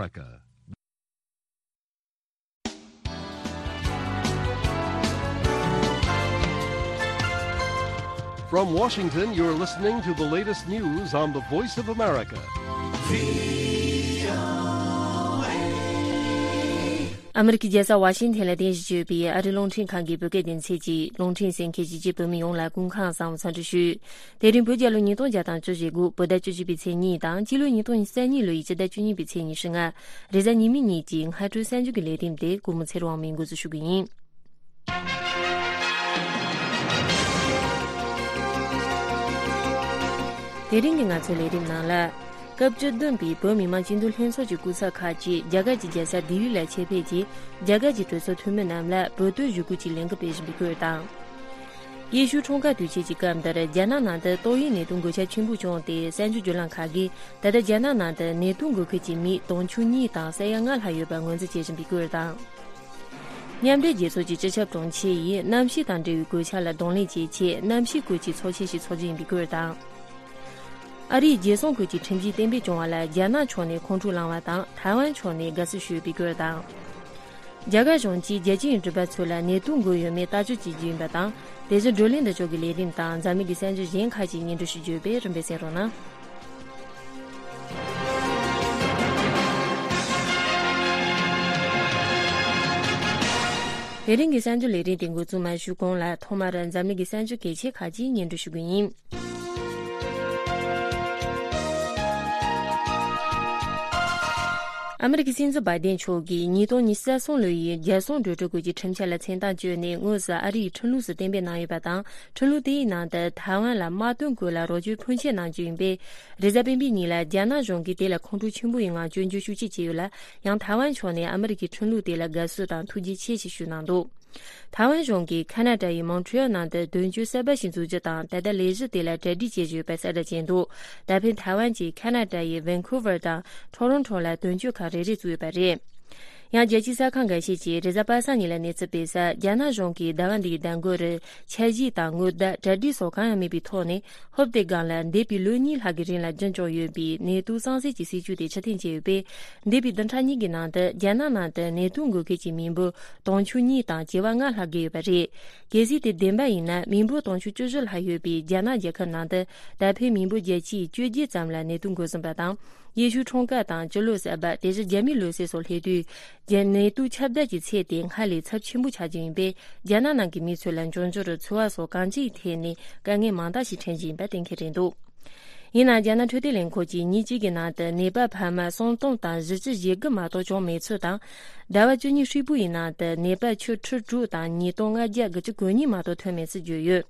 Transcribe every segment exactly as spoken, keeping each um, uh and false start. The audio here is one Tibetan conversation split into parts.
America. From Washington, you're listening to the latest news on the Voice of America. ཨ་མི་རི་ཀའི་རྒྱལ་ས་ཝ་ཤིང་ཐན་ལ་རྟེན་གཞི་བྱས་པའི་ཨ་རིའི་རླུང་འཕྲིན་ཁང་གི་བོད་སྐད་སྡེ་ཚན་གྱི་རླུང་འཕྲིན་གསན་མཁན་གཞིས་བྱེས་བོད་མི་ཡོངས་ལ་སྐུ་ཁམས་བཟང་བའི་འཚམས་འདྲི་ཞུ། དེ་རིང་བོད་རྒྱལ་ལོ་ཉིས་སྟོང་བརྒྱ་དང་བཅུ་བཞི་དགུ་བོད་ཟླ་བཅུ་བཞི་པའི་ཚེས་གཉིས་དང་སྤྱི་ལོ་ཉིས་སྟོང་ཉི་ཤུ་རྩ་གཉིས་ལོའི་ཕྱི་ཟླ་བཅུ་གཉིས་པའི་ཚེས་ཉི་ཤུ་ལྔ། རེས་གཟའ་ཉི་མའི་ཉིན་གྱི་སྔ་དྲོའི་གསར་འགྱུར་གྱི་ལས་རིམ་དེ་གུས་མོ་ཚེ་རིང་དབང་མོས་འགོ་འཛུགས་ཞུ་གི་ཡིན། དེ་རིང་གི་ང་ཚོའི་ལས་རིམ་ནང་ལ། སྐབས་བཅུ་བདུན་པའི་བོད་མི་མང་སྤྱི་འཐུས་ལྷན་ཚོགས་ཀྱི་སྐུ་ཚབ་ཁག་ཅིག་རྒྱ་གར་གྱི་རྒྱལ་ས་ལྡི་ལི་ལ་ཆེད་ཕེབས་ཀྱིས་རྒྱ་གར་གྱི་གྲོས་ཚོགས་འཐུས་མི་རྣམས་ལ་བོད་དོན་ཞུ་སྐུལ་གྱི་ལས་འགུལ་སྤེལ་བཞིན་པའི་སྐོར་དང་། ཡེ་ཤུ་འཁྲུངས་སྐར་དུས་ཆེན་གྱི་སྐབས་འདིར་རྒྱ་ནག་ནང་དུ་ཏོག་དབྱིབས་ནད་དུག་འགོས་ཁྱབ་ཆེན་པོ་བྱུང་སྟེ་གསར་འགྱུར་བརྒྱུད་ལམ་ཁག་གིས་ད་ལྟ་རྒྱ་ནག་ནང་དུ་ནད་དུག་འགོས་མཁན་གྱི་མི་དུང་ཕྱུར་གཉིས་དང་ས་ཡ་ལྔ་ལྷག་ཡོད་པ་ངོས་འཛིན་བྱེད་བཞིན་པའི་སྐོར་དང་། མཉམ་འབྲེལ་རྒྱལ་ཚོགས་ཀྱི་སྤྱི་ཁྱབ་དྲུང་ཆེ་ཡིས་གནམ་གཤིས་དང་འབྲེལ་བའི་གོད་ཆག་ལ་གདོང་ལེན་བྱེད་ཆེད་གནམ་གཤིས་སྐོར་གྱི་ཚོགས་ཆེན་ཞིག་འཚོགས་རྒྱུ་ཡིན་པའི་སྐོར་དང་། ཨ་རིའི་རྒྱལ་སྲུང་ཁུལ་གྱི་ཁྲིམས་གཞི་གཏན་འབེབས་བྱུང་བ་ལ་རྒྱ་ནག་ཕྱོགས་ནས་ཁོང་ཁྲོ་ལངས་པ་དང་ཐའེ་ཝན་ཕྱོགས་ནས་དགའ་བསུ་ཞུས་པའི་སྐོར་དང་། རྒྱ་གར་གཞུང་གིས་རྒྱལ་སྤྱིའི་མགྲིན་པ་ཚོ་ལ་ནད་དུག་འགོས་ཡོད་མེད་ལྟ་སྐྱོང་བྱེད་རྒྱུ་ཡིན་པ་དང་། དེ་བཞིན་བགྲོ་གླེང་འདི་ཕྱོགས་ཀྱི་ལས་རིམ་དང་འཛམ་གླིང་གི་གསར་འགྱུར་གཞན་ཁག་ཅིག་སྙན་སྒྲོན་ཞུ་རྒྱུ་ཡོད་པས་རིམ་པས་གསན་རོགས་གནང་། དེ་རིང་གི་གསར་འགྱུར་ལས་རིམ་དེ་འགོ་འཛུགས་མ་ཞུས་གོང་ལ་ཐོག་མར་འཛམ་གླིང་གི་གསར་འགྱུར་གལ་ཆེ་ཁག་ཅིག་སྙན་སྒྲོན་ཞུ་གི་ཡིན། ཨ་མི་རི་ཀའི་སྲིད་འཛིན་བྷའི་ཏིན་མཆོག་གིས་ཉིས་སྟོང་ཉི་ཤུ་རྩ་གསུམ་ལོ་ཡི་རྒྱལ་སྲུང་གྲོས་ཚོགས་སྐོར་གྱི་ཁྲིམས་འཆར་ལ་མཚན་རྟགས་བཅོལ་ནས་དངོས་སུ་ཨ་རིའི་ཁྲིམས་ལུགས་སུ་གཏན་འབེབས་གནང་ཡོད་པ་དང་། ཁྲིམས་ལུགས་དེའི་ནང་དུ་ཐའེ་ཝན་ལ་དམག་དོན་སྐོར་ལ་རོགས་སྐྱོར་ཕོན་ཆེ་གནང་རྒྱུ་ཡིན་པས། རེས་གཟའ་སྤེན་པའི་ཉིན་ལ་རྒྱ་ནག་གཞུང་གིས་དེ་ལ་ཁོང་ཁྲོ་ཆེན་པོ་ཡི་ངང་སྐྱོན་བརྗོད་ཤུགས་ཆེ་བྱས་ཡོད་ལ། ཡང་ཐའེ་ཝན་ཕྱོགས་ནས་ཨ་མི་རི་ཀའི་ཁྲིམས་ལུགས་དེ་ལ་དགའ་བསུ་དང་ཐུགས་རྗེ་ཆེ་ཞེས་ཞུས་གནང་འདུག་ཐའེ་ཝན་གཞུང་གིས་ཁ་ན་ཌ་ཡི་མོན་ཊི་ཡལ་ནང་དུ་དོན་གཅོད་གསར་པ་ཞིག་འཛུགས་རྒྱུ་དང་ད་ལྟ་ལས་གཞི་དེ་ལ་གྲ་སྒྲིག་བྱེད་བཞིན་ཡོད་པ་གསལ་བསྒྲགས་བྱས་འདུག་ད་ཕན་ཐའེ་ཝན་གྱིས་ཁ་ན་ཌ་ཡི་ཝན་ཁུ་ཝར་དང་ཊོ་རོན་ཊོ་ལ་དོན་གཅོད་ཁང་རེ་རེ་བཙུགས་ཡོད་པ་རེད། ཡང་རྒྱལ་སྤྱིའི་གསར་ཁང་འགའ་ཤས་ཀྱིས་རེས་གཟའ་པ་སངས་ཉིན་ལ་གནས་ཚུལ་སྤེལ་གསལ། རྒྱ་ནག་གཞུང་གིས་ཟླ་བ་འདིའི་ཟླ་མགོ་རུ་འཆར་གཞི་དང་སྔོན་བརྡ་གྲ་སྒྲིག་སོགས་གང་ཡང་མེད་པའི་ཐོག་ནས། ཧོབ་སྟེ་སྒང་ལ་འདས་པའི་ལོ་གཉིས་ལྷག་གི་རིང་ལ་རྒྱུན་སྐྱོང་ཡོད་པའི་ནད་དུག་གཙང་སེལ་གྱི་སྲིད་ཇུས་དེ་ཕྱིར་འཐེན་བྱས་ཡོད་པས། འདས་པའི་བདུན་ཕྲག་གཉིས་ཀྱི་ནང་དུ་རྒྱ་ནག་ནང་དུ་ནད་དུག་འགོས་མཁན་གྱི་མི་འབོར་དུང་ཕྱུར་གཉིས་དང་བྱེ་བ་ལྔ་ལྷག་བརྒལ་ཡོད་པ་རེད། གལ་སྲིད་དེ་བདེན་པ་ཡིན་ན། མི་འབོར་དུང་ཕྱུར་བཅུ་བཞི་ལྷག་ཡོད་པའི་རྒྱ་ནག་རྒྱལ་ཁབ་ནང་དུ་ད་ཕན་མི་འབོར་བརྒྱ་ཆའི་བཅོ་བརྒྱད་ཙམ་ལ་ནད་དུག་འགོས་ཟིན་པ་དང་། ཡེ་ཤུ་འཁྲུངས་སྐར་དང་སྤྱི་ལོ་གསར་པ། དེ་བཞིན་རྒྱ་མིའི་ལོ་གསར་སོགས་སླེབས་དུས། རྒྱ་ནད་དུག་ཁྱབ་གདལ་གྱི་ཚད་དེ་སྔར་ལས་ཚབས་ཆེན་པོ་ཆགས་རྒྱུ་ཡིན་པས། རྒྱ་ནག་ནང་གི་མི་ཚོ་ལ་འབྱུང་འགྱུར་འཚོ་བ་སོགས་གང་ཅིའི་ཐད་ནས་དཀའ་ངལ་མང་དག་ཞིག་འཕྲད་རྒྱུ་ཡིན་པ་གཏན་འཁེལ་རེད་འདུག་ཡིན་ནའང་། རྒྱ་ནག་འཕྲོད་བསྟེན་ལས་ཁུངས་ཀྱིས་ཉིན་གཅིག་གི་ནང་དུ་ནད་པ་འཕར་མ་སུམ་སྟོང་དང་བཞི་བཅུ་ཞེ་དགུ་མ་གཏོགས་བྱུང་མེད་ཚུལ་དང་། ཟླ་བ་བཅུ་གཉིས་ཧྲིལ་པོ་ཡི་ནང་དུ་ནད་པ་ཁྱོན་ཁྲི་དྲུག་དང་ཉིས་སྟོང་ལྔ་བརྒྱ་དགུ་བཅུ་གོ་གཉིས་མ་གཏོགས་ཐོན་མེད་ཚུལ་བརྗོད་ཡོད།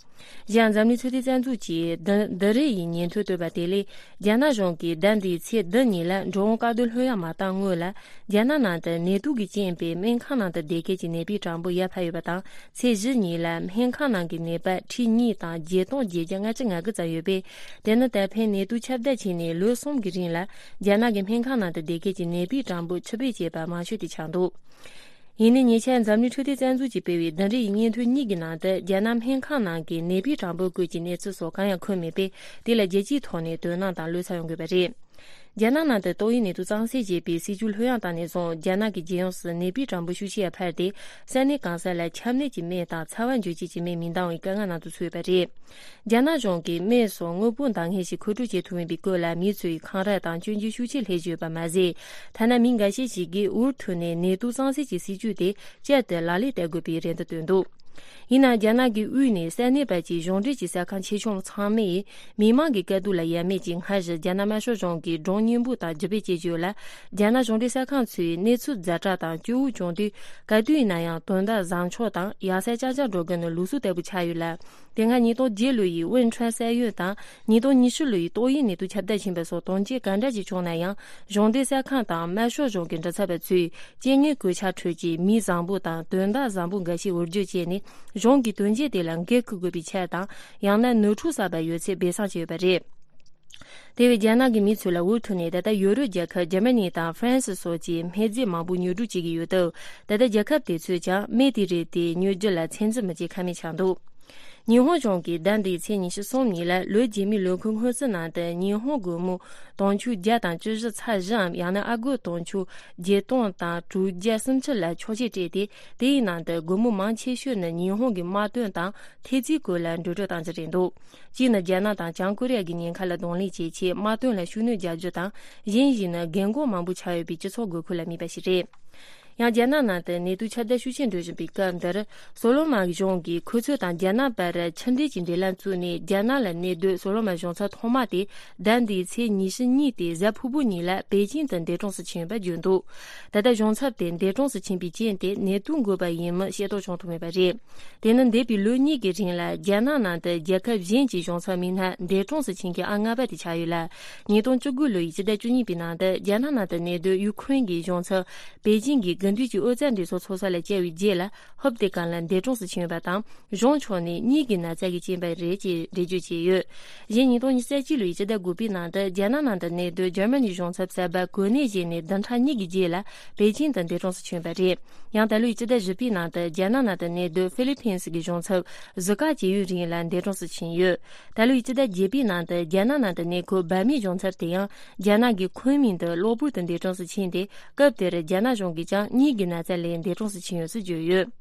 གཞན་འཛམ་གླིང་འཕྲོད་བསྟེན་རྩ་འཛུགས་ཀྱིས་འདི་འདི་རེས་ཡི་ཉིན་ཐོ་བཏོན་པ་དེ་ལས། རྒྱ་ནག་གཞུང་གིས་ཟླ་འདིའི་ཚེས་བདུན་ཉིན་ལ་འགྲོ་འོང་བཀག་སྡོམ་ལྷོད་ཡངས་མ་བཏང་སྔོན་ལ། རྒྱ་ནག་ནང་དུ་ནད་དུག་གིས་རྐྱེན་པས་སྨན་ཁང་ནང་དུ་བསྡད་མཁན་གྱི་ནད་པའི་གྲངས་འབོར་ཡར་འཕར་ཡོད་པ་དང་། ཚེས་བཞི་ཉིན་ལ་སྨན་ཁང་ནང་གི་ནད་པ་ཁྲི་གཉིས་དང་བརྒྱད་སྟོང་བརྒྱད་བརྒྱ་ལྔ་བཅུ་ང་དགུ་ཙམ་ཡོད་པས། དེ་ནི་ད་ཕན་ནད་དུག་ཁྱབ་གདལ་ཕྱིན་ནས་ལོ་གསུམ་གྱི་རིང་ལ་རྒྱ་ནག་གི་སྨན་ཁང་ནང་དུ་བསྡད་མཁན་གྱི་ནད་པའི་གྲངས་འབོར་ཕྱུར་བས་བཅད་པ་མང་ཤོས་དེ་ཆགས་འདུག་ཡིན་ནའི་ཉེ་ཆར་འཛམ་གླིང་འཕྲོད་བསྟེན་རྩ་འཛུགས་ཀྱིས་སྤེལ་བའི་བདུན་རེའི་སྙན་ཐོ་གཉིས་ཀྱི་ནང་དུ། རྒྱ་ནག་སྨན་ཁང་ནང་གི་ནད་པའི་གྲངས་འབོར་སྐོར་གྱི་གནས་ཚུལ་སོགས་གང་ཡང་འཁོད་མེད་པས། དེ་ལ་རྒྱལ་སྤྱིའི་ཐོག་ནས་དོ་སྣང་དང་བློ་འཚབ་ཡོང་དགོས་པ་རེད། རྒྱ་ནག་ནང་དུ་ཏོག་དབྱིབས་ནད་དུག་གཙང་སེལ་བྱེད་པའི་སྲིད་ཇུས་ལྷོད་ཡངས་བཏང་ནས་བཟུང་། རྒྱ་ནག་གི་རྒྱལ་ཡོངས་སུ་ནད་པའི་གྲངས་འབོར་ཤུགས་ཆེ་འཕར་ཏེ། ས་གནས་གང་ས་ལ་ཆམ་ནད་ཀྱི་སྨན་དང་ཚ་བ་འཇུ་བྱེད་ཀྱི་སྨན་མི་འདང་བའི་དཀའ་ངལ་ནང་དུ་ཚུད་ཡོད་པ་རེད། རྒྱ་ནག་གཞུང་གིས་སྨན་སོགས་དངོས་པོ་འདང་ངེས་ཤིག་མཁོ་སྤྲོད་བྱེད་ཐུབ་མིན་པའི་སྐོར་ལ། མི་ཚོས་འཁང་ར་དང་སྐྱོན་བརྗོད་ཤུགས་ཆེ་སླེབས་བཞིན་ཡོད་པ་མ་ཟད། ཐ་ན་མི་འགའ་ཤས་ཤིག་གིས་འུར་ཐོན་ནས་ནད་དུག་གཙང་སེལ་གྱི་སྲིད་ཇུས་དེ་བསྐྱར་དུ་ལག་ལེན་བསྟར་དགོས་པའི་རེ་འདུན་བཏོན་འདུག་ཡིན་ནའང་། རྒྱ་ནག་གི་དབུས་ནས་ས་གནས་བར་གྱི་གཞུང་འབྲེལ་གྱི་ས་ཁང་ཆེ་ཆུང་ཚང་མས་མི་མང་གི་དཀའ་སྡུག་ལ་ཡ་མེད་ཀྱིས། སྔར་བཞིན་རྒྱ་ནག་དམར་ཤོག་གཞུང་གིས་སྒྲུང་སྙན་པོ་དང་རྒྱུ་སྤེལ་བྱེད་ཀྱི་ཡོད་ལ། རྒྱ་ནག་གཞུང་འབྲེལ་ས་ཁང་ཚོས་གནས་ཚུལ་ཛ་དྲག་དང་སྐྱོ་བོ་བྱུང་དུས། ག་དུས་ཡིན་ན་ཡང་དོན་དག་བཟང་ཕྱོགས་དང་ཡག་ས་ཅང་ཅང་སྒྲོག་གི་ནི་ལུགས་སྲོལ་ལྟ་བུ་ཆགས་ཡོད་ལ། དེ་སྔ་ཉིས་སྟོང་བརྒྱད་ལོ་ཡི་ཝུན་ཁྲོན་ས་ཡོམ་དང་། ཉིས་སྟོང་ཉི་ཤུ་ལོ་ཡི་ཏོག་དབྱིབས་ནད་དུག་ཁྱབ་གདལ་ཕྱིན་པ་སོགས་དོན་རྐྱེན་ག་འདྲ་ཞིག་བྱུང་ན་ཡང་། གཞུང་འབྲེལ་གསར་ཁང་དང་དམར་ཤོག་གཞུང་གི་མགྲིན་ཚབ་པ་ཚོས་རྐྱེན་ངན་གོད་ཆག་ཁྲོད་ཀྱི་མི་བཟང་པོ་དང་དོན་དག་བཟང་པོ་འགའ་ཤས་འུར་བརྗོད་བྱས་ནས། གཞུང་གི་དོན་རྐྱེན་དེ་ལ་འགན་འཁུར་དགོས་པའི་ཕྱིར་དང་། ཡང་ན་ནོར་འཁྲུལ་གསར་པ་ཡོད་ཚད་སྦས་གསང་བྱས་ཡོད་པ་རེད། དེ་བས་རྒྱ་ནག་གི་མི་ཚོ་ལ་འུར་ཐོན་ནས། ད་ལྟ་ཡོ་རོབ་རྒྱལ་ཁབ་འཇར་མ་ནི་དང་ཧྥ་རན་སི་སོགས་ཀྱི་སྨན་རྫས་མང་པོ་ཉོ་སྒྲུག་བྱེད་ཀྱི་ཡོད་སྟབས། ད་ལྟ་རྒྱལ་ཁབ་དེ་ཚོས་ཀྱང་སྨན་དེ་རིགས་དེ་ཉོ་རྒྱུ་ལ་ཚོད་འཛིན་མི་བྱེད་ཁ་མེད་ཆགས་འདུག་ཉི་ཧོང་གཞུང་གིས་ཟླ་འདིའི་ཚེས་ཉི་ཤུ་གསུམ་ཉིན་ལ་ལོ་རྗེས་མའི་ལོ་འཁོར་སྔོན་རྩིས་ནང་དུ་ཉི་ཧོང་སྒོར་མོ་དུང་ཕྱུར་བརྒྱ་དང་བཅུ་བཞི་ཚེག་བཞིའམ། ཡང་ན་ཨ་སྒོར་དུང་ཕྱུར་བརྒྱད་སྟོང་དང་དྲུག་བརྒྱ་སུམ་ཅུ་ལ་ཆོག་མཆན་སྤྲད་དེ། དེའི་ནང་དུ་སྒོར་མོ་མང་ཆེ་ཤོས་ནི་ཉི་ཧོང་གི་དམག་དོན་དང་ཐེལ་ཙེའི་སྐོར་ལ་འགྲོ་གྲོན་གཏོང་རྒྱུ་རེད་འདུག་གཅིག་ནི་རྒྱ་ནག་དང་བྱང་ཀོ་རི་ཡ་གི་ཉེན་ཁ་ལ་གདོང་ལེན་བྱེད་ཆེད་དམག་དོན་ལ་ཤུགས་སྣོན་རྒྱག་རྒྱུ་དང་། གཞན་ཞིག་ནི་རྒན་གོག་མང་པོ་ཆགས་ཡོད་པའི་སྤྱི་ཚོགས་དགོས་མཁོ་ལ་དམིགས་པ་ཞིག་རེད། ཡང་རྒྱ་ནག་ནང་དུ་ནད་དུག་ཁྱབ་གདལ་ཤུགས་ཆེན་འགྲོ་བཞིན་པའི་སྐབས་འདིར། སོ་ལོ་མོན་གཞུང་གིས་ཁོ་ཚོ་དང་རྒྱ་ནག་བར་ཕྱི་འབྲེལ་གྱི་འབྲེལ་ལམ་བཙུགས་ནས། རྒྱ་ནག་ལ་གནས་སྡོད་སོ་ལོ་མོན་གཞུང་ཚབ་ཐོག་མ་དེ་ཟླ་འདིའི་ཚེས་ཉི་ཤུ་གཉིས་ཏེ་གཟའ་ཕུར་བུ་ཉིན་ལ་པེ་ཅིང་དུ་འདས་གྲོངས་སུ་ཕྱིན་ཡོད་པ་བརྗོད་འདུག་ད་ལྟ་གཞུང་ཚབ་དེ་འདས་གྲོངས་སུ་ཕྱིན་པའི་རྐྱེན་དེ་ནད་དུག་འགོས་པ་ཡིན་མིན་ཤེས་རྟོགས་བྱུང་ཐུབ་མེད་པ་རེད། དེ་ནི་འདས་པའི་ལོ་གཉིས་ཀྱི་རིང་ལ་རྒྱ་ནག་ནང་དུ་རྒྱལ་ཁབ་གཞན་གྱི་གཞུང་ཚབ་མི་སྣ་འདས་གྲོངས་སུ་ཕྱིན་མཁན་ཨང་ལྔ་པ་དེ་ཆགས་ཡོད་ལ། ཉིས་སྟོང་བཅུ་དགུ་ལོ་ཡི་སྤྱི་ཟླ་བཅུ་གཉིས་པའི་ནང་དུ་རྒྱ་ནག་ནང་དུ་གནས་སྡོད་ཡུ་ཁུ་རེན་གྱི་གཞུང་ཚབ་པེ་ཅིང་གི་དགུན་དུས་ཀྱི་ཨོ་རྩལ་འགྲན་ཚོགས་ཚོགས་ས་ལ་བཅར་བའི་རྗེས་ལ། ཧོབ་དེ་གང་ལ་འདས་གྲོངས་སུ་ཕྱིན་ཡོད་པ་དང་། གཞུང་ཕྱོགས་ནས་གཉིད་ཀྱི་ན་ཚ་གི་རྐྱེན་པས་རེད་ཅེས་འགྲེལ་བརྗོད་བྱས་ཡོད། གཞན་ཉིས་སྟོང་ཉི་ཤུ་རྩ་གཅིག་ལོའི་སྤྱི་ཟླ་དགུ་པའི་ནང་དུ་རྒྱ་ནག་ནང་དུ་གནས་སྡོད་འཇར་མ་ནིའི་གཞུང་ཚབ་གསར་པ་གོ་གནས་བཞེས་ནས་བདུན་ཕྲག་གཉིས་ཀྱི་རྗེས་ལ་པེ་ཅིང་དུ་འདས་གྲོངས་སུ་ཕྱིན་པ་རེད། ཡང་ད་ལོའི་སྤྱི་ཟླ་བཞི་པའི་ནང་དུ་རྒྱ་ནག་ནང་དུ་གནས་སྡོད་ཧྥི་ལི་ཕིན་སི་གི་གཞུང་ཚབ་གཟུགས་ཁ་ཇེ་ཡུན་རིང་ལ་འདས་གྲོངས་སུ་ཕྱིན་ཡོད། ད་ལོའི་སྤྱི་ཟླ་བརྒྱད་པའི་ནང་དུ་རྒྱ་ནག་ནང་དུ་གནས་འཁོད་འབར་མའི་གཞུང་ཚབ་དེ་ཡང་རྒྱ་ནག་གི་ཁུན་མིང་དུ་གློ་བུར་དུ་འདས་གྲོངས་སུ་ཕྱིན་ཏེ། སྐབས་དེར་རྒྱ་ནག་གཞུང་གིས་ཀྱང་གཉིད་ཀྱི་ན་ཚ་ལས་འདས་གྲོངས་སུ་ཕྱིན་ཡོད་ཚུལ་བརྗོད་ཡོད།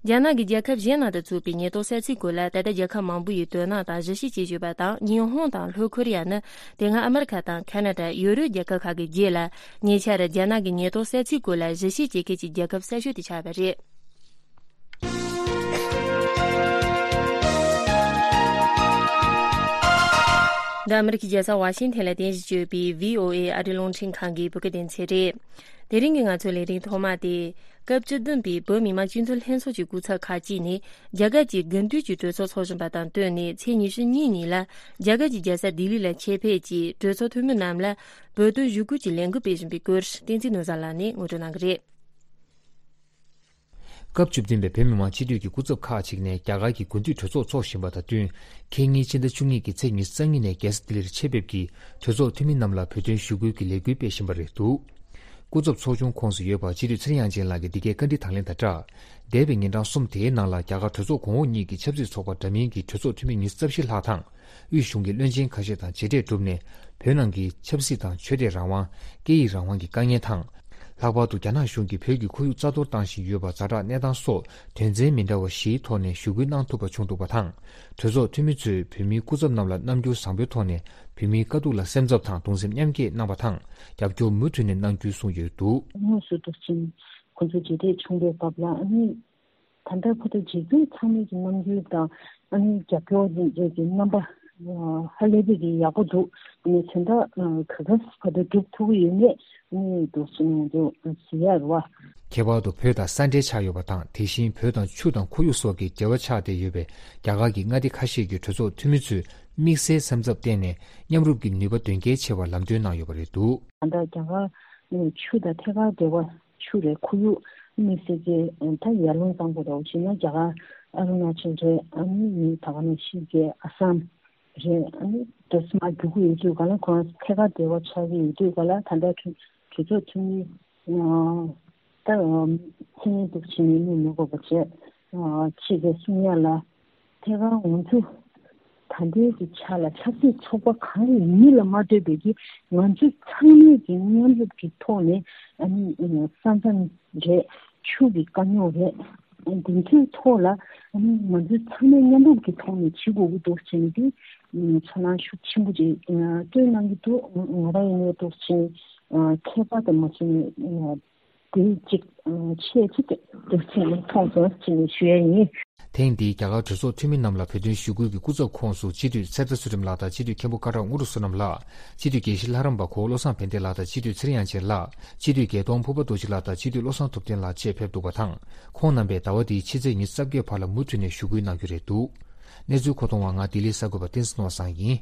རྒྱ་ནག་གི་རྒྱལ་ཁབ་གཞན་ནང་དུ་བཙུགས་པའི་ཉེན་རྟོག་ས་ཚིགས་སྐོར་ལ་ད་ལྟ་རྒྱལ་ཁབ་མང་པོ་ཡིས་དོ་སྣང་དང་གཞི་བྱེད་བྱེད་བཞིན་ཡོད་པ་དང་། ཉི་ཧོང་དང་ལྷོ་ཁོ་རི་ཡ་ནི་དེ་སྔ་ཨ་མི་རི་ཁ་དང་ཁ་ན་ཌ། ཡུ་རོབ་རྒྱལ་ཁབ་ཁག་གི་རྗེས་ལ་ཉེ་ཆར་རྒྱ་ནག་གི་ཉེན་རྟོག་ས་ཚིགས་སྐོར་ལ་གཞི་བྱེད་བྱེད་མཁན་གྱི་རྒྱལ་ཁབ་གསར་ཤོས་དེ་ཆགས་པ་རེད། འདི་ཨ་མི་རི་ཀའི་རྒྱལ་ས་ཝ་ཤིང་ཐན་ལ་རྟེན་གཞི་བྱས་པའི་བྷི་ཨོ་ཨེ་ཨ་རིའི་རླུང་འཕྲིན་ཁང་གི་བོད་སྐད་སྡེ་ཚན་རེད། དེ་རིང་གི་ང་ཚོའི་ལས་རིམ་ཐོག་མ་དེ། སྐབས་བཅུ་བདུན་པའི་བོད་མི་མང་སྤྱི་འཐུས་ལྷན་ཚོགས་ཀྱི་སྐུ་ཚབ་ཁག་ཅིག་ནས་རྒྱ་གར་གྱི་དགུན་དུས་ཀྱི་གྲོས་ཚོགས་འཚོགས་བཞིན་པ་དང་བསྟུན་ནས། ཚེས་ཉི་ཤུ་གཉིས་ཉིན་ལ་རྒྱ་གར་གྱི་རྒྱལ་ས་ལྡི་ལི་ལ་ཆེད་ཕེབས་ཀྱིས་གྲོས་ཚོགས་འཐུས་མི་རྣམས་ལ་བོད་དོན་ཞུ་སྐུལ་གྱི་ལས་འགུལ་སྤེལ་བཞིན་པའི་སྐོར། བསྟན་འཛིན་ནོར་བཟང་ལགས་ནས་ངོ་སྤྲོད་གནང་གི་རེད། སྐབས་བཅུ་བདུན་པའི་བོད་མི་མང་སྤྱི་འཐུས་ཀྱི་སྐུ་ཚབ་ཁག་ཅིག་ནས་རྒྱ་གར་གྱི་དགུན་དུས་གྲོས་ཚོགས་འཚོགས་བཞིན་པ་དང་བསྟུན། ཁེ་ཉིན་ཕྱི་ཟླ་བཅུ་གཉིས་ཀྱི་ཚེས་ཉི་ཤུ་རྩ་གཉིས་ནས་རྒྱལ་ས་ལྡི་ལིར་ཆེད་ཕེབས་ཀྱིས་གྲོས་ཚོགས་འཐུས་མི་རྣམས་ལ་བོད་དོན་ཞུ་སྐུལ་གྱི་ལས་འགུལ་སྤེལ་བཞིན་པ་རེད་འདུག་སྐུ་ཚབ་ཚོགས་ཆུང་ཁོངས་སུ་ཡོད་པ་སྤྱི་འཐུས་ཚེ་རིང་དབྱངས་ཅན་ལགས་ཀྱིས་འདི་གའི་བཀའ་འདྲི་དང་ལེན་དང་སྦྲགས། འདས་པའི་ཉིན་གྲངས་གསུམ་དེའི་ནང་ལ་རྒྱ་གར་གྲོས་ཚོགས་གོང་འོག་གཉིས་ཀྱི་ཆབ་སྲིད་ཚོགས་པ་འདྲ་མིན་གྱི་གྲོས་ཚོགས་འཐུས་མི་ཉི་ཤུ་རྩ་བཞི་ལྷག་དང་། དབུས་གཞུང་གི་བློན་ཆེན་ཁ་ཤས་དང་མཇལ་འཕྲད་གྲུབ་ནས། བོད་ནང་གི་ཆབ་སྲིད་དང་ཆོས་དད་རང་དབང་། སྐད་ཡིག་རང་དབང་གི་དཀའ་ངལ་དང་། ལྷག་པར་དུ་རྒྱ་ནག་གཞུང་གིས་བོད་ཀྱི་ཁོར་ཡུག་རྩ་གཏོར་བཏང་བཞིན་ཡོད་པ་ཛ་དྲག་གནས་སྟངས་སོགས་དོན་ཚན་མི་འདྲ་བ་བཞིའི་ཐོག་ནས་ཞུ་སྐུལ་གནང་ཐུབ་པ་བྱུང་འདུག་པ་དང་། གྲོས་ཚོགས་འཐུས་མི་ཚོས་བོད་མིའི་སྐུ་ཚབ་རྣམས་ལ་རྣམ་འགྱུར་བཟང་པོའི་ཐོག་ནས་བོད་མིའི་དཀའ་སྡུག་ལ་སེམས་འཚབ་དང་གདུང་སེམས་མཉམ་སྐྱེད་གནང་བ་དང་། རྒྱབ་སྐྱོར་མུ་མཐུད་ནས་གནང་རྒྱུའི་གསུངས་ཡོད་འདུག་དངོས་སུ་འདུག་ཕྱིན་ཁོང་ཚོ་མཇལ་འཕྲད་བྱུང་བའི་སྐབས་ལ། ཨ་ནི་ད་ལྟ་ཁོ་ཚོ་མཇལ་མཁན་ཚང་མའི་གི་རྣམ་འགྱུར་དང་། ཨ་ནི་རྒྱབ་སྐྱོར་གྱི་རྣམ་པ་ཧ་ལས་པའི་གི་ཡག་པོ་འདུག་ཨ་ནི་དོན་དག་ག་ག་ཕར་དུ་སྒྲུབ་ཐུབ་ཀྱི་ཡོད་མེད། ཨ་ནི་འདུག་ཕྱིན་ང་ཚོ་གཟིགས་ཡག་རེད་བ། ཁྱད་པར་དུ་བོད་དང་ས་འབྲེལ་ཆགས་ཡོད་པ་དང་། དེ་བཞིན་བོད་དང་ཆུ་དང་ཁོར་ཡུག་སོགས་ཀྱི་འབྲེལ་བ་ཆགས་བསྡད་ཡོད་པའི་རྒྱ་གར་གྱི་མངའ་སྡེ་ཁ་ཤས་ཀྱི་གྲོས་ཚོགས་འཐུས་མི་ཚོས་དམིགས་བསལ་སེམས་འཚབ་བསྟན་ནས། མཉམ་རུབ་ཀྱི་ནུས་པ་དོན་འཁྱོལ་ཆེ་བར་ལམ་སྟོན་གནང་ཡོད་པ་རེད་འདུག་ད་ལྟ་རྒྱ་གར་ཆུ་དང་ཐད་ཀར་འབྲེལ་བ། ཆུ་རེད། ཁོར་ཡུག་དམིགས་བསལ་གྱི་ད་ཡར་ཀླུང་གཙང་པོ་རེད། འོ་བྱས་ན་རྒྱ་གར་ཨ་རུ་ན་ཅལ་རེད། ཨ་ནི་ད་ག་ནང་བཞིན་གྱི་ཨ་སམ་རེད། ཨ་ནི་དེ་ཚོ་མར་རྒྱུག་གི་ཡོད་དུས་ག་ལ། ཁོ་རང་ཐད་ཀར་འབྲེལ་བ་ཆགས་ཀྱི་ཡོད་དུས་ག་ལ། ད་ལྟ་གྲོས་གྲོས་ཚོགས་འཐུས་མི་ད་མཚན་སྙན་འདུག་བྱས་ནས་གནས་མི་དགོས་པ་བྱས། ཕྱི་རྒྱལ་སྲུང་ཡ་ལ་ཐད་ཀར་ང་ཚོ་ད་ལྟའི་གི་ཆ་ལ་ཆབ་སྲིད་ཚོགས་པ་གང་ཡིན་མིན་ལ་མ་ལྟོས་པའི་གི་ང་ཚོ་ཚང་མས་ཀྱི་མཉམ་རུབ་ཀྱི་ཐོག་ནས། ཨ་ནི་ས་མཚམས་རེད། ཆུ་གི་དཀའ་རྙོག་རེད། འདི་ཚོའི་ཐོག་ལ་ཨ་ནི་ང་ཚོ་ཚང་མས་མཉམ་རུབ་ཀྱི་ཐོག་ནས་བྱེད་དགོས་ཀྱི་འདུག་ཟེར་ནས་དེ་ཚོར་སྣང་ཤུགས་ཆེན་པོ་ཅིག་སྟོན་གནང་གི་འདུག་ང་རང་ཡིན་ནའི་འདུག་ཟེར་ནས་ཁྱད་པར་དུ་མ་བྱས་ནས། དེ་གཅིག་ཆེས་ཆེ་དེ་དེ་ཚོ་མཐོང་སོང་ཟེར་ནས་ཞུ་ཡ་ཡིན། ཐེངས་འདིའི་རྒྱ་གར་གྲོས་ཚོགས་འཐུས་མི་རྣམས་ལ་བོད་དོན་ཞུ་སྐུལ་གྱི་སྐུ་ཚབ་ཁོངས་སུ་སྤྱི་འཐུས་ཚེ་བརྟན་ཚུལ་ཁྲིམས་ལགས་དང་། སྤྱི་འཐུས་མཁན་པོ་ཀ་བྲག་དངོས་གྲུབ་བསོད་ནམས་ལགས། སྤྱི་འཐུས་དགེ་བཤེས་ལྷ་རམས་པ་གོ་བློ་བཟང་ཕན་བདེ་ལགས་དང་། སྤྱི་འཐུས་ཚེ་རིང་དབྱངས་ཅན་ལགས། སྤྱི་འཐུས་རྒྱལ་མཐོང་ཕུར་པ་རྡོ་རྗེ་ལགས་དང་། སྤྱི་འཐུས་བློ་བཟང་ཐུབ་བསྟན་ལགས་བཅས་ཕེབས་འདུག་པ་དང་། ཁོང་རྣམ་པས་ཟླ་བ་འདིའི་ཕྱི་ཚེས་ཉི་ཤུ་རྩ་བརྒྱད་བར་ལ་མུ་མཐུད་ནས་ཞུ་སྐུལ་གནང་རྒྱུ་རེད་འདུག་གནས་ཚུལ་མཁོ་གཏོང་བ་ང་ལྡི་ལིའི་གསར་འགོད་པ་བསྟན་འཛིན་ནོར་བཟང་ཡིན།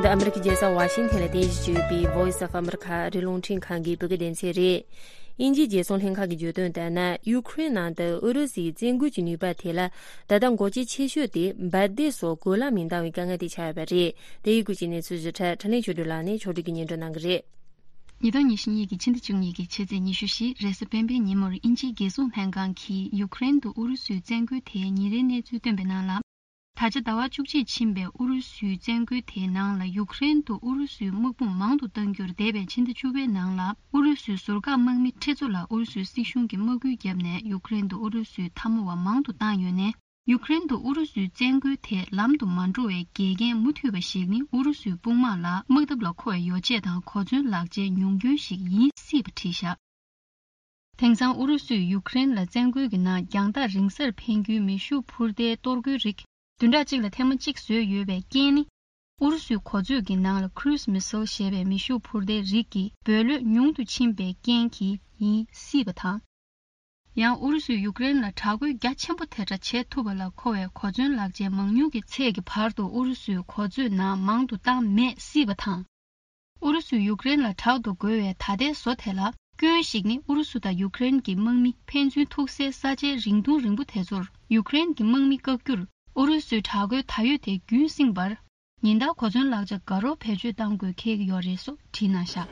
འདི་ཨ་མི་རི་ཀའི་རྒྱལ་ས་ཝ་ཤིང་ཐན་ལ་རྟེན་གཞི་བྱས་ཡོད་པའི་Voice of America ཨ་རིའི་རླུང་འཕྲིན་ཁང་གི་བོད་སྐད་སྡེ་ཚན་རེད། དབྱིན་ཇིའི་རྒྱལ་སྲུང་ལྷན་ཁང་གིས་བརྗོད་དོན་ལྟར་ན། ཡུ་ཁུ་རེན་ནང་དུ་ཨུ་རུ་སུའི་བཙན་རྒོལ་གྱི་ནུས་པ་དེ་ལ་ད་ལྟ་འགོག་རྐྱེན་ཆེ་ཤོས་དེ་འབར་མདེལ་སོགས་གོ་ལ་མི་འདང་བའི་དཀའ་ངལ་དེ་ཆགས་ཡོད་པ་རེད། དེ་ཡི་སྐོར་གྱི་གནས་ཚུལ་ཞིབ་ཕྲ་འཕྲིན་ལས་ཆོས་སྒྲོན་ལགས་ནས་ཕྱོགས་སྒྲིག་གིས་སྙན་སྒྲོན་གནང་གི་རེད། ཉིས་སྟོང་ཉི་ཤུ་གཉིས་ཀྱི་ཕྱི་ཟླ་བཅུ་གཉིས་ཀྱི་ཕྱི་ཚེས་ཉི་ཤུ་བཞི་རེས་གཟའ་སྤེན་པའི་ཉིན་མོར་དབྱིན་ཇིའི་རྒྱལ་སྲུང་ལྷན་ཁང་གིས་ཡུཀ་རེན་དུ་ཨུ་རུ་སུའི་བཙན་རྒོལ་དེའི་ཉིན་རེའི་གནས་ཚུལ་བཏོན་པའི་ནང་ལ། ད་ཆ་ཟླ་བ་བཅུ་གཅིག་ཕྱིན་པའི་ཨུ་རུ་སུའི་བཙན་རྒོལ་དེའི་ནང་ལ་ཡུཀ་རེན་དུ་ཨུ་རུ་སུའི་དམག་དཔུང་མང་དུ་གཏང་རྒྱུར་འདས་པའི་ཕྱི་ཟླ་བཅུ་པའི་ནང་ལ་ཨུ་རུ་སུའི་ཟུར་བཀག་དམག་མི་ཁྲི་ཚོ་ལ་ཨུ་རུ་སུའི་སྲིད་གཞུང་གིས་དམག་སྐུལ་བརྒྱབ་ནས་ཡུཀ་རེན་དུ་ཨུ་རུ་སུའི་འཐབ་མོ་བ་མང་དུ་བཏང་ཡོད་ནས། ཡུཀ་རེན་དུ་ཨུ་རུ་སུའི་བཙན་རྒོལ་དེ་ལམ་དུ་མ་འགྲོ་བའི་འགལ་རྐྱེན་མུ་མཐུད་པ་ཞིག་ནི་ཨུ་རུ་སུའི་དཔུང་དམག་ལ་དམག་འཐབ་ལ་མཁོ་བའི་ཡོ་བྱད་དང་གོ་མཚོན་ལག་ཆའི་ཉུང་སྐྱོན་ཞིག་ཡིན་སྲིད་པ་བྲིས་བཞག་དེང་སང་ཨུ་རུ་སུས་ཡུཀ་རེན་ལ་བཙན་རྒོལ་གྱི་ནང་རྒྱང་ཐག་རིང་སར་འཕེན་རྒྱུའི་མེ་ཤུགས་འཕུར་མདེལ་གཏོར་རྒོལ་རིགས་བདུན་ཕྲག་གཅིག་ལ་ཐེངས་མ་གཅིག་བཟོས་ཡོད་པའི་རྐྱེན་ནི། ཨུ་རུ་སུའི་གོ་མཛོད་ཀྱི་ནང་ལ་Cruise Missile་ཞེས་པའི་མེ་ཤུགས་འཕུར་མདེལ་རིགས་ཀྱི་འབོད་ལོད་ཉུང་དུ་ཕྱིན་པའི་རྐྱེན་གྱིས་ཡིན་སྲིད་པ་དང་། ཡང་ཨུ་རུ་སུས་ཡུཀ་རེན་ལ་དྲག་རྒོལ་རྒྱ་ཆེན་པོ་དེ་འདྲ་བྱེད་ཐུབ་པ་ལ་མཁོ་བའི་གོ་མཚོན་ལག་ཆའི་མང་ཉུང་གི་ཚད་ཀྱི་བར་དུ་ཨུ་རུ་སུའི་གོ་མཛོད་ནང་མང་དུ་བཏང་མེད་སྲིད་པ་དང་། ཨུ་རུ་སུས་ཡུཀ་རེན་ལ་དྲག་ཏུ་རྒོལ་བའི་ད་ལྟའི་བཟོ་དེ་ལ་སྐྱོན་ཞིག་ནི་ཨུ་རུ་སུ་དང་ཡུཀ་རེན་གྱི་དམག་མི་ཕན་ཚུན་ཐུག་སའི་ས་ཆའི་རིང་ཐུང་རིང་པོ་དེ་ཚོར་ཡུཀ་རེན་གྱི་དམག་མི་བཀག་རྒྱུར་ཨུ་རུ་སུའི་དྲག་རྒོལ་ད་ཡོད་དེ་རྒྱུན་བསྲིངས་པར། ཉིན་ལྟར་གོ་མཚོན་ལག་ཆ་དགའ་རབ་བེད་སྤྱོད་གཏང་དགོས་འཁེལ་གྱི་ཡོད་རེད་སོགས་བྲིས་གནང་བཞག་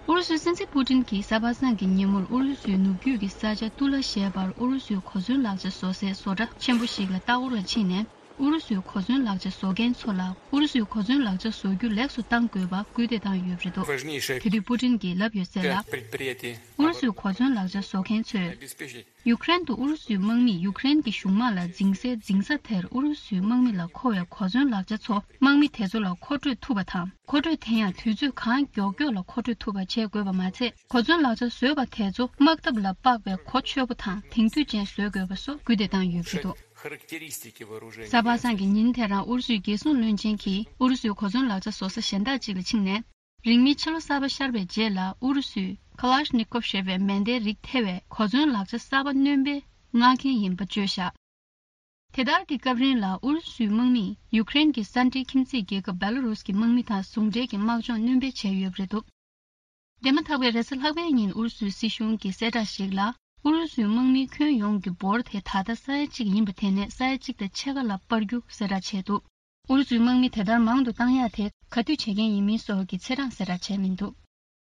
ཨུ་རུ་སུའི་སྲིད་འཛིན་པུ་ཏིན་གྱིས་གཟའ་པ་སངས་ཀྱི་ཉིན་མོར་ཨུ་རུ་སུའི་ནུབ་རྒྱུད་ཀྱི་ས་ཆ་ཏུ་ལ་ཞེས་པར་ཨུ་རུ་སུའི་གོ་མཚོན་ལག་ཆ་བཟོ་སའི་བཟོ་གྲྭ་ཆེན་པོ་ཞིག་ལ་ལྟ་སྐོར་ལ་ཕྱིན་ནས་ཨུ་རུ་སུའི་གོ་མཚོན་ལག་ཆ་བཟོ་མཁན་ཚོ་ལ་ཨུ་རུ་སུའི་གོ་མཚོན་ལག་ཆ་བཟོ་རྒྱུ་ལེགས་སུ་གཏང་དགོས་པ་སྐུལ་འདེད་བཏང་ཡོད་པ་རེད་འདུག་དེ་དུས་པུ་ཏིན་གྱིས་ལབ་ཡོད་ཟེར་ལ། ཨུ་རུ་སུའི་གོ་མཚོན་ལག་ཆ་བཟོ་མཁན་ཚོས། ཡུཀ་རེན་དུ་ཨུ་རུ་སུའི་དམག་མིས་ཡུཀ་རེན་གྱི་གཞུང་དམག་ལ་འཛིང་སའི་འཛིང་ས་དེར་ཨུ་རུ་སུའི་དམག་མི་ལ་མཁོ་བའི་གོ་མཚོན་ལག་ཆ་ཚོ་དམག་མི་དེ་ཚོ་ལ་མཁོ་སྤྲོད་ཐུབ་པ་དང་། མཁོ་སྤྲོད་དེ་ཡང་དུས་ཚོད་གང་མགྱོགས་མགྱོགས་ལ་མཁོ་སྤྲོད་ཐུབ་པ་བྱེད་དགོས་པ་མ་ཚད། གོ་མཚོན་ལག་ཆ་བཟོས་པ་དེ་ཚོ་དམག་འཐབ་ལ་དཔག་པའི་གོ་ཆོད་པོ་དང་དེང་དུས་ཅན་བཟོ་དགོས་པ་སོགས་སྐུལ་འདེད་བཏང་ཡོད་པ་རེད་འདུག་གཟའ་པ་སངས་ཀྱི་ཉིན་དེ་རང་ཨུ་རུ་སུའི་རྒྱལ་སྲུང་བློན་ཆེན་གྱིས་ཨུ་རུ་སུའི་གོ་མཚོན་ལག་ཆ་བཟོ་ས་གཞན་དག་ཅིག་ལ་ཕྱིན་ནས། རིང་མིན་ཕྱི་ལོ་གསར་པ་ཤར་བའི་རྗེས་ལ་ཨུ་རུ་སུས་Kalashnikov་ཞེས་པའི་མེ་མདའི་རིགས་ཐེ་བའི་གོ་མཚོན་ལག་ཆ་གསར་པ་སྣོན་པའི་མངགས་མཁན་ཡིན་པ་བརྗོད་བཞག་དེ་ལྟར་གྱི་སྐབས་རིང་ལ་ཨུ་རུ་སུའི་དམག་མིས་ཡུཀ་རེན་གྱི་ས་འབྲེལ་ཁྱིམ་མཚེས་རྒྱལ་ཁབ་བེ་ལ་རུས་ཀྱི་དམག་མི་དང་ཟུང་འབྲེལ་གྱི་དམག་སྦྱོང་སྣོན་སྤེལ་བྱས་ཡོད་པ་རེད་འདུག་འདས་མ་ཐག་པའི་རེས་གཟའ་ལྷག་པའི་ཉིན་ཨུ་རུ་སུའི་སྲིད་གཞུང་གི་གསལ་བསྒྲགས་ཤིག་ལ། ཨུ་རུ་སུའི་དམག་མི་ཁྱོན་ཡོངས་ཀྱི་འབོར་དེ་ད་ལྟ་ས་ཡ་གཅིག་ཡིན་པ་དེ་ནས་ས་ཡ་གཅིག་དང་ཕྱེད་ཀ་ལ་སྤར་རྒྱུ་གསལ་བསྒྲགས་བྱས་འདུག་ཨུ་རུ་སུའི་དམག་མི་དེ་ལྟར་མང་དུ་བཏང་ཡག་དེ་ག་དུས་བྱེད་མཁན་ཡིན་མིན་སོགས་ཀྱི་ཚེས་གྲངས་གསལ་བསྒྲགས་བྱས་མི་འདུག་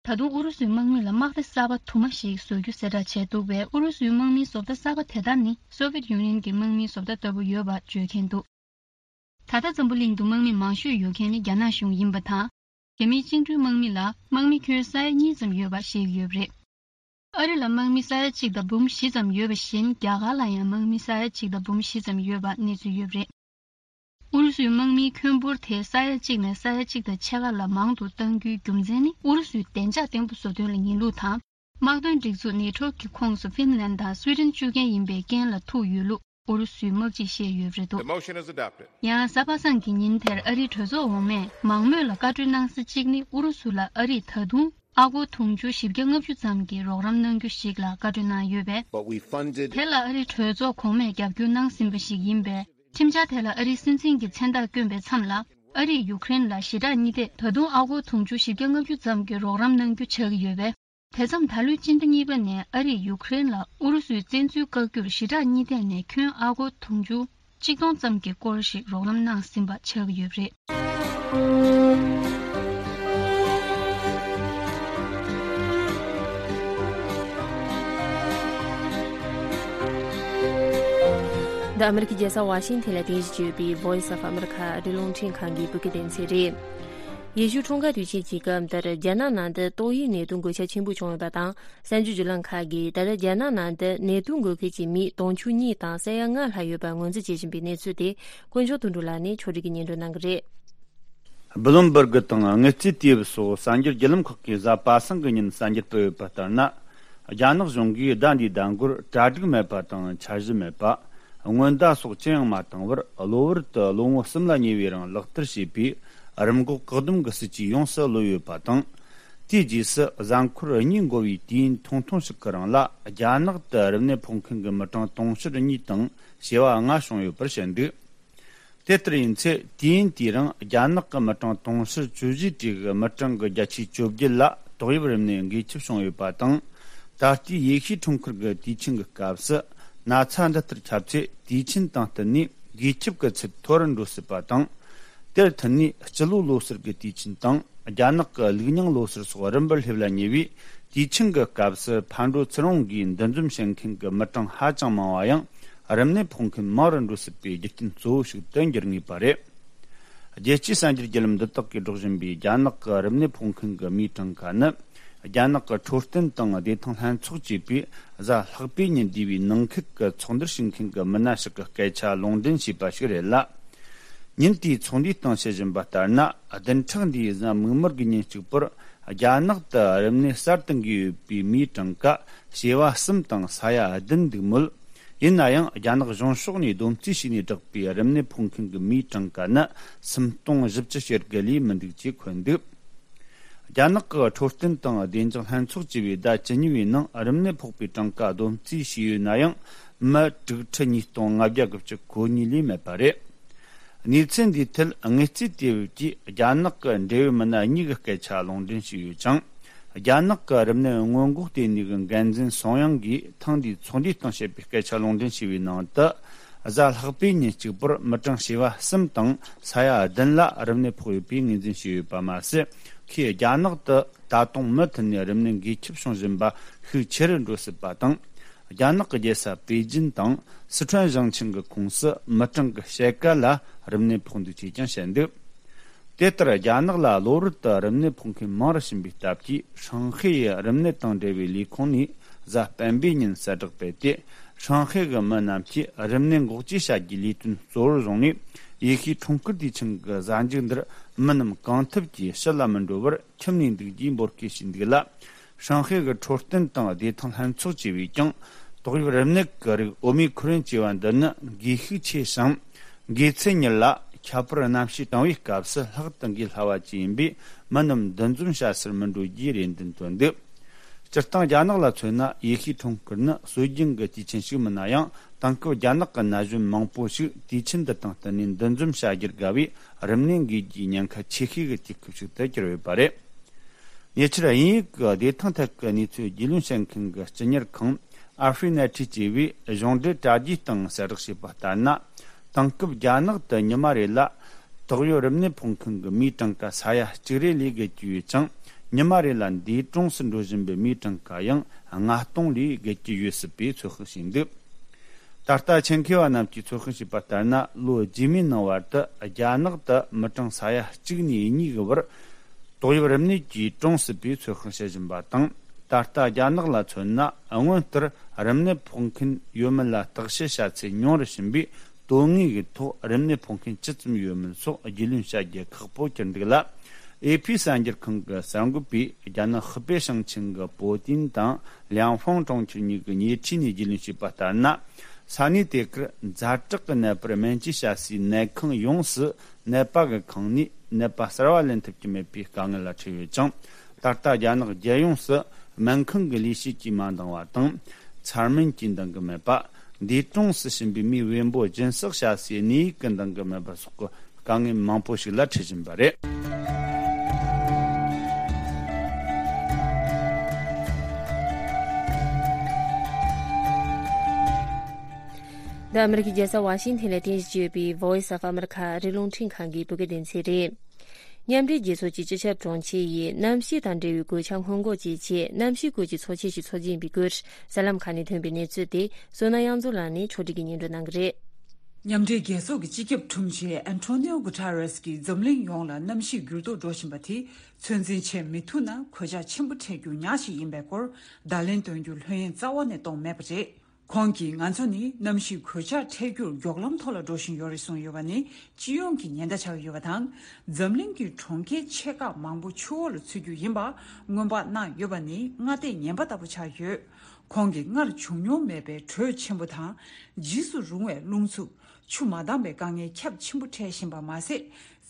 ད་དུང་ཨུ་རུ་སུའི་དམག་མི་ལ་དམག་སྡེ་གསར་པ་དུ་མ་ཞིག་བཟོ་རྒྱུ་གསལ་བསྒྲགས་བྱས་འདུག་པས། ཨུ་རུ་སུའི་དམག་མིའི་བཟོ་ལྟ་གསར་པ་དེ་དག་ནི་སོ་བིེད་ཡུ་ནི་ཡན་གྱི་དམག་མིའི་བཟོ་ལྟ་ལྟ་བུ་ཡོད་པ་བརྗོད་མཁན་འདུག་ད་ལྟ་འཛམ་བུ་གླིང་དུ་དམག་མི་མང་ཤོས་ཡོད་མཁན་ནི་རྒྱ་ནག་གཞུང་ཡིན་པ་དང་། རྒྱ་མིའི་བཅིངས་འགྲོལ་དམག་མི་ལ་དམག་མི་ཁྱོན་ས་ཡ་གཉིས་ཙམ་ཡོད་པ་བཤད་ཀྱི་ཡོད་པ་རེད། ཨ་རི་ལ་དམག་མི་ས་ཡ་གཅིག་དང་འབུམ་བཞི་ཙམ་ཡོད་པ་བཞིན། རྒྱ་གར་ལ་ཡང་དམག་མི་ས་ཡ་གཅིག་དང་འབུམ་བཞི་ཙམ་ཡོད་པ་གནས་ཚུལ་ཡོད་པ་རེད། ཨུ་རུ་སུའི་དམག་མིའི་ཁྱོན་འབོར་དེ་ས་ཡ་གཅིག་ནས་ས་ཡ་གཅིག་དང་ཕྱེད་ཀ་ལ་མང་དུ་གཏང་རྒྱུའི་རྒྱུ་མཚན་ནི། ཨུ་རུ་སུའི་བདེ་འཇགས་བརྟན་པོ་བཟོ་དོན་ལ་ངེས་ལུགས་དང་། དམག་དོན་སྒྲིག་འཛུགས་ནེ་ཊོ་གི་ཁོངས་སུ་ཧྥིན་ལན་དང་སུའེ་ཏེན་བཅུག་མཁན་ཡིན་པའི་རྐྱེན་ལ་ཐུག་ཡོད་ལུགས་ཨུ་རུ་སུའི་དམག་སྤྱིས་བཤད་ཡོད་པ་རེད་འདུག The motion is adopted. ཡང་གཟའ་པ་སངས་ཀྱི་ཉིན་དེར་ཨ་རིའི་གྲོས་ཚོགས་འོག་མས་མང་མོས་ལ་བཀའ་འཁྲོལ་གནང་ས་གཅིག་ནི། ཨུ་རུ་སུ་ལ་ཨ་རིས་ད་དུང་ཨ་སྒོར་དུང་ཕྱུར་བཞི་བརྒྱ་ལྔ་བཅུ་ཙམ་གྱི་རོགས་རམ་གནང་རྒྱུ་ཞིག་ལ་བཀའ་འཁྲོལ་གནང་ཡོད་པས། But we funded དེ་ལ་ཨ་རིའི་གྲོས་ཚོགས་གོང་མས་རྒྱབ་སྐྱོར་གནང་ཟིན་པ་ཞིག་ཡིན་པས། ཁྲིམས་འཆར་དེ་ལ་ཨ་རིའི་སྲིད་འཛིན་གྱི་མཚན་རྟགས་བསྐྱོན་པའི་མཚམས་ལ། ཨ་རིས་ཡུཀ་རེན་ལ་ཞི་དྲག་གཉིས་ཐད་ད་དུང་ཨ་སྒོར་དུང་ཕྱུར་བཞི་བརྒྱ་ལྔ་བཅུ་ཙམ་གྱི་རོགས་རམ་གནང་རྒྱུ་ཆགས་ཀྱི་ཡོད་པས། དེ་མཚམས་ད་ལོའི་སྤྱི་ཟླ་གཉིས་པ་ནས་ཨ་རིས་ཡུཀ་རེན་ལ་ཨུ་རུ་སུའི་བཙན་འཛུལ་བཀག་རྒྱུར་ཞི་དྲག་གཉིས་ཐད་ནས་ཁྱོན་ཨ་སྒོར་དུང་ཕྱུར་གཅིག་སྟོང་ཙམ་གྱི་སྐོར་ཞིག་རོགས་རམ་གནང་ཟིན་པ་ཆགས་ཀྱི་ཡོད་པ་རེད། འདི་ཨ་མི་རི་ཀའི་རྒྱལ་ས་ཝ་ཤིང་ཐན་ལ་རྟེན་གཞི་བྱས་ཡོད་པའི་Voice of America ཨ་རིའི་རླུང་འཕྲིན་ཁང་གི་བོད་སྐད་སྡེ་ཚན་རེད། ཡེ་ཤུ་འཁྲུངས་སྐར་དུས་ཆེན་གྱི་སྐབས་འདིར་རྒྱ་ནག་ནང་དུ་ཏོག་དབྱིབས་ནད་དུག་འགོས་ཁྱབ་ཆེན་པོ་བྱུང་ཡོད་པ་དང་། གསར་འགྱུར་བརྒྱུད་ལམ་ཁག་གིས་ད་ལྟ་རྒྱ་ནག་ནང་དུ་ནད་དུག་འགོས་མཁན་གྱི་མི་དུང་ཕྱུར་གཉིས་དང་ས་ཡ་ལྔ་ལྷག་ཡོད་པ་ངོས་འཛིན་བྱེད་བཞིན་པའི་གནས་ཚུལ་དེ་དཀོན་མཆོག་དོན་གྲུབ་ལགས་ནས་ཕྱོགས་སྒྲིག་གིས་སྙན་སྒྲོན་གནང་གི་རེད། Bloomberg་དང་དངུལ་རྩིས་དུས་བབ་སོགས་གསར་འགྱུར་བརྒྱུད་ལམ་ཁག་གིས་གཟའ་པ་སངས་ཀྱི་ཉིན་གསར་འགྱུར་སྤེལ་ཡོད་པ་ལྟར་ན། རྒྱ་ནག་གཞུང་གིས་ཟླ་འདིའི་ཟླ་འགོར་གྲ་སྒྲིག་མེད་པ་དང་འཆར་གཞི་མེད་པ། སྔོན་བརྡ་སོགས་ཅི་ཡང་མ་བཏང་བར་གློ་བུར་དུ་ལོ་ངོ་གསུམ་ལ་ཉེ་བའི་རིང་ལག་བསྟར་བྱས་པའི་རིམས་འགོག་བཀག་སྡོམ་གྱི་སྲིད་ཇུས་ཡོངས་སུ་གློད་ཡོད་པ་དང་། དེའི་རྗེས་སུ་གཟའ་འཁོར་གཉིས་འགོར་བའི་དུས་ཡུན་ཐུང་ཐུང་ཞིག་གི་རིང་ལ་རྒྱ་ནག་ཏུ་རིམས་ནད་ཕོག་མཁན་གྱི་མི་གྲངས་དུང་ཕྱུར་གཉིས་དང་བྱེ་བ་ལྔ་བྱུང་ཡོད་པར་བཤད་འདུག་དེ་ལྟར་ཡིན་ཚེ། དུས་ཡུན་དེའི་རིང་རྒྱ་ནག་གི་མི་གྲངས་དུང་ཕྱུར་བཅུ་བཞིའི་གྲས་ཀྱི་མི་གྲངས་ཀྱི་བརྒྱ་ཆའི་བཅོ་བརྒྱད་ལ་ཏོག་དབྱིབས་རིམས་ནད་འགོས་ཁྱབ་བྱུང་ཡོད་པ་དང་། ད་ལྟའི་ཡེ་ཤུའི་འཁྲུངས་སྐར་གྱི་དུས་ཆེན་གྱི་སྐབས་སུ། ན་ཚ་འདི་ལྟར་ཁྱབ་ཚེ། དུས་ཆེན་དང་བསྟུན་ནས་འགོས་ཁྱབ་ཀྱི་ཚད་མཐོ་རུ་འགྲོ་སྲིད་པ་དང་། དེར་མཐུད་ནས་སྤྱི་ལོ་ལོ་གསར་གྱི་དུས་ཆེན་དང་ རྒྱ་ནག་གི་ལུགས་རྙིང་ལོ་སར་སོགས་རིམ་པར་སླེབས་ལ་ཉེ་བས། དུས་ཆེན་གྱི་སྐབས་སུ་ཕར་འགྲོ་ཚུར་འོང་གིས་འདུ་འཛོམས་བྱེད་མཁན་གྱི་མི་གྲངས་ཧ་ཅང་མང་བ་ཡང་། རིམས་ནད་ཕོག་མཁན་མང་རུ་འགྲོ་སྲིད་པའི་རྒྱུ་རྐྱེན་གཙོ་བོ་ཞིག་ཏུ་འགྱུར་ངེས་པ་རེད། རྒྱལ་སྤྱིའི་གསར་འགྱུར་བརྒྱུད་ལམ་འདི་དག་གིས་སྒྲོག་བཞིན་པའི་རྒྱ་ནག་གི་རིམས་ནད་ཕོག་མཁན་གྱི་མིའི་གྲངས་ཀ་ནི། རྒྱ་ནག་གི་འཕྲོད་བསྟེན་དང་བདེ་ཐང་ལྷན་ཚོགས་ཅེས་པས་གཟའ་ལྷག་པའི་ཉིན་འདས་པའི་ནང་ཁུལ་གྱི་ཚོགས་འདུར་ཞུགས་མཁན་གྱི་མི་སྣ་ཞིག་གི་སྐད་ཆ་ལུང་འདྲེན་བྱས་པ་ཞིག་རེད་ལ། ཉིན་དེའི་ཚོགས་འདུའི་སྟེང་བཤད་བཞིན་པ་ལྟར་ན། བདུན་ཕྲག་འདིའི་གཟའ་མིག་དམར་གྱི་ཉིན་གཅིག་པུར། རྒྱ་ནག་ཏུ་རིམས་ནད་གསར་དུ་འགོས་ཡོད་པའི་མིའི་གྲངས་ཀ་བྱེ་བ་གསུམ་དང་ས་ཡ་བདུན་འདུག་མོད། ཡིན་ན་ཡང་། རྒྱ་ནག་གཞུང་ཕྱོགས་ནས་བསྡོམས་རྩིས་བྱས་ནས་བསྒྲགས་པའི་རིམས་ནད་ཕོག་མཁན་གྱི་མིའི་གྲངས་ཀ་ནི་སུམ་སྟོང་བཞི་བཅུ་ཞེ་དགུ་ལས་མི་འདུག་ཅེས་འཁོད་འདུག་རྒྱ་ནག་གི་འཕྲོད་བསྟེན་དང་བདེ་འཇགས་ལྷན་ཚོགས་ཅེས་པས་ཟླ་བཅུ་གཉིས་པའི་ནང་རིམས་ནད་ཕོག་པའི་གྲངས་ཀ་བསྡོམས་རྩིས་བྱས་ཡོད་ན་ཡང་། མི་དྲུག་ཁྲི་ཉིས་སྟོང་ལྔ་བརྒྱ་དགུ་བཅུ་གོ་གཉིས་ལས་མེད་པ་རེད། གནས་ཚུལ་འདིའི་ཐད་དངུལ་རྩིས་དེ་བས་ཀྱིས་རྒྱ་ནག་གི་འབྲེལ་ཡོད་མི་སྣ་གཉིས་ཀྱི་སྐད་ཆ་ལུང་འདྲེན་བྱས་ཡོད་ཅིང་། རྒྱ་ནག་གི་རིམས་ནད་སྔོན་འགོག་ལྟེ་གནས་ཀྱི་འགན་འཛིན་སུང་དབྱང་གིས་ཐེངས་འདིའི་ཚོགས་འདུའི་སྟེང་བཤད་པའི་སྐད་ཆ་ལུང་འདྲེན་བྱས་པའི་ནང་དུ། གཟའ་ལྷག་པའི་ཉིན་གཅིག་པུར་མི་གྲངས་བྱེ་བ་གསུམ་དང་ས་ཡ་བདུན་ལ་རིམས་ནད་ཕོག་ཡོད་པའི་ངོས་འཛིན་བྱས་ཡོད་པ་མ་ཟད། ཁོས་རྒྱ་ནག་ཏུ་ད་དུང་མུ་མཐུད་ནས་རིམས་ནད་འགོས་ཁྱབ་བྱུང་བཞིན་པ་ཤུགས་ཆེ་རུ་འགྲོ་སྲིད་པ་དང་། རྒྱ་ནག་གི་རྒྱལ་ས་པེ་ཅིན་དང་སི་ཁྲོན་ཞིང་ཆེན་གྱི་ཁོངས་སུ་མི་གྲངས་ཀྱི་ཕྱེད་ཀ་ལ་རིམས་ནད་ཕོག་འདུག་ཅེས་ཀྱང་བཤད་འདུག་དེ་ལྟར། རྒྱ་ནག་ལ་གློ་བུར་དུ་རིམས་ནད་ཕོག་མཁན་མང་རུ་ཕྱིན་པའི་སྟབས་ཀྱིས། ཧྲང་ཧའེ་ཡི་རིམས་ནད་དང་འབྲེལ་བའི་ལས་ཁུངས་ནས་གཟའ་སྤེན་པའི་ཉིན་གསལ་བསྒྲགས་སྤེལ་ཏེ། ཧྲང་ཧའེ་གི་མི་རྣམས་ཀྱིས་རིམས་ནད་འགོག་བཅོས་བྱ་རྒྱུའི་ལས་དོན་གཙོ་བོར་བཟུང་ནས། ཡེ་ཤུའི་འཁྲུངས་སྐར་དུས་ཆེན་གྱི་གཟའ་མཇུག་འདིར་མི་རྣམས་གང་ཐུབ་ཀྱིས་ཕྱི་ལ་མི་འགྲོ་བར་ཁྱིམ་ནས་འདུག་རྒྱུའི་འབོད་སྐུལ་ཞུས་འདུག་ལ། ཧྲང་ཧའེ་གི་འཕྲོད་བསྟེན་དང་བདེ་ཐང་ལྷན་ཚོགས་ཅེས་པས་ཀྱང་། ཏོག་དབྱིབས་རིམས་ནད་ཀྱི་རིགས་ཨོ་མི་ཁོ་རོན་ཅེས་པ་འདི་ནི་འགོས་ཤུགས་ཆེ་ཞིང་། འགོས་ཚད་མྱུར་ལ། ཁྱད་པར་གནམ་གཤིས་གྲང་བའི་སྐབས་སུ་ལྷག་ཏུ་འགོས་སླ་བ་བཅས་ཡིན་པས། མི་རྣམས་འདུ་འཛོམས་བྱ་སར་མི་འགྲོ་རྒྱུའི་རེ་འདུན་བཏོན་འདུག་སྤྱིར་བཏང་། རྒྱ་ནག་ལ་མཚོན་ན། ཡེ་ཤུའི་འཁྲུངས་སྐར་ནི་སྲོལ་རྒྱུན་གྱི་དུས་ཆེན་ཞིག་མིན་ན་ཡང་། དེང་སྐབས་རྒྱ་ནག་གི་ན་གཞོན་མང་པོ་ཞིག་དུས་ཆེན་འདི་དང་བསྟུན་ནས་འདུ་འཛོམས་བྱ་རྒྱུར་དགའ་བས། རིམས་ནད་འགོས་རྒྱུའི་ཉེན་ཁ་ཆེ་ཤོས་ཀྱི་དུས་སྐབས་ཤིག་ཏུ་གྱུར་ཡོད་པ་རེད། ཉེ་ཆར། དབྱིན་ཡུལ་གྱི་བདེ་ཐང་ཐད་ཀྱི་གནས་ཚུལ་རྒྱུས་ལོན་བྱེད་མཁན་གྱི་སྤྱི་གཉེར་ཁང་ཨ་ཧྥི་ནེ་ཊི་ཅེས་པས་གཞུང་འབྲེལ་དྲ་རྒྱའི་སྟེང་གསལ་བསྒྲགས་བྱས་པ་ལྟར་ན། དེང་སྐབས་རྒྱ་ནག་ཏུ་ཉི་མ་རེ་ལ་ཏོག་དབྱིབས་རིམས་ནད་ཕོག་མཁན་གྱི་མིའི་གྲངས་ཀ་ས་ཡ་གཅིག་རེ་ལས་བརྒལ་གྱི་ཡོད་ཅིང་། ཉི་མ་རེ་ལ་འདས་གྲོངས་སུ་འགྲོ་བཞིན་པའི་མིའི་གྲངས་ཀ་ཡང་ལྔ་སྟོང་ལས་བརྒལ་གྱི་ཡོད་སྲིད་པའི་ཚོད་དཔག་བྱས་འདུག་ད་ལྟ་ཆེད་མཁས་པ་རྣམས་ཀྱིས་ཚོད་དཔག་བྱས་པ་ལྟར་ན། ལོ་རྗེས་མའི་ནང་བར་དུ་རྒྱ་ནག་ཏུ་མི་གྲངས་ས་ཡ་གཅིག་ནས་གཉིས་ཀྱི་བར་ཏོག་དབྱིབས་རིམས་ནད་ཀྱིས་གྲོངས་སྲིད་པའི་ཚོད་དཔག་བྱེད་བཞིན་པ་དང་། ད་ལྟ་རྒྱ་ནག་ལ་མཚོན་ན། སྔོན་ལྟར་རིམས་ནད་ཕོག་མཁན་ཡོད་མེད་ལ་བརྟག་དཔྱད་བྱ་ཚད་ཉུང་རུ་ཕྱིན་པས། དོན་དངོས་ཀྱི་ཐོག་རིམས་ནད་ཕོག་མཁན་ཅི་ཙམ་ཡོད་མེད་སོགས་རྒྱུས་ལོན་བྱ་རྒྱུ་ཁག་པོ་གྱུར་འདུག་ལ། ཨེ་ཕི་གསར་འགྱུར་ཁང་གི་གསར་འགོད་པས་རྒྱ་ནག་ཧི་པེ་ཞིང་ཆེན་གྱི་པོ་ཏིན་དང་ལིའང་ཧྥང་གྲོང་ཁྱེར་གཉིས་ཀྱི་ཉེ་འཁྲིས་ནས་རྒྱུས་ལོན་བྱས་པ་ལྟར་ན། ས་གནས་དེ་གར་ཛ་དྲག་གི་ནད་པར་སྨན་བཅོས་བྱ་སའི་ནད་ཁང་ཡོངས་སུ་ནད་པ་གི་ཁང་ནས་ནད་པ་གསར་བ་ལེན་ཐུབ་ཀྱི་མེད་པའི་དཀའ་ངལ་ལ་འཕྲད་ཡོད་ཅིང་། ད་ལྟ་རྒྱ་ནག་རྒྱལ་ཡོངས་སུ་སྨན་ཁང་གི་ལས་བྱེད་ཀྱིས་མ་འདང་བ་དང་། འཚར་སྨན་གྱིས་འདང་གི་མེད་པ། འདས་གྲོངས་སུ་ཕྱིན་པའི་མིའི་བེམ་པོ་སྦྱིན་སྲེག་བྱ་སའི་གནས་ཡིག་གིས་འདང་གི་མེད་པ་སོགས་ཀྱི་དཀའ་ངལ་མང་པོ་ཞིག་ལ་འཕྲད་བཞིན་པ་རེད། འདི་ཨ་མི་རི་ཀའི་རྒྱལ་ས་ཝ་ཤིང་ཐན་ལ་རྟེན་གཞི་བྱས་ཡོད་པའི་Voice of America ཨ་རིའི་རླུང་འཕྲིན་ཁང་གི་བོད་སྐད་སྡེ་ཚན་རེད། མཉམ་འབྲེལ་རྒྱལ་ཚོགས་ཀྱི་སྤྱི་ཁྱབ་དྲུང་ཆེ་ཡིས་གནམ་གཤིས་དང་འབྲེལ་བའི་གོད་ཆག་སྔོན་འགོག་བྱེད་ཆེད་གནམ་གཤིས་སྐོར་གྱི་ཚོགས་ཆེན་ཞིག་འཚོགས་རྒྱུ་ཡིན་པའི་སྐོར་གསར་ལམ་ཁག་ནས་ཐོན་པའི་གནས་ཚུལ་དེ་བསོད་ནམས་དབྱངས་མཚོ་ལགས་ནས་ཕྱོགས་སྒྲིག་གིས་སྙན་སྒྲོན་གནང་གི་རེད། མཉམ་འབྲེལ་རྒྱལ་ཚོགས་ཀྱི་སྤྱི་ཁྱབ་དྲུང་ཆེ་ཨན་ཐོ་ནིའོ་གུ་ཐ་རེས་ཀྱིས་འཛམ་གླིང་ཡོངས་ལ་གནམ་གཤིས་འགྱུར་ལྡོག་འགྲོ་བཞིན་པ་དེ་ཚོད་འཛིན་བྱེད་མི་ཐུབ་ན་གོད་ཆག་ཆེན་པོ་འཕྲད་རྒྱུ་ཉག་ཅིག་ཡིན་པའི་སྐོར་བརྡ་ལན་སྟོན་རྒྱུ་ལྷོད་གཡེང་རྩ་བ་ནས་གཏོང་མེད་པ་རེད། ཁོང་གིས་ང་ཚོ་ནི་གནམ་གཤིས་གོད་ཆག་འཕྲད་རྒྱུར་མགྱོགས་ལམ་ཐོག་ལ་འགྲོ་བཞིན་ཡོད་རེད་གསུངས་ཡོད་པ་ནི་སྤྱི་ཡོངས་ཀྱི་ཉེན་བརྡ་ཆགས་ཡོད་པ་དང་། འཛམ་གླིང་གི་གྲོང་ཁྱེར་ཆེ་ཁག་མང་པོ་ཆུ་འོག་ལ་ཚུད་རྒྱུ་ཡིན་པ་སྔོན་དཔག་གནང་ཡོད་པ་ནི་སྔ་ལྟས་ངན་པ་ལྟ་བུ་ཆགས་ཡོད། ཁོང་གིས་སྔར་བྱུང་མྱོང་མེད་པའི་དྲོད་ཆེན་པོ་དང་། འཇིགས་སུ་རུང་བའི་རླུང་འཚུབ། ཆུ་མ་འདང་བའི་དཀའ་ངལ་ཁྱབ་ཆེན་པོ་འཕྲད་བཞིན་པ་མ་ཟད།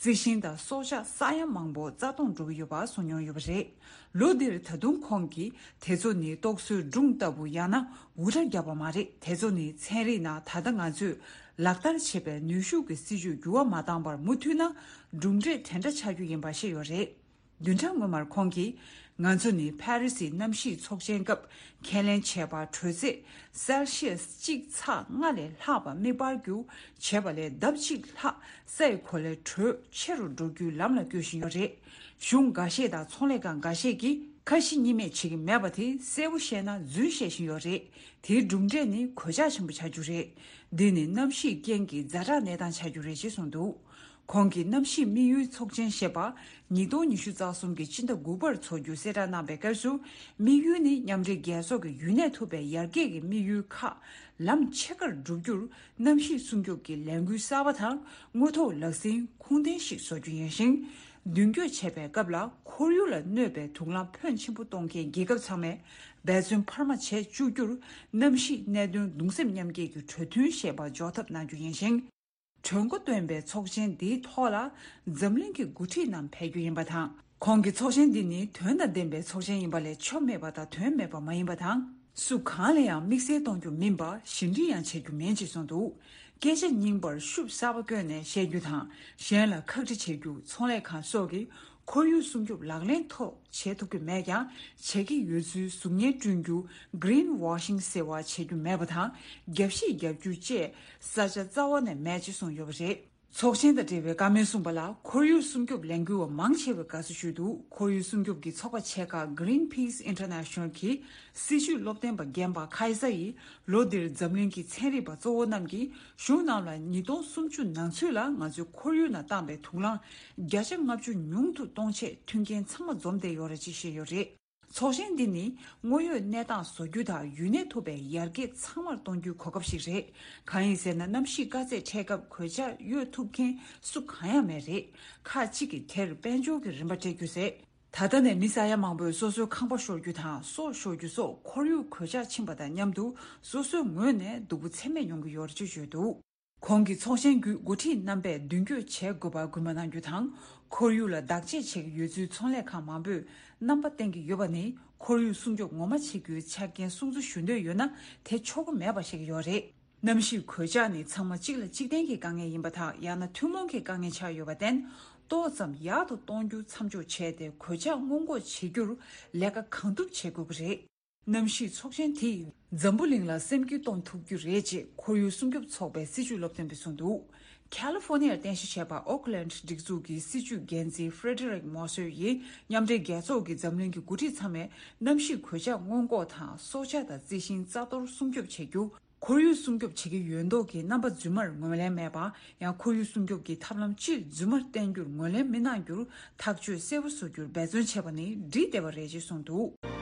རྩི་ཤིང་དང་སྲོག་ཆགས་ས་ཡ་མང་པོ་རྩ་སྟོངས་འགྲོ་གི་ཡོད་པ་གསུངས་མྱོང་ཡོད་པ་རེད། ལོ་འདིར་ད་དུང་ཁོང་གིས་དེ་ཚོ་ནི་རྟོག་བཟོའི་སྒྲུང་ལྟ་བུ་ཡང་ན་འུར་སྒྲ་བརྒྱབ་པ་མ་རེད། དེ་ཚོ་ནི་ཚན་རིག་ནང་ད་ལྟ་ང་ཚོས་ལག་བསྟར་བྱེད་པའི་ནུས་ཤུགས་ཀྱི་སྲིད་ཇུས་འགྱུར་བ་མ་བཏང་བར་མུ་མཐུད་ན་གྲུབ་འབྲས་དེ་འདྲ་ཆགས་རྒྱུ་ཡིན་པ་ཤེས་ཡོད་རེད། བདུན་ཕྲག་སྔོན་མར་ཁོང་གིས། ང་ཚོ་ནི་ཕ་རི་སིའི་གནམ་གཤིས་ཚོགས་ཆེན་སྐབས་ཁས་ལེན་བྱས་པ། དྲོད་ཚད་སེལ་སི་ཡས་གཅིག་ཚེག་ལྔ་ལས་ལྷག་པ་མེ་འབར་རྒྱུ་བྱས་པ་ལས་ལྡབ་གཅིག་ལྷག་སའི་གོ་ལའི་དྲོད་ཆེ་རུ་འགྲོ་རྒྱུའི་ལམ་ལ་བསྐྱོད་བཞིན་ཡོད་རེད། གཞུང་འགའ་ཤས་དང་ཚོང་ལས་ཁང་འགའ་ཤས་ཀྱིས་ཁ་ཞེ་གཉིས་མེད་བྱེད་ཀྱི་མེད་པ་དེ་གསལ་པོ་བཤད་ན་རྫུན་བཤད་བཞིན་ཡོད་རེད། དེའི་གྲུབ་འབྲས་ནི་གོད་ཆག་ཆེན་པོ་ཆགས་རྒྱུ་རེད། འདི་ནི་གནམ་གཤིས་རྐྱེན་གྱིས་ཛ་དྲག་གནས་སྟངས་ཆགས་རྒྱུ་རེད་ཅེས་གསུངས་འདུག་ཁོང་གིས་གནམ་གཤིས་དམིགས་ཡུལ་ཚོགས་ཆེན་ཞེས་པ་ཉིས་སྟོང་ཉི་ཤུ་རྩ་གསུམ་གྱི་སྤྱི་ཟླ་དགུ་པར་འཚོགས་རྒྱུ་གསལ་བསྒྲགས་གནང་བའི་སྐབས་སུ། དམིགས་ཡུལ་ནི་མཉམ་འབྲེལ་རྒྱལ་ཚོགས་ཀྱི་ཡུན་གནས་ཐུབ་པའི་ཡར་རྒྱས་ཀྱི་དམིགས་ཡུལ་ཁག་ལམ་ཕྱེད་ཀར་བསྒྲུབ་རྒྱུར་གནམ་གཤིས་སྲུང་སྐྱོབ་ཀྱི་ལས་འགུལ་གསར་པ་དང་དངོས་ཐོག་ལག་ཟིན་ཁུངས་ལྡན་ཞིག་བཟོ་རྒྱུ་ཡིན་ཞིང་། མདུན་སྐྱོད་བྱེད་པའི་སྐབས་ལ་ཁོར་ཡུག་ལ་གནོད་པའི་དུག་རླངས་ཕོན་ཆེན་པོ་གཏོང་མཁན་རྒྱལ་ཁབ་ཚང་མས་འབད་བརྩོན་འཕར་མ་བྱེད་བཅུག་རྒྱུར་གནམ་གཤིས་གནད་དོན་གདུང་སེམས་མཉམ་སྐྱེད་ཀྱི་གྲོས་མཐུན་ཞེས་པ་འཇོག་ཐབས་གནང་རྒྱུ་ཡིན་ཞིང་། གྲོས་འགོ་བཏོན་པའི་ཚོགས་ཆེན་འདིའི་ཐོག་ལ་འཛམ་གླིང་གི་འགོ་ཁྲིད་རྣམས་ཕེབས་རྒྱུ་ཡིན་པ་དང་། ཁོང་གིས་ཚོགས་ཆེན་འདི་ནི་དོན་དང་ལྡན་པའི་ཚོགས་ཆེན་ཡིན་པ་ལས་ཆོ་མེད་པ་དང་དོན་མེད་པ་མ་ཡིན་པ་དང་། སུ་གང་ལ་ཡང་དམིགས་བསལ་གཏོང་རྒྱུ་མིན་པ། ཞི་འགྲིག་ཡང་བྱེད་རྒྱུ་མིན་ཅེས་གསུངས་འདུག་སྐད་ཆ་རྙིང་པར་ཤུབས་གསར་པ་བསྐྱོན་ནས་བཤད་རྒྱུ་དང་། གཞན་ལ་ཁག་དཀྲི་བྱེད་རྒྱུ། ཚོང་ལས་ཁང་སོགས་ཀྱིས་ཁོར་ཡུག་སྲུང་སྐྱོབ་ལག་ལེན་ཐོག་བྱེད་ཐུབ་ཀྱི་མེད་ཀྱང་། བྱེད་ཀྱི་ཡོད་ཚུལ་གཟུགས་བརྙན་བསྐྲུན་རྒྱུ། Green Washing ཟེར་བ་བྱེད་རྒྱུ་མེད་པ་དང་། རྒྱབ་བཤིག་རྒྱག་རྒྱུ་བཅས་ས་ཆ་རྩ་བ་ནས་མེད་ཅེས་གསུངས་ཡོད་པ་རེད། ཚོགས་ཆེན་དང་འབྲེལ་བའི་བཀའ་མོལ་གསུངས་པ་ལ། ཁོར་ཡུག་སྲུང་སྐྱོབ་ལས་འགུལ་བ་མང་ཆེ་བས་དགའ་བསུ་ཞུས་འདུག་ཁོར་ཡུག་སྲུང་སྐྱོབ་ཀྱི་ཚོགས་པ་ཆེ་ཁག་Greenpeace International གྱི་སྲིད་བྱུས་སློབ་སྟོན་པ་རྒན་པ་ཁ་ཡི་ས་ཡིས། ལོ་འདིར་འཛམ་གླིང་གི་ཚན་རིག་པ་གཙོ་བོ་རྣམས་ཀྱིས་གཞུང་རྣམས་ལ་ཉིས་སྟོང་སུམ་ཅུ་ནང་ཚུད་ལ་ང་ཚོའི་ཁོར་ཡུག་ནང་བཏང་པའི་དུག་རླངས་བརྒྱ་ཆ་ལྔ་བཅུ་ཉུང་དུ་གཏོང་ཆེད་མཐུན་རྐྱེན་ཚང་མ་འཛོམས་བསྡད་ཡོད་རེད་ཅེས་བཤད་ཡོད་རེད། ཚོགས་ཆེན་འདི་ནི་དངོས་ཡོད་གནས་སྟངས་བཟོ་རྒྱུ་དང་ཡུན་གནས་ཐུབ་པའི་ཡར་རྒྱས་ཚང་མར་གཏོང་རྒྱུའི་གོ་སྐབས་ཤིག་རེད། གང་ཡིན་ཟེར་ན། གནམ་གཤིས་དཀའ་ཚེགས་འཕྲད་སྐབས་གོད་ཆག་གཡོལ་ཐུབ་མཁན་སུ་གང་ཡང་མེད་རེད། ཁག་ཅིག་གིས་དེར་དཔལ་འབྱོར་གྱི་རིན་པ་སྤྲད་རྒྱུ་ཟད། ད་ལྟ་ནས་མི་ས་ཡ་མང་པོས་སོ་སོའི་ཁང་པ་ཤོར་རྒྱུ་དང་སྲོག་ཤོར་རྒྱུ་སོགས་ཁོར་ཡུག་གོད་ཆག་ཕྱིན་པ་དང་མཉམ་དུ་སོ་སོའི་ངོས་ནས་སྡུག་པོ་ཚད་མེད་མྱོང་གི་ཡོད་རེད་ཅེས་བརྗོད་འདུག་ཁོང་གིས་ཚོགས་ཆེན་བརྒྱུད་འགོ་ཁྲིད་རྣམ་པས་མདུན་སྐྱོད་བྱེད་དགོས་པར་སྐུལ་མ་གནང་རྒྱུ་དང་། ཁོར་ཡུག་ལ་བདག་གཅེས་བྱེད་ཀྱི་ཡོད་ཚུལ་ཚོང་ལས་ཁང་མང་པོས་རྣམ་པ་བསྟན་གྱི་ཡོད་པ་ནི། ཁོར་ཡུག་སྲུང་སྐྱོབ་ངོ་མ་བྱེད་རྒྱུའི་ཆ་རྐྱེན་སྲུང་བརྩི་ཞུ་འདོད་ཡོད་ན་དེ་ཆོག་གི་མེད་པ་བཤད་ཀྱི་ཡོད་རེད། གནམ་གཤིས་གོད་ཆག་ནི་ཚང་མ་གཅིག་ལ་གཅིག་བརྟེན་གྱི་དཀའ་ངལ་ཡིན་པ་དང་། ཡང་ན་ཐུན་མོང་གི་དཀའ་ངལ་ཆགས་ཡོད་པར་བརྟེན། ཏོག་ཙམ་ཡག་ཏུ་གཏོང་རྒྱུ་མཚམས་འཇོག་བྱས་ཏེ། གོད་ཆག་སྔོན་འགོག་བྱེད་རྒྱུར་ལས་ཀ་གང་ཐུབ་བྱེད་དགོས་ཀྱི་རེད། གནམ་གཤིས་ཚོགས་ཆེན་དེས་འཛམ་བུ་གླིང་ལ་སེམས་སྐྱིད་གཏོང་ཐུབ་རྒྱུ་རེད་ཅེས་ཁོར་ཡུག་སྲུང་སྐྱོབ་ཚོགས་པའི་སྲིད་བྱུས་སློབ་སྟོན་པས་གསུངས་འདུག་ཁ་ལི་ཧྥོ་ནི་ཡར་རྟེན་གཞི་བྱས་པ་ཨོ་ཁི་ལན་སྒྲིག་འཛུགས་ཀྱི་སྲིད་བྱུས་འགན་འཛིན་Frederick Marcel ཡིས། མཉམ་འབྲེལ་རྒྱལ་ཚོགས་ཀྱིས་འཛམ་གླིང་གི་འགོ་ཁྲིད་ཚང་མས་གནམ་གཤིས་གོད་ཆག་སྔོན་འགོག་དང་། སྲོག་ཆགས་དང་རྩི་ཤིང་རྩ་གཏོར་སྲུང་སྐྱོབ་བྱེད་རྒྱུ། ཁོར་ཡུག་སྲུང་སྐྱོབ་བྱེད་ཀྱི་ཡོད་མདོག་གི་རྣམ་པ་རྫུན་མར་ངོས་ལེན་མེད་པ། ཡང་ཁོར་ཡུག་སྲུང་སྐྱོབ་ཀྱི་ཐབས་ལམ་སྤྱིར་རྫུན་མར་བསྟན་རྒྱུར་ངོས་ལེན་མི་གནང་རྒྱུར་ཐག་གཅོད་གསལ་པོ་བཟོ་རྒྱུར་འབད་བརྩོན་བྱས་པ་ནི་འགྲིག་བསྡད་པ་རེད་ཅེས་གསུངས་འདུག་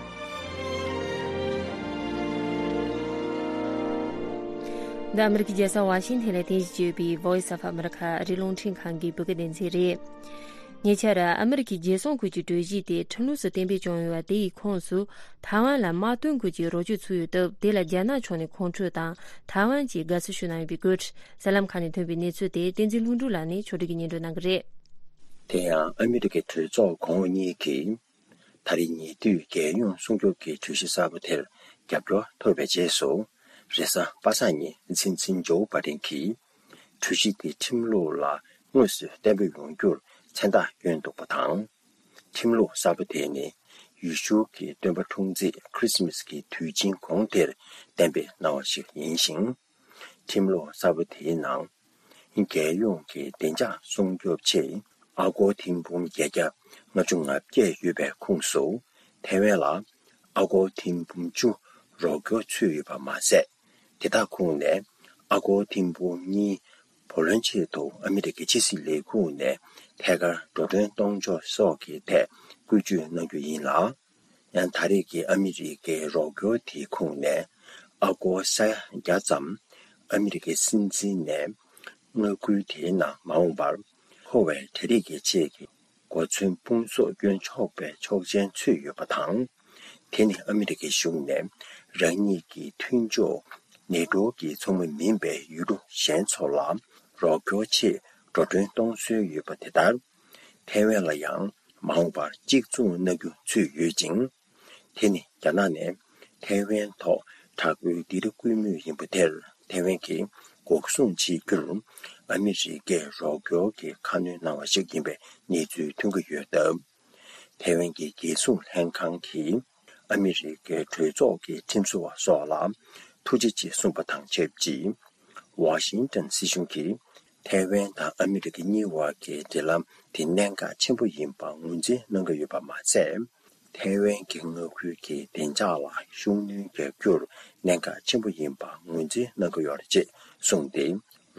འདི་ཨ་མི་རི་ཀའི་རྒྱལ་ས་ཝ་ཤིང་ཐན་ལ་རྟེན་གཞི་བྱས་ཡོད་པའི་Voice of America ཨ་རིའི་རླུང་འཕྲིན་ཁང་གི་བོད་སྐད་སྡེ་ཚན་རེད། ཉེ་ཆར་ཨ་མི་རི་ཀའི་རྒྱལ་སྲུང་ཁུལ་གྱི་གྲོས་གཞི་དེ་ཁྲིམས་ལུགས་སུ་གཏན་འབེབས་བྱུང་ཡོད་པ་དེ་ཡི་ཁོངས་སུ་ཐའེ་ཝན་ལ་དམག་དོན་ཁུལ་གྱི་རོགས་སྐྱོར་ཚུད་ཡོད་སྟབས། དེ་ལ་རྒྱ་ནག་ཕྱོགས་ནས་ཁོང་ཁྲོ་དང་། ཐའེ་ཝན་གྱིས་དགའ་བསུ་ཞུ་གནང་ཡོད་པའི་སྐོར། གསར་ལམ་ཁག་ནས་ཐོན་པའི་གནས་ཚུལ་དེ་བསྟན་འཛིན་ལྷུན་གྲུབ་ལགས་ནས་ཕྱོགས་སྒྲིག་གིས་སྙན་སྒྲོན་གནང་གི་རེད། དེ་ཡང་ཨ་མི་རི་ཀའི་གྲོས་ཚོགས་གོང་འོག་གཉིས་ཀྱིས། ད་རེས་ཉེ་དུས་རྒྱལ་ཡོངས་སྲུང་སྐྱོབ་ཀྱི་གྲོས་གཞི་གསར་པ་དེར་རྒྱབ་སྐྱོར་ཐོབ་པའི་རྗེས་སུ། རེས་གཟའ་པ་སངས་ཉིན་སྲིད་འཛིན་ཇོ་བྷ་ཏན་གྱིས། གྲོས་གཞི་དེ་ཁྲིམས་ལུགས་ལ་དངོས་སུ་གཏན་འབེབས་ཡོང་རྒྱུར་མཚན་རྟགས་བསྐྱོན་འདུག་པ་དང་། ཁྲིམས་ལུགས་གསར་པ་དེ་ནི་ཡེ་ཤུ་གི་སྟོན་པ་འཁྲུངས་ཚེས་Christmas གི་དུས་ཆེན་གོང་དེར་གཏན་འབེབས་གནང་བ་ཞིག་ཡིན་ཞིང་། ཁྲིམས་ལུགས་གསར་པ་དེའི་ནང་། རྒྱལ་ཡོངས་ཀྱི་བདེ་འཇགས་སྲུང་སྐྱོབ་ཆེད་ཨ་སྒོར་ཐེར་འབུམ་བརྒྱད་བརྒྱ་ལྔ་བཅུ་ང་བརྒྱད་ཡོད་པའི་ཁོངས་སུ། ཐའེ་ཝན་ལ་ཨ་སྒོར་ཐེར་འབུམ་བཅུ་རོགས་སྐྱོར་ཚུད་ཡོད་པ་མ་ཟད། དེ་དག་ཁོངས་ནས་ཨ་སྒོར་ཐེར་འབུམ་གཉིས་བུ་ལོན་ཆེད་དུ་ཨ་མི་རི་ཀའི་ཕྱི་སྲིད་ལས་ཁུངས་ནས་ཐད་ཀར་འགྲོ་གྲོན་གཏོང་ཕྱོགས་སོགས་ཀྱི་ཐད་བཀོལ་སྤྱོད་གནང་རྒྱུ་ཡིན་ལ། ཡང་ད་རེས་ཀྱི་ཨ་མི་རི་ཀའི་རོགས་སྐྱོར་དེའི་ཁོངས་ནས་ཨ་སྒོར་ས་ཡ་བརྒྱ་ཙམ་ཨ་མི་རི་ཀའི་སྲིད་འཛིན་ནས་མངའ་ཁུལ་དེའི་ནང་མ་འོངས་པར་མཁོ་བའི་གྲ་སྒྲིག་གི་ཆེད་ཀྱི་གོ་མཚོན་དཔུང་ཚོགས་བསྐྱོན་ཆོག་པའི་ཆོག་མཆན་ཚུད་ཡོད་པ་དང་། དེ་ནི་ཨ་མི་རི་ཀའི་གཞུང་ནས་རང་ཉིད་ཀྱི་མཐུན་ཕྱོགས་ནེ་ཊོ་གི་ཚོགས་མི་མིན་པའི་ཡུལ་གྲུ་གཞན་ཚོ་ལ་རོགས་སྐྱོར་ཆེད་འགྲོ་གྲོན་གཏོང་སྲོལ་ཡོད་པ་དེ་ལྟར། ཐའེ་ཝན་ལ་ཡང་མ་འོངས་པར་གཅིག་མཚུངས་གནང་རྒྱུ་ཚུད་ཡོད་ཅིང་། དེ་ནི་རྒྱ་ནག་ནས་ཐའེ་ཝན་ཐོག་དྲག་པོའི་སྡིགས་ར་བསྐུལ་མུས་ཡིན་པ་དེར་ཐའེ་ཝན་གྱིས་འགོག་སྲུང་བྱེད་རྒྱུར་ཨ་མི་རི་ཀས་རོགས་སྐྱོར་གྱི་ཁ་སྣོན་གནང་བ་ཞིག་ཡིན་པའི་གནས་ཚུལ་ཐོན་གྱི་ཡོད་སྟབས། ཐའེ་ཝན་གྱི་རྒྱལ་སྲུང་ལྷན་ཁང་གིས་ཨ་མི་རི་ཀའི་གྲོས་ཚོགས་ཀྱི་ཁྲིམས་བཟོ་བ་སོགས་ལ་ཐུགས་རྗེ་ཆེ་གསུངས་པ་དང་ཆབས་ཅིག་ཝ་ཤིང་ཏན་སྲིད་གཞུང་གིས་ཐའེ་ཝན་དང་ཨ་མི་རི་ཀ་གཉིས་བར་གྱི་འབྲེལ་ལམ་དེ་གནད་འགག་ཆེན་པོ་ཡིན་པ་ངོས་འཛིན་གནང་གི་ཡོད་པ་མ་ཟད། ཐའེ་ཝན་གྱི་མངའ་ཁུལ་གྱི་བདེ་འཇགས་ལ་ཤུགས་སྣོན་རྒྱག་རྒྱུར་གནད་འགག་ཆེན་པོ་ཡིན་པ་ངོས་འཛིན་གནང་གི་ཡོད་རེད་ཅེས་གསུངས་ཏེ།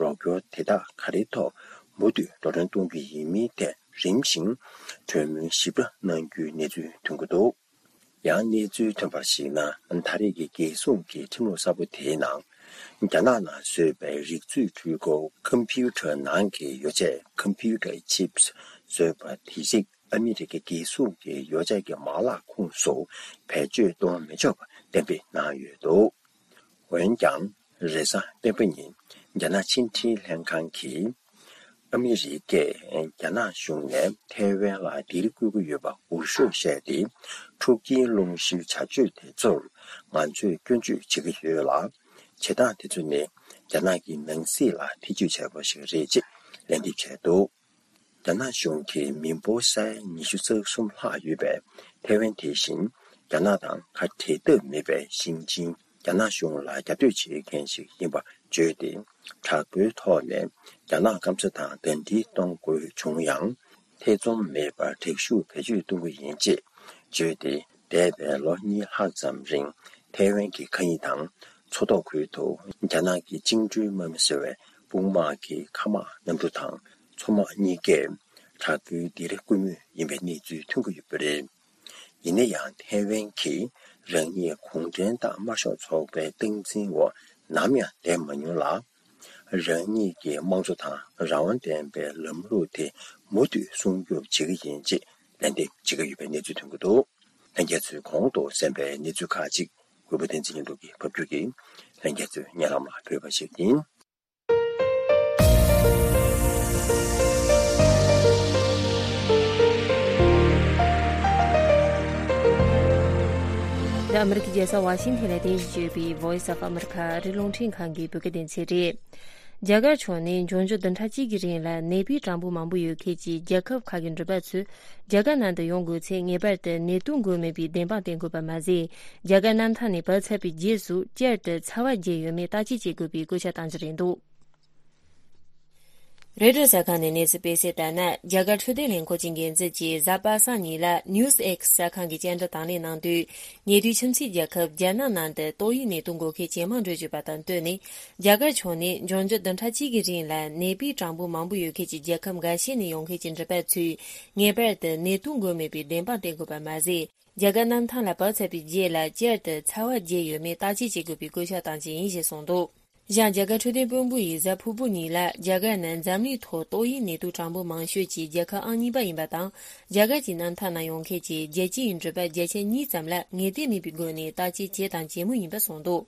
རོགས་སྐྱོར་དེ་དག་ག་རེའི་ཐོག་མུ་མཐུད་འགྲོ་གྲོན་གཏོང་རྒྱུ་ཡིན་མིན་ཐད་རིམ་བཞིན་གྲོས་མོལ་ཞིབ་ཕྲ་གནང་རྒྱུའི་གནས་ཚུལ་ཐོན་གྱི་འདུག་ཡང་གནས་ཚུལ་ཐོན་པར་གཞིགས་ན། ད་རེས་ཀྱི་རྒྱལ་སྲུང་གི་ཁྲིམས་ལུགས་གསར་པ་དེའི་ནང་རྒྱ་ནག་ནང་བཟོས་པའི་རིག་མཛོད་འཕྲུལ་འཁོར་ཀམ་པུ་ཊར་ནང་གི་ཡོ་བྱད་computer chips བཟོས་པ་དེ་རིགས་ཨ་མི་རི་ཀའི་རྒྱལ་སྲུང་གི་ཡོ་བྱད་ཀྱི་མ་ལག་ཁོངས་སུ་བེད་སྤྱོད་གཏོང་མི་ཆོག་པ་གཏན་འབེབས་གནང་ཡོད་འདུག་འོན་ཀྱང་། རེས་གཟའ་སྤེན་པ་ཉིན་རྒྱ་ནག་ཕྱི་འབྲེལ་ལྷན་ཁང་གིས་ཨ་མི་རི་ཀས་རྒྱ་ནག་གཞུང་ནས་ཐའེ་ཝན་ལ་སྡིགས་ར་བསྐུལ་གྱི་ཡོད་པ་འུར་ཤོབ་བཤད་དེ། འཁྲུག་རྐྱེན་སློང་གཞིའི་བྱ་སྤྱོད་དེ་ཚོར་ང་ཚོས་སྐྱོན་བརྗོད་བྱེད་ཀྱི་ཡོད་ལ། བྱེད་སྟངས་དེ་ཚོ་ནི་རྒྱ་ནག་གི་ནང་སྲིད་ལ་ཐེ་ཇུས་བྱས་པ་ཞིག་རེད་ཅེས་ལན་འདེབས་བྱས་འདུག་རྒྱ་ནག་གཞུང་གིས་མི་འབོར་ས་ཡ་ཉི་ཤུ་རྩ་གསུམ་ལྷག་ཡོད་པའི་ཐའེ་ཝན་དེ་བཞིན་རྒྱ་ནག་དང་ཁ་བྲལ་ཐབས་མེད་པའི་ཞིང་ཆེན་རྒྱ་ནག་གཞུང་ལ་རྒྱབ་གཏོད་བྱེད་མཁན་ཞིག་ཡིན་པ་བརྗོད་དེ། དྲག་པོའི་ཐོག་ནས་རྒྱ་ནག་སྐམ་ས་དང་ཟླ་སྒྲིལ་གཏོང་དགོས་བྱུང་ཡང་། ཐེ་ཚོམ་མེད་པར་དྲག་ཤུགས་བེད་སྤྱོད་གཏོང་གི་ཡིན་ཅེས་བརྗོད་དེ། འདས་པའི་ལོ་གཉིས་ལྷག་ཙམ་རིང་ཐའེ་ཝན་གྱི་མཁའ་དབྱིངས་དང་མཚོ་ཐོག་ཁུལ་དུ་རྒྱ་ནག་གི་བཅིངས་འགྲོལ་དམག་མི་ཟེར་བའི་དཔུང་དམག་གི་མཁའ་དམག་གནམ་གྲུ་དང་མཚོ་དམག་གཉིས་ཀས་དྲག་པོའི་སྡིགས་ར་བསྐུལ་མུས་ཡིན་པའི་གནས་ཚུལ་ཐོན་གྱི་ཡོད་པ་རེད། ཡིན་ན་ཡང་ཐའེ་ཝན་གྱིས་རང་ཉིད་གུང་ཁྲན་ཏང་དམར་ཤོག་ཚོགས་པའི་སྟངས་འཛིན་འོག་ནམ་ཡང་བསྡད་མ་མྱོང་ལ། རང་ཉིད་ཀྱི་དམངས་གཙོ་དང་རང་དབང་ལྡན་པའི་ལམ་ལུགས་དེ་མུ་མཐུད་སྲུང་སྐྱོབ་བྱེད་ཀྱི་ཡིན་ཅེས་ལན་འདེབས་བྱེད་ཀྱི་ཡོད་པའི་གནས་ཚུལ་ཐོན་གྱི་འདུག་ལྷན་རྒྱས་ཚོས་གོང་དུ་གསན་པའི་གནས་ཚུལ་ཁག་ཅིག་གུས་པ་བསྟན་འཛིན་ལྷུན་གྲུབ་ཀྱིས་ཕབ་སྒྱུར་གྱིས་ལྷན་རྒྱས་ཚོའི་སྙན་ལམ་ལ་ཕུལ་བ་ཞིག་ཡིན། འདི་ཨ་མི་རི་ཀའི་རྒྱལ་ས་ཝ་ཤིང་ཐན་ལ་རྟེན་གཞི་བྱས་པའི་Voice of America ཨ་རིའི་རླུང་འཕྲིན་ཁང་གི་བོད་སྐད་སྡེ་ཚན་རེད། རྒྱ་གར་ཕྱོགས་ནས་འབྱུང་འགྱུར་བདུན་ཕྲག་གཅིག་གི་རིང་ལ་ནད་པའི་གྲངས་འབོར་མང་པོ་ཡོད་མཁན་གྱི་རྒྱལ་ཁབ་ཁག་གི་འགྲུལ་པ་ཚོས་རྒྱ་གར་ནང་དུ་ཡོང་དགོས་ཚེ་ངེས་པར་དུ་ནད་དུག་འགོས་མེད་པའི་བདེན་དཔང་བསྟན་དགོས་པ་མ་ཟད། རྒྱ་གར་གནམ་ཐང་ནས་བབས་ཚར་བའི་རྗེས་སུ་བསྐྱར་དུ་ཚ་བ་རྒྱས་ཡོད་མེད་བརྟག་དཔྱད་བྱེད་དགོས་པའི་བཀོད་ཁྱབ་བཏང་རྒྱུ་རེད་འདུག་རོའི་ཊར་གསར་ཁང་ནས་གནས་ཚུལ་སྤེལ་གསལ་ལྟར་ན། རྒྱ་གར་འཕྲོད་བསྟེན་ལས་ཁུངས་ཀྱི་འགན་འཛིན་གྱིས་གཟའ་པ་སངས་ཉིན་ལ་News X གསར་ཁང་གི་བཅར་འདྲི་དང་ལེན་གནང་དུས། ཉེ་དུས་ཁྱིམ་མཚེས་རྒྱལ་ཁབ་རྒྱ་ནག་ནང་དུ་ཏོག་དབྱིབས་ནད་དུག་འགོས་མཁན་ཇེ་མང་འགྲོ་བཞིན་པ་དང་བསྟུན་ནས། རྒྱ་གར་ཕྱོགས་ནས་འབྱུང་འགྱུར་བདུན་ཕྲག་གཅིག་གི་རིང་ལ་ནད་པའི་གྲངས་འབོར་མང་པོ་ཡོད་མཁན་གྱི་རྒྱལ་ཁབ་འགའ་ཤས་ནས་ཡོང་མཁན་གྱི་འགྲུལ་པ་ཚོས་ངེས་པར་དུ་ནད་དུག་འགོས་མེད་པའི་བདེན་དཔང་བསྟན་དགོས་པ་མ་ཟད། རྒྱ་གར་གནམ་ཐང་ལ་བབས་ཚར་བའི་རྗེས་ལ་བསྐྱར་དུ་ཚ་བ་རྒྱས་ཡོད་མེད་བརྟག་དཔྱད་བྱེད་དགོས་པའི་བཀོད་ཁྱབ་བཏང་རྒྱུ་ཡིན་ཞེས་གསུངས་འདུག་གཞན། རྒྱ་གར་འཕྲོད་བསྟེན་དཔོན་པོ་ཡིས་གཟའ་ཕུར་བུ་ཉིན་ལ་རྒྱ་གར་ནི་འཛམ་གླིང་ཐོག་ཏོག་དབྱིབས་ནད་དུག་གྲངས་འབོར་མང་ཤོས་ཀྱི་རྒྱལ་ཁབ་ཨང་གཉིས་པ་ཡིན་པ་དང་། རྒྱ་གར་གྱི་གནམ་ཐང་ནང་ཡོང་མཁན་གྱི་རྒྱལ་སྤྱིའི་འགྲུལ་པ་བརྒྱ་ཆ་གཉིས་ཙམ་ལ་ངེས་གཏན་མེད་པའི་སྒོ་ནས་བརྟག་དཔྱད་བྱེད་དང་བྱེད་མུས་ཡིན་པ་གསུངས་འདུག་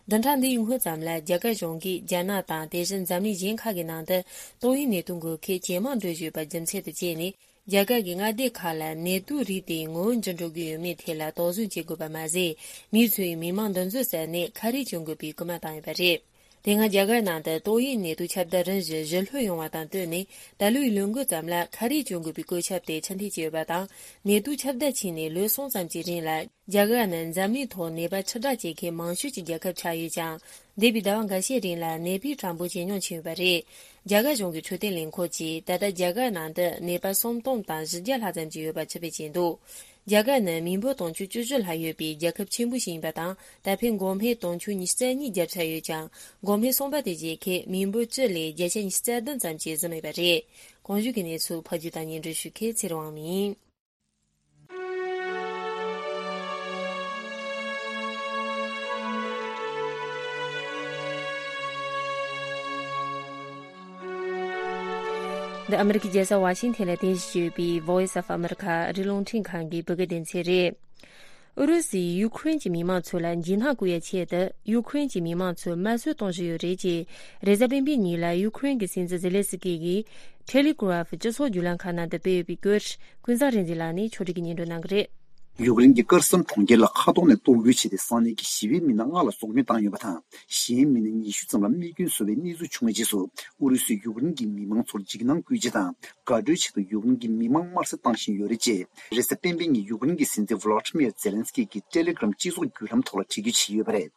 བདུན་ཕྲག་འདིའི་སྔོན་ཙམ་ལ་རྒྱ་གར་གཞུང་གིས་རྒྱ་ནག་དང་དེ་བཞིན་འཛམ་གླིང་གཞན་ཁག་གི་ནང་དུ་ཏོག་དབྱིབས་ནད་དུག་འགོས་མཁན་ཇེ་མང་འགྲོ་བཞིན་ཡོད་པ་རྒྱུ་མཚན་དུ་བྱས་ནས། རྒྱ་གར་གྱི་མངའ་སྡེ་ཁག་ལ་ནད་དུག་རིགས་དེ་སྔོན་འགྲོ་འགྲོ་གི་ཡོད་མེད་ཐད་ལ་དོགས་ཟོན་བྱེད་དགོས་པ་མ་ཟད། མི་ཚོས་མི་མང་འདུ་འཛོམས་ཟ་ནས་ཁ་རས་གྱོན་དགོས་པའི་སྐུལ་མ་བཏང་ཡོད་པ་རེད། དེ་སྔ་རྒྱ་གར་ནང་དུ་ཏོག་དབྱིབས་ནད་དུག་ཁྱབ་གདལ་རིམ་བཞིན་ཞི་ལྷོད་ཡོང་བ་དང་བསྟུན་ནས། ད་ལོའི་ལོ་འགོ་ཙམ་ལ་ཁ་རས་གྱོན་དགོས་པའི་བཀོད་ཁྱབ་དེ་ཕྱིར་འཐེན་བྱས་ཡོད་པ་དང་། ནད་དུག་ཁྱབ་གདལ་ཕྱིན་ནས་ལོ་གསུམ་ཙམ་གྱི་རིང་ལ། རྒྱ་གར་ནི་འཛམ་གླིང་ཐོག་ནད་པ་ཁྲི་ཕྲག་བྱེད་མཁན་མང་ཤོས་ཀྱི་རྒྱལ་ཁབ་ཆགས་ཡོད་ཀྱང་། འདས་པའི་ཟླ་བ་འགའ་ཤས་རིང་ལ་ནད་པའི་གྲངས་འབོར་ཇེ་ཉུང་ཕྱིན་ཡོད་པ་རེད། རྒྱ་གར་གཞུང་གི་འཕྲོད་བསྟེན་ལས་ཁུངས་ཀྱིས་ད་ལྟ་རྒྱ་གར་ནང་དུ་ནད་པ་སུམ་སྟོང་དང་བཞི་བརྒྱ་ལྷག་ཙམ་ཅིག་ཡོད་པ་ཕྱིར་བེད་བྱས་འདུག་རྒྱ་གར་ནི་མི་འབོར་དུང་ཕྱུར་བཅུ་བཞི་ལྷག་ཡོད་པའི་རྒྱལ་ཁབ་ཆེན་པོ་ཞིག་ཡིན་པ་དང་། ད་ཕན་འགོག་སྨན་དུང་ཕྱུར་ཉི་ཤུ་རྩ་གཉིས་བརྒྱབ་ཚར་ཡོད་ཀྱང་། འགོག་སྨན་གསུམ་པ་དེ་བཞེས་མཁན་མི་འབོར་བཅུ་ལས་བརྒྱ་ཆ་ཉི་ཤུ་རྩ་བདུན་ཙམ་ཅིག་ཟིན་ཡོད་པ་རེད། གོང་ཞུས་ཀྱི་གནས་ཚུལ་ཕབ་སྒྱུར་དང་སྙན་སྒྲོན་ཞུ་མཁན་ཚེ་རིང་དབང་མོ་ཡིན། འདི་ཨ་མི་རི་ཀའི་རྒྱལ་ས་ཝ་ཤིང་ཐན་ལ་རྟེན་གཞི་བྱས་ཡོད་པའི་Voice of America ཨ་རིའི་རླུང་འཕྲིན་ཁང་གི་བོད་སྐད་སྡེ་ཚན་རེད། ཨུ་རུ་སུས་ཡུ་ཁུ་རེན་གྱི་མི་མང་ཚོ་ལ་འཇིགས་སྣང་བསྐུལ་ཡའི་ཆེད་དུ་ཡུ་ཁུ་རེན་གྱི་མི་མང་ཚོར་དམར་གསོད་གཏོང་བཞིན་ཡོད་རེད་ཅེས། རེས་གཟའ་སྤེན་པའི་ཉིན་ལ་ཡུ་ཁུ་རེན་གྱི་སྲིད་འཛིན་ཛེ་ལེ་སི་ཀི་གིས་Telegraph སྤྱི་ཚོགས་བརྒྱུད་ལམ་ཁག་ནང་དུ་སྤེལ་ཡོད་པའི་སྐོར། ཀུན་བཟང་རིག་འཛིན་ལགས་ནས་ཕྱོགས་སྒྲིག་གིས་སྙན་སྒྲོན་གནང་གི་རེད། ཡུཀ་རེན་གྱི་ཀར་སན་གྲོང་ཁྱེར་ལ་མཁའ་ཐོག་ནས་གཏོར་རྒོལ་བྱས་ཏེ། ས་གནས་ཀྱི་ཞི་བའི་མི་སྣ་ལྔ་ལ་སྲོག་སྐྱོན་བཏང་ཡོད་པ་དང་། གཞན་མི་སྣ་ཉི་ཤུ་ཙམ་ལ་རྨས་སྐྱོན་བཟོ་བའི་གནས་ཚུལ་བྱུང་བའི་རྗེས་སུ། ཨུ་རུ་སུས་ཡུཀ་རེན་གྱི་མི་མང་ཚོར་འཇིགས་སྣང་སྐུལ་ཆེད་དང་། དགའ་སྤྲོའི་ཆེད་དུ་ཡུཀ་རེན་གྱི་མི་མང་དམར་གསོད་བཏང་བཞིན་ཡོད་རེད་ཅེས། རེས་གཟའ་སྤེན་པའི་ཉིན་ཡུཀ་རེན་གྱི་སྲིད་འཛིན་ཝ་ལ་ཏི་མིར་ཛེ་ལན་སི་ཀི་གིས་ཊེ་ལེ་གྷི་རམ་སྤྱི་ཚོགས་བརྒྱུད་ལམ་ཐོག་ལ་འབྲི་རྒྱུ་བྱས་ཡོད་པ་རེད།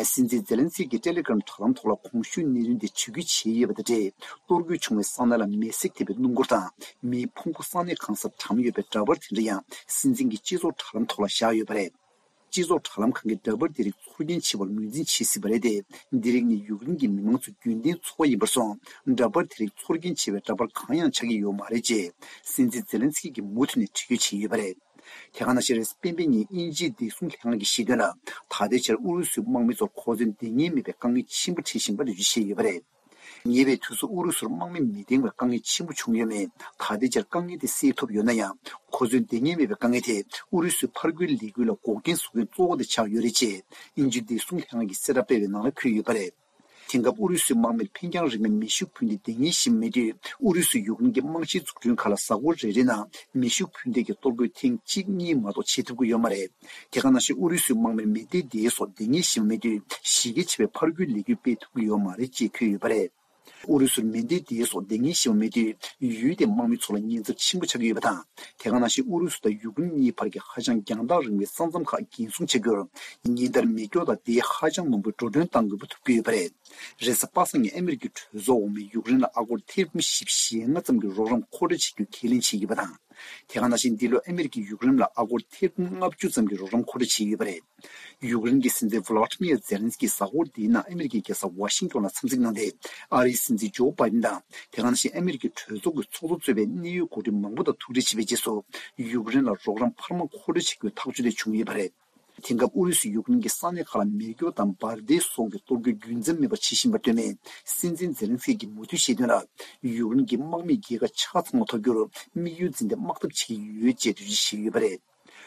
སྲིད་འཛིན་ཛེ་ལན་སི་ཀི་གིས་ཊེ་ལེ་གྷི་རམ་དྲ་ལམ་ཐོག་ལ་གོང་ཞུས་གནད་དོན་དེ་འབྲི་རྒྱུ་བྱས་ཡོད་པ་དང་འབྲེལ། གཏོར་རྒོལ་བྱུང་བའི་ས་གནས་ལ་མེ་བསྲེགས་ཐེབས་པའི་སྣུམ་འཁོར་དང་། མིའི་ཕུང་པོ་ས་གནས་གང་སར་གྲམ་ཡོད་པའི་འདྲ་པར་དེ་འདྲ་ཡང་སྲིད་འཛིན་གྱི་སྤྱི་ཚོགས་དྲ་ལམ་ཐོག་ལ་བཞག་ཡོད་པ་རེད། སྤྱི་ཚོགས་དྲ་ལམ་ཁང་གིས་འདྲ་པར་དེ་རིགས་ཚོར་སྐྱེན་ཆེ་བར་ངོས་འཛིན་བྱེད་སྲིད་པ་རེད་དེ། འདི་རིགས་ནི་ཡུཀ་རེན་གྱི་མི་མང་ཚོའི་རྒྱུན་ལྡན་འཚོ་བ་ཡིན་པར་སོང་། འདྲ་པར་དེ་རིགས་ཚོར་སྐྱེན་ཆེ་བའི་འདྲ་པར་གང་ཡང་ཆགས་ཀྱི་ཡོད་མ་རེད་ཅེས། སྲིད་འཛིན་ཛེ་ལན་སི་ཀི་གིས་མུ་མཐུད་ནས་འབྲི་རྒྱུ་བྱས་ཡོད་པ་རེད། དེ་ག་ནང་བཞིན་རེས་གཟའ་སྤེན་པའི་ཉིན་དབྱིན་ཇིའི་བདེ་སྲུང་ལྷན་ཁང་གིས་བཤད་དོན་ལ། ད་ལྟའི་ཆར་ཨུ་རུ་སུའི་དམག་མི་ཚོར་གོ་མཚོན་འདང་ངེས་མེད་པའི་དཀའ་ངལ་ཆེན་པོ་འཕྲད་བཞིན་པ་འགྲེལ་བརྗོད་བྱས་ཡོད་པ་རེད། ཉེ་བའི་དུས་སུ་ཨུ་རུ་སུར་དམག་མི་མི་འདང་བའི་དཀའ་ངལ་ཆེན་པོ་བྱུང་ཡོད་མེད། ད་ལྟའི་ཆར་དཀའ་ངལ་དེ་སེལ་ཐུབ་ཡོད་ན་ཡང་། གོ་མཚོན་འདང་ངེས་མེད་པའི་དཀའ་ངལ་དེ་ཨུ་རུ་སུའི་ཕར་རྒོལ་ལས་འགུལ་ལ་འགོག་རྐྱེན་བཟོ་མཁན་གཙོ་བོ་དེ་ཆགས་ཡོད་རེད་ཅེས། དབྱིན་ཇིའི་བདེ་སྲུང་ལྷན་ཁང་གིས་གསལ་བསྒྲགས་སྤེལ་བའི་ནང་ལ་འཁོད་ཡོད་པ་རེད། དེང་སྐབས་ཨུ་རུ་སུའི་དམག་མིར་འཕེན་རྒྱང་རིང་མོའི་མེ་ཤུགས་འཕུར་མདེལ་འདང་ངེས་ཤིག་མེད་དུས། ཨུ་རུ་སུས་ཡུཀ་རེན་གྱི་རྨང་གཞིའི་འཛུགས་སྐྲུན་ཁག་ལ་གཟའ་འཁོར་རེ་རེའི་ནང་མེ་ཤུགས་འཕུར་མདེལ་གྱི་གཏོར་རྒོལ་ཐེངས་གཅིག་གཉིས་མ་གཏོགས་བྱེད་ཐུབ་ཀྱི་ཡོད་མ་རེད། དེ་ག་ནང་བཞིན་ཨུ་རུ་སུའི་དམག་མིར་མེ་མདའི་མདེལ་སོགས་འདང་ངེས་ཤིག་མེད་དུས། གཞི་རྒྱ་ཆེ་བའི་ཕར་རྒོལ་ལས་འགུལ་སྤེལ་ཐུབ་ཀྱི་ཡོད་མ་རེད་ཅེས་འཁོད་ཡོད་པ་རེད། ཨུ་རུ་སུར་མེ་མདའི་མདེལ་སོགས་འདང་ངེས་ཤིག་མེད་དུས། ཡུལ་དེའི་དམག་མི་ཚོ་ལ་ཉེན་ཚབས་ཆེན་པོ་ཆགས་ཀྱི་ཡོད་པ་དང་། དེ་ག་ནང་བཞིན་ཨུ་རུ་སུ་དང་ཡུཀ་རེན་གཉིས་བར་གྱི་ཧ་ཅང་རྒྱང་ཐག་རིང་བའི་ས་མཚམས་ཁག་འགན་སྲུང་བྱ་རྒྱུར། ཉིན་ལྟར་མེ་སྒྱོགས་དང་མདེལ་ཧ་ཅང་མང་པོའི་འགྲོ་གྲོན་གཏང་དགོས་པ་ཐུག་ཀྱི་ཡོད་པ་རེད། རེས་གཟའ་པ་སངས་ཉིན་ཨ་མི་རི་ཀའི་གྲོས་ཚོགས་འོག་མས་ཡུཀ་རེན་ལ་ཨ་སྒོར་ཐེར་འབུམ་བཞི་བཅུ་ཞེ་ལྔ་ཙམ་གྱི་རོགས་རམ་མཁོ་སྤྲོད་བྱེད་རྒྱུ་ཁས་ལེན་བྱས་ཡོད་པ་དང་། དེ་ག་ནང་བཞིན་འདི་ལོ་ཨ་མི་རི་ཀས་ཡུཀ་རེན་ལ་ཨ་སྒོར་ཐེར་འབུམ་ལྔ་བཅུ་ཙམ་གྱི་རོགས་རམ་མཁོ་སྤྲོད་བྱས་ཡོད་པ་རེད། ཡུཀ་རེན་གྱི་སྲིད་འཛིན་ཝ་ལ་ཏི་མིར་ཛེ་ལན་སི་ཀིས་གཟའ་འཁོར་འདིའི་ནང་ཨ་མི་རི་ཀའི་རྒྱལ་ས་ཝ་ཤིང་ཏོན་ལ་འཚམས་གཟིགས་གནང་སྟེ། ཨ་རིའི་སྲིད་འཛིན་ཇོ་བྷའི་ཏིན་དང་། དེ་ག་ནང་བཞིན་ཨ་མི་རི་ཀའི་གྲོས་ཚོགས་ཀྱི་ཚོགས་གཙོ་གཙོས་པའི་གནད་ཡོད་འགོ་ཁྲིད་མང་པོ་དང་ཐུག་འཕྲད་བྱས་པའི་རྗེས་སུ། ཡུཀ་རེན་ལ་རོགས་རམ་འཕར་མ་མཁོ་སྤྲོད་བྱེད་རྒྱུའི་ཐག་གཅོད་དེ་བྱུང་ཡོད་པ་རེད། དེང་སྐབས་ཨུ་རུ་སུས་ཡུཀ་རེན་གྱི་ས་གནས་ཁག་ལ་མེ་སྒྱོགས་དང་འབར་མདེལ་སོགས་ཀྱི་གཏོར་རྒོལ་རྒྱུན་འཛོམས་མེད་པར་བྱེད་བཞིན་པར་ལྟོས་ནས། སྲིད་འཛིན་ཛེ་ལན་སི་ཀིས་མུ་མཐུད་བཤད་དོན་ལ། ཡུཀ་རེན་གྱི་དམག་མིས་རྒྱལ་ཁ་ཆ་ཚང་བ་ཐོབ་རྒྱུར་དམིགས་ཡུལ་འཛིན་ཏེ་དམག་འཐབ་བྱེད་ཀྱི་ཡོད་ཅེས་འགྲེལ་བརྗོད་བྱས་ཡོད་པ་རེད།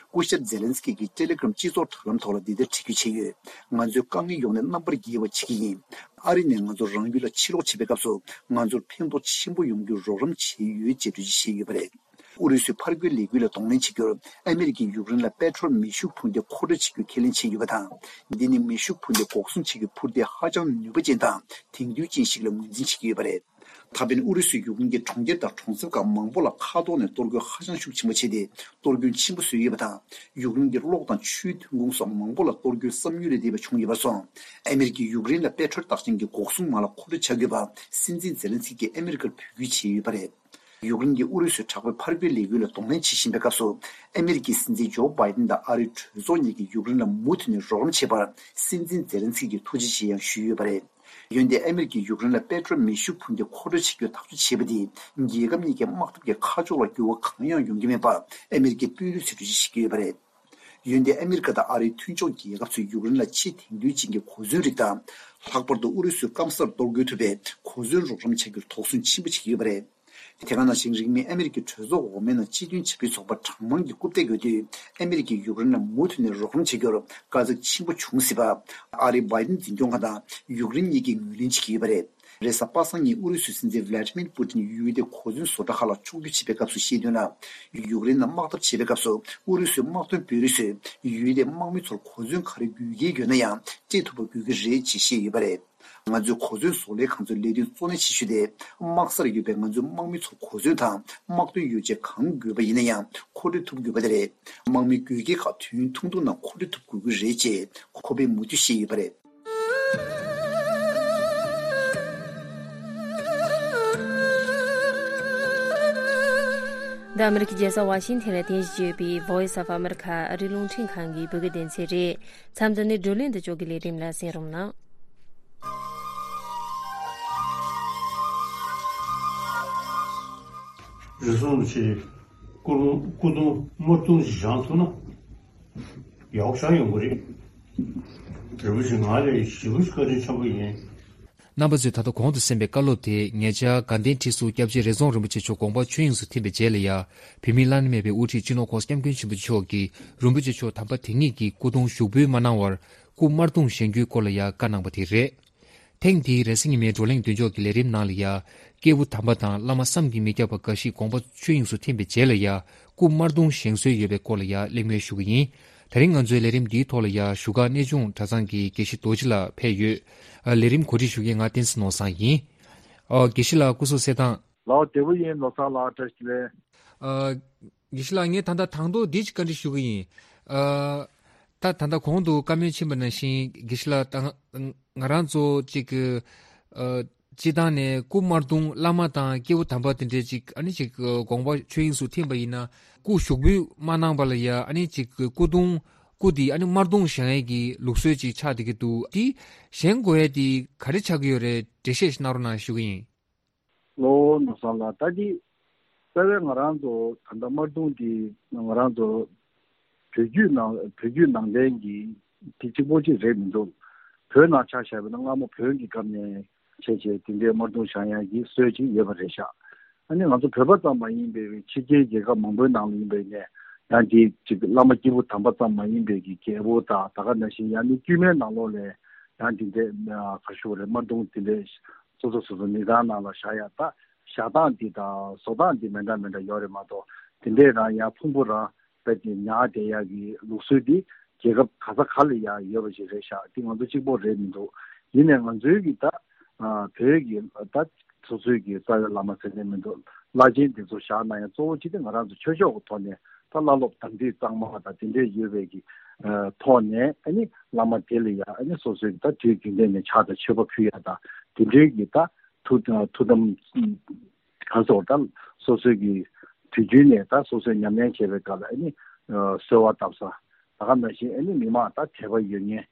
སྐུ་ཞབས་ཛེ་ལན་སི་ཀི་གིས་ཊེ་ལེ་གྷི་རམ་སྤྱི་ཚོགས་དྲ་ལམ་ཐོག་ལ་འདི་ལྟར་བྲིས་བརྗོད་བྱས་ཡོད། ང་ཚོའི་དཀའ་ངལ་ཡོང་ནས་རྣམ་པར་རྒྱལ་བ་བྱེད་ཀྱི་ཡིན། ཨ་རི་ནས་ང་ཚོ་རང་ཡུལ་ལ་ཕྱིར་ལོག་བྱེད་པའི་སྐབས་སུ། ང་ཚོར་ཕན་ཐོགས་ཆེན་པོ་ཡོང་རྒྱུར་རོགས་རམ་བྱས་ཡོད་ཅེས་འགྲེལ་བརྗོད་བྱས་ཡོད་པ་རེད། ཨུ་རུ་སུའི་ཕར་རྒོལ་ལས་འགུལ་ལ་གདོང་ལེན་བྱེད་རྒྱུར། ཨ་མི་རི་ཀས་ཡུཀ་རེན་ལ་པེ་ཏྲོལ་མེ་ཤུགས་འཕུར་མདེལ་མཁོ་སྤྲོད་བྱེད་རྒྱུ་ཁས་ལེན་བྱས་ཡོད་པ་དང་། འདི་ནི་མེ་ཤུགས་འཕུར་མདེལ་འགོག་སྲུང་བྱེད་རྒྱུའི་འཕུར་མདེལ་ཧ་ཅང་ནུས་པ་ཅན་དང་དེང་དུས་ཅན་ཞིག་ལ་ངོས་འཛིན་བྱེད་ཀྱི་ཡོད་པ་རེད། ད་ཕན་ཨུ་རུ་སུས་ཡུཀ་རེན་གྱི་གྲོང་ཁྱེར་དང་གྲོང་གསེབ་ཁག་མང་པོ་ལ་མཁའ་ཐོག་ནས་གཏོར་རྒོལ་ཧ་ཅང་ཤུགས་ཆེན་པོ་བྱས་ཏེ། གཏོར་སྐྱོན་ཆེན་པོ་བཟོས་ཡོད་པ་དང་། ཡུཀ་རེན་གྱི་གློག་དང་ཆུའི་ཐོན་ཁུངས་སོགས་མང་པོ་ལ་གཏོར་རྒོལ་བསམ་ཡུལ་ལས་འདས་པ་བྱུང་ཡོད་པར་སོང་། ཨ་མི་རི་ཀས་ཡུཀ་རེན་ལ་པེ་ཏྲོལ་རྟགས་ཅན་གྱི་འགོག་སྲུང་མ་ལག་མཁོ་སྤྲོད་བྱ་དགོས་པ། སྲིད་འཛིན་ཛེ་ལན་སི་ཀིས་ཨ་མི་རི་ཀར་འབོད་སྐུལ་བྱས་ཡོད་པ་རེད། ཡུཀ་རེན་གྱིས་ཨུ་རུ་སུའི་དྲག་པོའི་ཕར་རྒོལ་ལས་འགུལ་ལ་གདོང་ལེན་བྱེད་བཞིན་པའི་སྐབས་སུ། ཨ་མི་རི་ཀའི་སྲིད་འཛིན་ཇོ་བྷའི་ཏིན་དང་ཨ་རིའི་གྲོས་ཚོགས་གཉིས་ཀྱིས་ཡུཀ་རེན་ལ་མུ་མཐུད་ནས་རོགས་རམ་བྱས་པར། སྲིད་འཛིན་ཛེ་ལན་སི་ཀིས་ཐུགས་རྗེ་ཆེ་ཡང་ཞུས་ཡོད་པ་རེད། འོན་ཏེ་ཨ་མི་རི་ཀས་ཡུཀ་རེན་ལ་པེ་ཏྲོལ་མེ་ཤུགས་འཕུར་མདེལ་མཁོ་སྤྲོད་བྱེད་རྒྱུའི་ཐག་གཅོད་བྱས་པ་དེས། རྒྱལ་ཁབ་གཉིས་ཀྱི་དམག་འཐབ་ཀྱི་ཁ་ཕྱོགས་ལ་འགྱུར་བ་གང་ཡང་ཡོང་གི་མེད་པ། ཨ་མི་རི་ཀའི་དཔོན་རིགས་ཚོས་འགྲེལ་བརྗོད་བྱེད་ཀྱི་ཡོད་པ་རེད། འོན་ཏེ་ཨ་མི་རི་ཀ་དང་ཨ་རིའི་མཐུན་ཕྱོགས་རྒྱལ་ཁབ་ཚོས་ཡུཀ་རེན་ལ་ཆེས་དེང་དུས་ཅན་གྱི་གོ་མཚོན་རིགས་དང་། ལྷག་པར་དུ་ཨུ་རུ་སུའི་སྐམ་སར་གཏོར་རྒོལ་ཐུབ་པའི་གོ་མཚོན་རོགས་རམ་བྱ་རྒྱུར་དོགས་ཟོན་ཆེན་པོ་བྱེད་ཀྱི་ཡོད་པ་རེད། དེ་ག་ནང་བཞིན་རིང་མིན་ཨ་མི་རི་ཀའི་གྲོས་ཚོགས་འོག་མའི་ནང་སྤྱི་མཐུན་བྱ་བའི་ཚོགས་པ་གྲངས་མང་གིས་རྐུབ་སྟེགས་ཡོད་དུས། ཨ་མི་རི་ཀས་ཡུཀ་རེན་ལ་མུ་མཐུད་ནས་རོགས་རམ་བྱེད་རྒྱུར་དཀའ་ཚེགས་ཆེན་པོ་འབྱུང་སྲིད་པ། ཨ་རིའི་བྷའི་ཏིན་འཛིན་སྐྱོང་ཁང་དང་ཡུཀ་རེན་གཉིས་ཀས་ངོས་ལེན་བྱེད་ཀྱི་ཡོད་པ་རེད། རེས་གཟའ་པ་སངས་ཉིན་ཨུ་རུ་སུའི་སྲིད་འཛིན་ཝི་ལ་ཏི་མིར་པུ་ཏིན་ཡུལ་དེའི་གོ་མཚོན་བཟོ་གྲྭ་ཁག་ལ་ཕྱོགས་བསྒྱུར་བྱེད་པའི་སྐབས་སུ་བཤད་དོན་ལ། ཡུཀ་རེན་ནང་དམག་འཐབ་བྱེད་པའི་སྐབས་སུ་ཨུ་རུ་སུའི་དམག་དོན་དཔོན་རིགས་ཚོས་ཡུལ་དེའི་དམག་མི་ཚོར་གོ་མཚོན་ག་རེ་དགོས་ཀྱི་ཡོད་ན་ཡང་སྤྲད་ཐུབ་པ་དགོས་ཀྱི་རེད་ཅེས་བཤད་ཡོད་པ་རེད། ང་ཚོའི་གོ་མཚོན་བཟོ་ལས་ཁང་ཚོའི་ལས་དོན་གཙོ་གནད་ཆེ་ཤོས་དེ། དམག་སར་ཡོད་པའི་ང་ཚོའི་དམག་མི་ཚོར་གོ་མཚོན་དང་དམག་དོན་ཡོ་བྱད་གང་དགོས་པ་ཡིན་ན་ཡང་མཁོ་སྤྲོད་ཐུབ་དགོས་པ་དེ་རེད། དམག་མིའི་དགོས་གལ་ཁག་དུས་ཡུན་ཐུང་ཐུང་ནང་མཁོ་སྤྲོད་ཐུབ་དགོས་ཀྱི་རེད་ཅེས་ཁོ་པས་མུ་མཐུད་བཤད་ཡོད་པ་རེད། འདི་ཨ་མི་རི་ཀའི་རྒྱལ་ས་ཝ་ཤིང་ཐན་ལ་རྟེན་གཞི་བྱས་ཡོད་པའི་Voice of America ཨ་རིའི་རླུང་འཕྲིན་ཁང་གི་བོད་སྐད་སྡེ་ཚན་རེད། མཚམས་འདི་ནས་བགྲོ་གླེང་དུ་ཕྱོགས་ཀྱི་ལས་རིམ་ལ་གསན་རོགས་གནང་། རེ་ཟུང་ཆེ། སྐུ་རུང་སྐུ་གདུང་དམར་གདུང་ཞིག་བཞེངས་ཐུབ་ན། ཡག་པོ་ཞིག་ཡོང་གི་རེད། རིན་པོ་ཆེ་ང་ལ་ཞེ་པོ་ཞིག་བཀའ་དྲིན་ཆེན་པོ་ཡིན། རྣམ་པ་ཚོས་ད་ལྟ་གོང་དུ་གསན་པའི་བཀའ་སློབ་དེ་ངེད་ཅག་དགའ་ལྡན་ཁྲི་ཟུར་སྐྱབས་རྗེ་རེ་རྫོང་རིན་པོ་ཆེ་མཆོག་དགོངས་པ་ཆོས་དབྱིངས་སུ་ཐིམ་པའི་རྗེས་ལ་ཡ། བོད་མིའི་བླ་ན་མེད་པའི་དབུ་ཁྲིད་སྤྱི་ནོར་༸གོང་ས་༸སྐྱབས་མགོན་ཆེན་པོ་མཆོག་གིས་རིན་པོ་ཆེ་མཆོག་དམ་པ་དེ་ཉིད་ཀྱི་སྐུ་གདུང་ཞུགས་འབུལ་མ་གནང་བར་སྐུ་དམར་གདུང་བཞེངས་རྒྱུའི་སྐོར་ལ་ཡ་བཀའ་གནང་བ་དེ་རེད། ཐེངས་འདིའི་རེས་གཟའ་ཉི་མའི་བགྲོ་གླེང་མདུན་ཅོག་གི་ལས་རིམ་ནང་ལ་ཡ། སྐྱེས་བུ་དམ་པ་དང་བླ་མ་བསམ་གྱིས་མི་ཁྱབ་པ་འགའ་ཞིག་དགོངས་པ་ཆོས་དབྱིངས་སུ་ཐིམ་པའི་རྗེས་ལ་ཡ། སྐུ་དམར་གདུང་བཞེངས་སྲོལ་ཡོད་པའི་སྐོར་ལ་ཡང་གླེང་མོལ་ཞུ་གི་ཡིན། དེ་རིང་ང་ཚོའི་ལས་རིམ་འདིའི་ཐོག་ལ་ཡང་བཞུགས་སྒར་གནས་ཆུང་གྲྭ་ཚང་གི་དགེ་བཤེས་རྡོ་རྗེ་ལགས་ཕེབས་ཡོད། ཨ། ལས་རིམ་གོ་སྒྲིག་ཞུ་མཁན་ང་བསྟན་འཛིན་ནོར་བཟང་ཡིན། ཨ། དགེ་བཤེས་ལགས་སྐུ་གཟུགས་གསལ་ཐང་། ལགས་བདེ་པོ་ཡིན། ནོར་བཟང་ལགས་བཀྲ་ཤིས་བདེ་ལེགས། ཨ། དགེ་བཤེས་ལགས། ངས་ད་ལྟ་དང་ཐོག་འདི་ཅིག་བཀའ་འདྲི་ཞུ་གི་ཡིན། ཨ། ད་ད་ལྟ་གོང་དུ་བཀའ་མོལ་ཕྱིན་པ་ནང་བཞིན་དགེ་བཤེས་ལགས་ད་ང་རང་ཚོ་ཅིག་ཨ། སྤྱི་བཏང་ནས་སྐུ་དམར་གདུང་བླ་མ་དང་སྐྱེས་བུ་དམ་པ་དེ་འདྲའི་ཅིག་ཨ་ནི་ཅིག་དགོངས་པ་ཆོས་དབྱིངས་སུ་ཐིམ་པ་ཡིན་ན་སྐུ་ཞུགས་འབུལ་མ་གནང་བ་ལ་ཡ་ཨ་ནི་ཅིག་སྐུ་གདུང་སྐུ་དེ་ཨ་ནི་དམར་གདུང་བཞེངས་ཡས་ཀྱི་ལུགས་སྲོལ་ཅིག་ཆགས་བསྡད་ཀྱི་འདུག་དེ་བཞེངས་དགོས་ཡས་དེ་ག་རེ་ཆགས་ཀྱི་ཡོད་རེད། འགྲེལ་བཤད་ཞིག་གནང་རོགས་གནང་ཞུ་གི་ཡིན། ལོ་ནོར་བཟང་ལགས། ད་འདི་རྩ་བའི་ང་རང་ཚོ་ད་ལྟ་དམར་གདུང་འདི་ང་རང་ཚོ་བོད་བརྒྱུད་ནང་བོད་བརྒྱུད་ནང་བསྟན་གྱི་དེ་གཅིག་པོ་གཅིག་རེད་མི་འདུག་བོད་ནང་ཆ་བཞག་པ་ན་སྔ་མོ་བོན་གྱི་སྐབས་ནས་བྱས་བྱས་དེ་འདྲའི་དམར་གདུང་བཞེངས་ཡག་གི་སྲོལ་ཅིག་ཡོད་པ་རེད་ཤག་ཨ་ནི་ང་ཚོ་བོད་པ་ཙམ་མ་ཡིན་པའི་ཕྱི་རྒྱལ་རྒྱལ་ཁབ་མང་པོའི་ནང་ལ་ཡིན་པའི་ནས་ཡང་དེ་གཅིག་བླ་མ་སྐྱེས་བུ་དམ་པ་ཙམ་མ་ཡིན་པའི་གི་རྒྱལ་པོ་དང་ད་ག་ནང་བཞིན་ཡང་ནི་དཀྱུས་མའི་ནང་ལོགས་ལས་ཡང་དེ་འདྲའི་ག་ཞུ་བ་རེད། དམར་གདུང་དེ་འདྲའི་སོ་སོ་སོ་སོ་མི་ཚང་ནང་ལ་བཞག་ཡ་ད་བཞག་སྟངས་འདི་དང་བཟོ་སྟངས་འདི་མི་འདྲ་མི་འདྲ་ཡོད་རེད་མ་གཏོགས་དེ་འདྲས་རང་ཡ་ཕུང་པོ་རང་རྦད་དེ་ཉར་བསྡད་ཡ་གི་ལུགས་སྲོལ་འདི་རྒྱལ་ཁབ་ག་ས་ག་ལ་ཡ་ཡོད་པ་ཞིག་རེད་ཤག་འདི་ང་ཚོ་གཅིག་པོ་རེད་མི་འདུག་ཡིན་ནའི་ང་ཚོའི་གི་ད་བོད་ཀྱི་ད་སོ་སོའི་གི་རྩ་བའི་བླ་མ་ཟེར་ནས་མི་འདུག་བླ་ཆེན་འདི་ཚོ་བཞག་ན་ཡང་གཙོ་བོ་གཅིག་དེ་ང་རང་ཚོ་ཆོས་ཕྱོགས་ཀྱི་ཐོག་ནས་ད་བླ་སློབ་དམ་ཚིག་གཙང་མ་དང་དེ་འདྲས་ཡོད་པའི་གི་ཐོག་ནས་ཨ་ནི་བླ་མ་དེ་ལ་ཡ་ཨ་ནི་སོ་སོའི་གི་ད་དུས་རྒྱུན་ལྡན་ནས་ཕྱག་དང་མཆོད་པ་ཕུལ་ཡ་དང་དེ་འདྲའི་གི་ད། ཐུགས་ཐུགས་དམ་ག་སོགས་དང་སོ་སོའི་གི་དུས་རྒྱུན་ནས་ད་སོ་སོས་ཉམས་ལེན་བྱེད་པའི་སྐབས་ལ་ཨ་ནི་གསོལ་བ་བཏབ་ས་ད་ག་ནང་བཞིན་ཨ་ནི་མི་མང་ད་དད་པ་ཡོད་མཁན་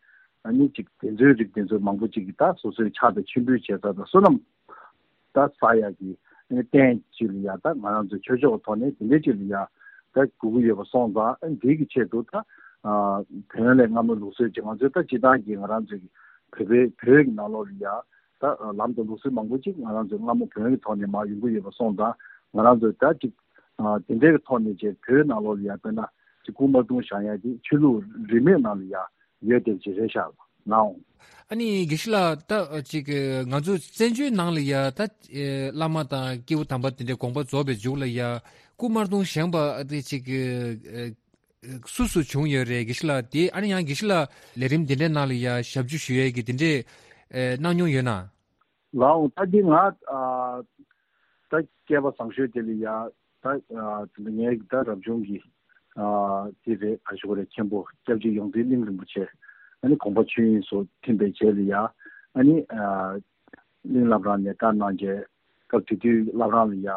ཨ་ནི་ཅིག་དེ་ཚོའི་རིགས་དེ་ཚོ་མང་པོ་ཅིག་གིས་ད་སོ་སོའི་ཕྱག་དང་མཆོད་འབུལ་བྱེད་ས་དང་བསོད་ནམས་ད་བསགས་ཡག་གི་ཨ་ནི་རྟེན་ཅིག་ལ་ཡ་ད་ང་རང་ཚོ་ཆོས་ཕྱོགས་ཐོག་ནས་དེ་འདྲའི་ཅིག་ལ་ཡ་ད་དགོས་ཀྱི་ཡོད་པ་སོང་ཙང་ཨ་ནི་དེའི་གི་ཆེད་དུ་ད་བོན་ལས་སྔ་མོ་ལུགས་སྲོལ་ཅིག་ང་ཚོའི་ད་སྤྱི་བཏང་གི་ང་རང་ཚོའི་གི་བོད་པའི་བོད་ཀྱི་ནང་ལོགས་ལ་ཡ། ད་ལམ་དང་ལུགས་སྲོལ་མང་པོ་ཅིག་ང་རང་ཚོའི་སྔ་མོ་བོན་གྱི་ཐོག་ནས་མར་ཡོང་གི་ཡོད་པ་སོང་ཙང་ང་རང་ཚོས་ད་ཅིག་དེ་འདྲའི་ཐོག་ནས་ཅིག་བོད་ནང་ལོགས་ལ་ཡ་དཔེར་ན་ཅིག་སྐུ་དམར་གདུང་བཞེངས་ཡ་དེ་ཆོས་ལུགས་རིས་མེད་ནང་ལ་ཡ་ཡོད་བསྡད་ཅིག་རེད་ཤག་ནའོ། ཨ་ནི་དགེ་བཤེས་ལགས། ད་ཅིག་ང་ཚོ་བཙན་བྱོལ་ནང་ལ་ཡ་ད་བླ་མ་དང་སྐྱེས་བུ་དམ་པ་དེ་འདྲའི་དགོངས་པ་རྫོགས་པའི་མཇུག་ལ་ཡ་སྐུ་དམར་གདུང་བཞེངས་པ་དེ་ཅིག་སུ་སུ་བྱུང་ཡོད་རེད་དགེ་བཤེས་ལགས། དེ་ཨ་ནི་ཡང་དགེ་བཤེས་ལགས་ལས་རིམ་འདི་འདྲའི་ནང་ལ་ཡ་ཞབས་ཕྱི་ཞུ་ཡས་ཀྱི་དེ་འདྲའི་ཨེ་གནང་མྱོང་ཡོད་ན། ལའོ་ད་འདི་ང་ཨ་ད་སྐལ་པ་བཟང་ཤོས་དེ་ལ་ཡ་ད་ཨ་དེ་ལ་ངའི་ད་རབ་བྱུང་གི་ཨ་དེ་རེད་ག་ཞུ་དགོས་རེད། མཁན་པོ་སྐྱབས་རྗེ་ཡོངས་འཛིན་གླིང་རིན་པོ་ཆེ་ཨ་ནི་དགོངས་པ་ཆོས་དབྱིངས་སུ་ཐིམ་པའི་རྗེས་ལ་ཡ་ཨ་ནི་ཨ། གླིང་བླ་བྲང་ནས་བཀའ་གནང་རྗེས་སྐབས་དེ་དུས་བླ་བྲང་ལ་ཡ་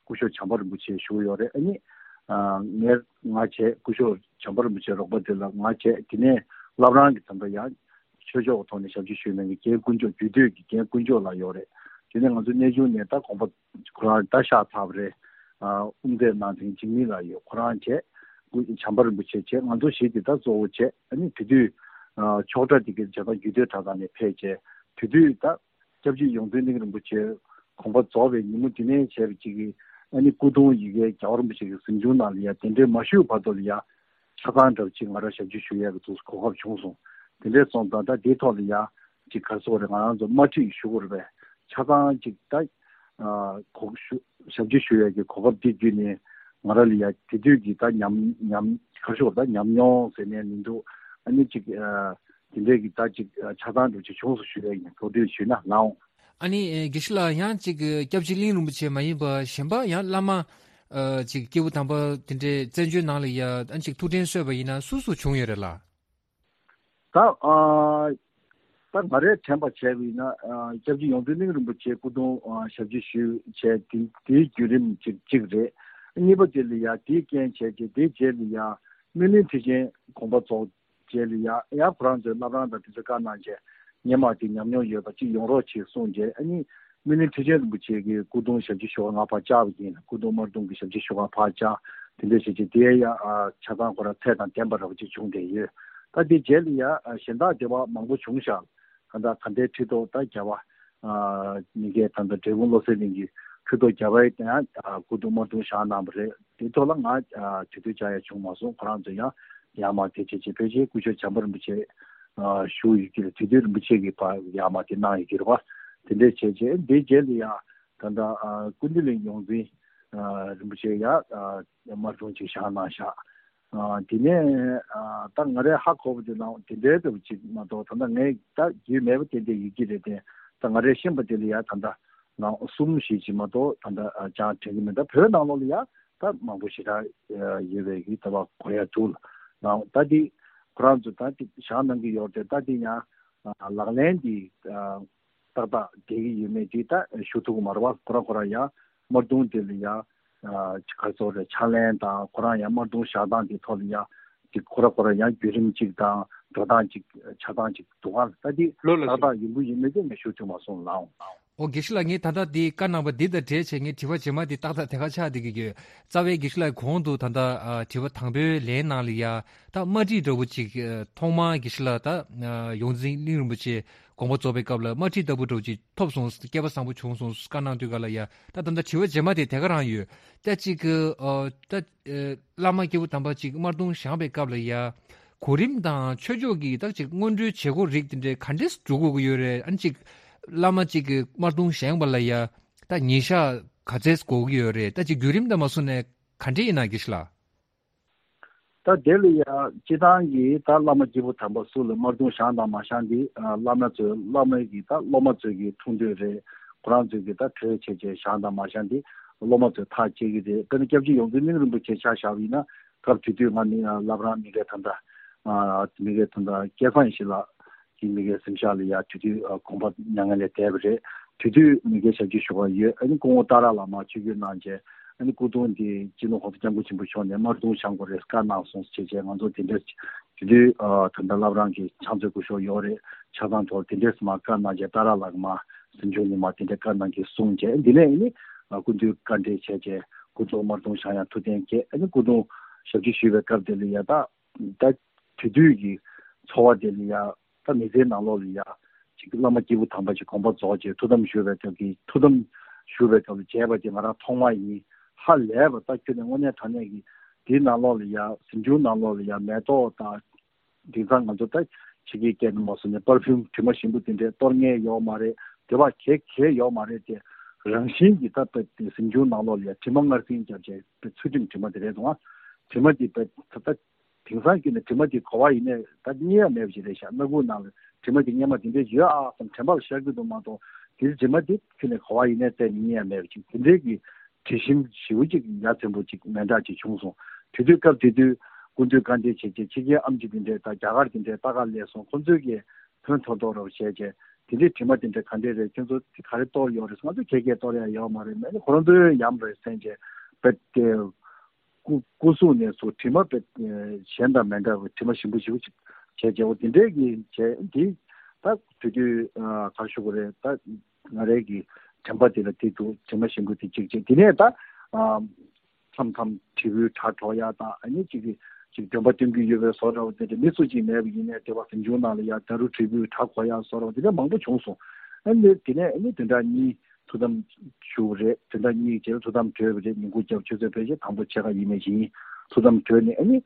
སྐུ་ཞབས་བྱམས་པ་རིན་པོ་ཆེ་བཞུགས་ཡོད་རེད། ཨ་ནི་ངས་ང་བྱས་སྐུ་ཞབས་བྱམས་པ་རིན་པོ་ཆེའི་རོགས་པ་དེ་ལ་ང་བྱས། དེ་ནས་བླ་བྲང་གི་ད་ལྟ་ཡང་ཆོས་ཕྱོགས་ཐོག་ནས་ཞབས་ཕྱི་ཞུས་གནང་མཁན་རྒན་དཀོན་མཆོག་རྒྱུད་སྟོད་ཀྱི་རྒན་དཀོན་མཆོག་ལགས་ཡོད་རེད། དེ་ནས་ང་ཚོ་གནས་ཆུང་ནས་ད་དགོངས་པ་ཁོ་རང་ད་གཤེགས་ཚར་བ་རེད། དབུ་མཛད་གནང་མཁན་འཇིགས་མེད་ལགས་ཡོད། ཁོ་རང་བྱས་སྐུ་བྱམས་པ་རིན་པོ་ཆེ་བྱས། ང་ཚོ་བཞི་དེ་ད་གཙོ་བོ་བྱས། ཨ་ནི་དེ་དུས་ཆོག་གྲྭ་དེ་གའི་བྱས་ད་རྒྱུད་སྟོད་གྲྭ་ཚང་ནས་ཕེབས་བྱས་དེ་དུས་ད། སྐྱབས་རྗེ་ཡོངས་འཛིན་གླིང་རིན་པོ་ཆེ་དགོངས་པ་རྫོགས་པའི་ཉིན་མོ་དེ་ནས་བྱས་པ་ཅིག་གིས་ཨ་ནི་སྐུ་གདུང་ཡི་གེ་རྒྱལ་བ་རིན་པོ་ཆེ་གི་གཟིམ་ཆུང་ནང་ལ་ཡ་དེ་འདྲའི་མ་ཞུས་བར་དུ་ལ་ཡ་ཆ་ཚང་འདྲ་བ་ཅིག་ང་རང་ཞབས་ཕྱི་ཞུ་ཡས་ཀྱི་ཐུགས་གོ་སྐབས་བྱུང་སོང་། དེ་འདྲས་སོང་ཙང་ད་དེའི་ཐོག་ལ་ཡ་ཅིག་ག་རེ་ཟེར་དགོས་རེད། ང་རང་ཚོ་དམར་ཁྲིད་ཞུ་དགོས་རེད་པས། ཆ་ཚང་ཅིག་ད་གོ་ཞུ་ཞབས་ཕྱི་ཞུ་ཡས་ཀྱི་གོ་སྐབས་དེ་བརྒྱུད་ནས་ང་རང་ལ་ཡ་དེ་དུས་ཀྱི་ད་ཉམས་ཉམས་ག་རེ་ཟེར་དགོས་རེད། ད་ཉམས་མྱོང་ཟེར་ནས་མི་འདུག་ཨ་ནི་ཅིག་དེ་འདྲའི་གི་ད་ཅིག་ཆ་ཚང་འདྲ་ཅིག་བྱུང་སོང་ཞུ་ཡ་ཡིན། གོ་སྒྲིག་ཞུས་ན་ལའོ། ཨ་ནི་ཨེ་དགེ་བཤེས་ལགས་ཡང་ཅིག་སྐྱབས་རྗེ་གླིང་རིན་པོ་ཆེ་མ་ཡིན་པ་གཞན་པ་ཡང་བླ་མ་ཨ་ཅིག་སྐྱེས་བུ་དམ་པ་དེ་འདྲའི་བཙན་བྱོལ་ནང་ལ་ཡ་ཨ་ཅིག་ཐུགས་དྲན་གསོས་པ་ཡིན་ན་སུ་སུ་བྱུང་ཡོད་རེད་ལགས། ད་ཨ་ད་ང་རས་དྲན་པ་བྱས་པ་ཡིན་ན་ཨ་སྐྱབས་རྗེ་ཡོངས་འཛིན་གླིང་རིན་པོ་ཆེ་སྐུ་གདུང་ཨ་ཞབས་ཕྱི་ཞུས་བྱས་དེ་དེའི་བརྒྱུད་རིམ་ཅིག་ཅིག་རེད། གཉིས་པ་དེ་ལ་ཡ་དེའི་རྐྱེན་བྱས་རྗེས་དེའི་རྗེས་ལ་ཡ་སྨིན་གླིང་ཁྲི་ཆེན་དགོངས་པ་རྫོགས། རྗེས་ལ་ཡ་ཡ་ཁོ་རང་ཚོའི་བླ་བྲང་དང་དེ་ཚོ་བཀའ་གནང་རྗེས་སྔོན་མ་དེ་ཉམས་མྱོང་ཡོད་པ་གཅིག་ཡོང་རོགས་བྱེད་གསུངས་རྗེས་ཨ་ནི་སྨིན་གླིང་ཁྲི་ཆེན་རིན་པོ་ཆེ་གི་སྐུ་གདུང་ཞབས་ཕྱི་ཞུ་བར་ང་ཕར་བཅར་བ་ཡིན། སྐུ་གདུང་དམར་གདུང་གི་ཞབས་ཕྱི་ཞུ་བར་ཕར་བཅར། དེ་འདྲའི་བྱས་རྗེས་དེ་ཡ་ཆ་ཚང་ཁོ་རང་ཚད་དང་ལྡན་པ་འདྲ་བ་ཅིག་བྱུང་བསྡད་ཡོད། ད་དེ་རྗེས་ལ་ཡ་གཞན་དག་སྡེ་བ་མང་པོ་བྱུང་ཤག་གང་ལྟར་ག་འདྲའི་ཁྲི་ཐོག་ད་རྒྱལ་བ་མི་འགས་ད་ལྟ་འབྲས་སྤུངས་བློ་གསལ་གླིང་གི་ཁྲི་ཐོག་རྒྱལ་བ་ཡང་སྐུ་གདུང་དམར་གདུང་བཞེངས་གནང་བ་རེད། དེ་ཐོག་ལ་ང་དེ་དུས་བཅར་ཡ་བྱུང་མ་སོང་། ཁོ་རང་ཚོ་ཡང་ཡར་མར་དེ་བྱས་བྱས་ཕལ་ཆེར་སྐུ་ཞབས་བྱམས་པ་རིན་པོ་ཆེ་བཞུགས་ཡོད་ཀྱི་རེད། དེ་དུས་རིན་པོ་ཆེ་གིས་ཕར་ཡར་མར་དེ་གནང་ཡོད་ཀྱི་རེད་པ། དེ་འདྲས་བྱས་བྱས་དེ་རྗེས་ལ་ཡང་ད་ལྟ་ཀུན་བདེ་གླིང་ཡོངས་འཛིན་ རིན་པོ་ཆེ་ཡ་དམར་གདུང་ཅིག་བཞག་གནང་བཞག་དེ་ནས་ད་ང་རས་ཧ་གོ་བ་དེ་ནང་དེ་འདྲའི་འདྲ་བོ་ཅིག་མ་གཏོགས། ད་ལྟ་ངས་ད་རྒྱུས་མེད་པ་དེ་འདྲ་ཡོད་ཀྱི་རེད་དེ། ད་ང་རས་ཤེས་པ་དེ་ལ་ཡ་ད་ལྟ་ནང་གསུམ་ཞིག་ཅིག་མ་གཏོགས་ད་ལྟ་ཅང་དྲན་གྱི་མེད། ད་བོད་ནང་ལོགས་ལ་ཡ་ད་མང་པོ་ཞེ་དྲག་ཡོད་པའི་གི་ད་བ་གོ་ཡ་འདུག་ལ། ད་དེ་ཁོ་རང་ཚོ་ད་དེ་བཞག་གནང་གི་ཡོད་རེད། ད་དེ་ཡང་ལག་ལེན་དེ་ཏག་ཏག་བསྡད་ཀྱི་ཡོད་མེད་དེ་ད་ཞུ་ཐུབ་ཀྱི་མ་རེད་བ། ཁོ་རང་ཁོ་རང་ཡང་དམར་གདུང་དེ་ལ་ཡང་ག་ཚོད་རེད་ཕྱག་ལེན་དང་། ཁོ་རང་ཡང་དམར་གདུང་བཞག་སྟངས་དེ་ཐོག་ལ་ཡང་དེ་ཁོ་རང་ཁོ་རང་ཡང་བརྒྱུད་རིམ་གཅིག་དང་འགྲོ་སྟངས་གཅིག་ཆགས་སྟངས་གཅིག་འདུག་ག་ད་དེ་ལོ་ལ་ཏག་ཏག་ཡིན་པོ་ཡིན་མེད་དེ་ངས་ཞུ་ཐུབ་མ་སོང་ལགས། ཨོ་དགེ་བཤེས་ལགས། ངས་ད་ལྟ་འདི་བཀའ་གནང་བ་འདི་དང་འབྲེལ་བྱས་ངས་དྲི་བ་རྗེས་མ་འདི་ཏག་ཏག་དེ་ག་ཆགས་བསྡད་ཀྱི་ཡོད། རྩ་བའི་དགེ་བཤེས་ལགས་གོང་དུ་ད་ལྟ་ཨ་དྲི་བ་དང་པོའི་ལན་ནང་ལ་ཡ་ད་དམར་ཁྲིད་འདྲ་བོ་ཅིག་ཨ་ཐོག་མར་དགེ་བཤེས་ལགས་ད་ཨ་ཡོངས་འཛིན་གླིང་རིན་པོ་ཆེ་དགོངས་པ་རྫོགས་པའི་སྐབས་ལ་དམར་ཁྲིད་ལྟ་བུ་འདྲ་བོ་ཅིག་ཐོབ་སོང་། སྐལ་པ་བཟང་པོ་བྱུང་སོང་བཀའ་གནང་དུས་ག་ལ་ཡ། ད་ད་ལྟ་དྲི་བ་རྗེས་མ་དེ་དེ་ག་རང་ཡོད། ད་ཅིག་ཨ་ད་ཨ་བླ་མ་སྐྱེས་བུ་དམ་པ་ཅིག་དམར་གདུང་བཞེངས་པའི་སྐབས་ལ་ཡ། གོ་རིམ་དང་ཆོས་ཕྱོགས་ཀྱི་ད་ཅིག་སྔོན་འགྲོའི་བྱེད་སྒོ་རིགས་དེ་འདྲའི་ག་འདྲས་སྒྲུབ་དགོས་ཀྱི་ཡོད་རེད། ཨ་ནི་ཅིག་བླ་མ་ཅིག་གིས་དམར་གདུང་བཞེངས་པ་ལ་ཡ་ད་ཉིན་ཞག་ག་ཚད་དགོས་ཀྱི་ཡོད་རེད། ད་ཅིག་བརྒྱུད་རིམ་དང་མ་སོང་ནས་ག་འདྲས་ཡིན་ན་དགེ་བཤེས་ལགས། ད་དེ་ལ་ཡ་སྤྱི་བཏང་གི་ད་བླ་མ་སྐྱེས་བུ་དམ་པ་སུ་ལ་དམར་གདུང་བཞེངས་དང་མ་བཞེངས་དེ་བླ་མ་ཚོས་བླ་མ་གི་ད་སློབ་མ་ཚོས་ཀྱི་ཐུགས་འདོད་རེད། ཁོ་རང་ཚོས་ཀྱི་ད་གྲོས་བྱས་བྱས་བཞེངས་དང་མ་བཞེངས་དེ་སློབ་མ་ཚོས་ཐག་བཅད་ཀྱི་རེད། དཔེར་ན་སྐྱབས་རྗེ་ཡོངས་འཛིན་གླིང་རིན་པོ་ཆེ་ཆ་བཞག་པ་ཡིན་ན། སྐབས་དེ་དུས་ང་ནི་བླ་བྲང་མི་སྒེར་ད་ལྟ་མི་སྒེར་ད་ལྟ་སྐལ་བཟང་ཡེ་ཤེས་ལགས་ཀྱི་མི་སྒེར་གཟིམ་ཤག་ལ་ཡ་དེ་དུས་དགོངས་པ་མྱ་ངན་ལས་འདས་པ་རེད། དེ་དུས་མི་སྒེར་ཞབས་ཕྱི་ཞུ་བ་ཡོད། ཨ་ནི་སྐུ་ངོ་ཏཱ་ར་བླ་མ་ཆིབས་བསྒྱུར་གནང་རྗེས་ཨ་ནི་སྐུ་གདུང་དེ་སྤྱི་ནོར་༸གོང་ས་༸སྐྱབས་མགོན་ཆེན་པོ་མཆོག་ནས་དམར་གདུང་བཞེངས་དགོས་རེད་བཀའ་གནང་སོང་ཟེར་བྱས་ང་ཚོ་དེ་འདྲ་དེ་དུས་ད་ལྟ་བླ་བྲང་གི་ཕྱག་མཛོད་སྐུ་ཞབས་ཡོད་རེད། ཆ་ཚང་ཐོག་དེ་འདྲས་མ་བཀའ་གནང་རྗེས་ཏཱ་ར་ལགས་མ་གཟིམ་ཆུང་ནས་མ་དེ་འདྲས་བཀའ་གནང་གི་གསུངས་རྗེས་འདི་ནས་ཨ་ནི་སྐུ་མདུན་བཀའ་འགྲེལ་བྱས་རྗེས་སྐུ་གདུང་དམར་གདུང་བཞེངས་ཡ་ཐུགས་གཏན་འཁེལ། ཨ་ནི་སྐུ་གདུང་ཞབས་ཕྱི་ཞུས་པའི་སྐབས་དེ་ལ་ཡ་ད་ད་དེ་དུས་ཀྱི་འཚོ་བ་དེ་ལ་ཡ་ད་མི་ཚེའི་ནང་ལོགས་ལ་ཡ་ཅིག་བླ་མ་སྐྱེས་བུ་དམ་པ་ཅིག་དགོངས་པ་རྫོགས་རྗེས་ཐུགས་དམ་ཞུ་བའི་སྐབས་ཀྱི་ཐུགས་དམ་ཞུ་བའི་སྐབས་ལ་མཇལ་བ་དེ་ང་རང་ཐོག་མ་ཡིན། ཧ་ལས་པ་ད་ཁྱོད་ནས་དངོས་གནས་དྲང་གནས་ཀྱི་དེའི་ནང་ལོགས་ལ་ཡ་གཟིམ་ཆུང་ནང་ལོགས་ལ་ཡ་མེ་ཏོག་དང་། དེང་སང་ང་ཚོ་ད་ཕྱི་རྒྱལ་སྐད་ནས་མ་སོང་ནས་པར་ཕིའུམ་དྲི་མ་ཞིམ་པོ་དེ་འདྲས་གཏོར་མཁན་ཡོད་མ་རེད། དེ་བ་གས་གས་ཡོད་མ་རེད་དེ། རང་བཞིན་གྱིས་ད་ལྟ་དེ་གཟིམ་ཆུང་ནང་ལོགས་ལ་ཡ་དྲི་མ་མངར་ཟིང་བརྒྱབ་བྱས་པའི་ཚུལ་ཁྲིམས་དྲི་མ་དེ་རེད་འདུག་ཨ། དྲི་མ་དེ་པའི་ད་ལྟ་དེང་སང་ཁྱོད་ནས་དྲི་མ་དེ་གོ་བ་ཡིན་ནས་ད་རྙེད་ཡ་མེད་པ་ཞིག་རེད་ཤག་སྣ་ཁུག་ནང་ལ་དྲི་མ་དེ་སྔས་མ་དེ་འདྲས་ཡོད་ཨ་བསམ་དྲན་པ་ལ་ཤར་གྱི་འདུག་མ་གཏོགས་དེ་དྲི་མ་དེ་ཁྱོད་ནས་གོ་བ་ཡིན་ནས་བཙལ་ནས་རྙེད་ཡ་མེད་པ་ཅིག་དེ་འདྲས་ཀྱི་དྲི་ཞིམ་ཞེ་པོ་ཅིག་ཡ་མཚན་པོ་ཅིག་མེ་འདྲ་ཅིག་བྱུང་སོང་། དེ་དུས་སྐབས་དེ་དུས་སྐུ་མདུན་བཀའ་འདྲི་བྱས་རྗེས་ཕྱི་རྒྱལ་ཨམ་ཆི་དེ་འདྲས་དང་རྒྱ་གར་དེ་འདྲས་ལྟ་ག་སླེབས་སོང་། ཁོང་ཚོས་ཀྱིས་ཕན་ཐོགས་ཐོགས་རོགས་བྱས་རྗེས་དེ་འདྲས་དྲི་མ་དེ་འདྲས་ག་འདྲས་རེད། ཁྱོད་ཚོ་དེ་ག་རེ་གཏོར་ཡོད་རེད། ང་ཚོ་གས་གས་གཏོར་ཡ་ཡོད་མ་རེད། མེད་ན་ཁོ་རང་ཚོའི་ཡམ་རེད་སེམས་བྱས་པས་ཏེ། སྐུ་སྐུ་གཟུགས་ནས་སུ་དྲི་མ་པས་གཞན་དང་མི་འདྲ་བའི་དྲི་མ་ཞིམ་པོ་ཞིམ་པོ་ཅིག་བྱས་རྗེས་འོ་དེ་འདྲས་ཀྱི་བྱས་འདི་ད་དུས་དུས་ག་རེ་ཞུ་དགོས་རེད། ད་ང་རའི་གི་དྲན་པ་དེ་ལ་དེ་འདུག་དྲི་མ་ཞིམ་པོ་དེ་གཅིག་བྱས་དེ་ནས་ད། མཚམས་མཚམས་དྲིལ་བུའི་སྒྲ་སྒྲོག་ཡ་དང་ཨ་ནི་གཅིག་གིས་གཅིག་འདོན་པ་སྟོན་གྱི་ཡོད་པའི་བཟོ་འདྲ་བ་དེ་འདྲ་མི་སུ་གཅིག་མེད་པ་ཡིན་ནའི་དེ་བ་གཟིམ་ཆུང་ནང་ལ་ཡ་ད་རུ་དྲིལ་བུའི་སྒྲ་གོ་ཡ་བཟོ་འདྲ་བ་དེ་འདྲ་མང་པོ་བྱུང་སོང་། ཨ་ནི་དེ་ནས་ཨ་ནི་བདུན་ཕྲག་གཉིས་ཐུགས་དམ་ཞུ་བ་རེད། བདུན་ཕྲག་གཉིས་རྗེས་ལ་ཐུགས་དམ་གྲོལ་བ་རེད། ཉིན་གུང་སྐྱབས་ཆོས་ཚོགས་ཕལ་ཆེར་དང་པོ་ཕྱེད་ཀ་ཡིན་མེད་ཅིག་ཡིན། ཐུགས་དམ་གྲོལ་ནས་ཨ་ནི་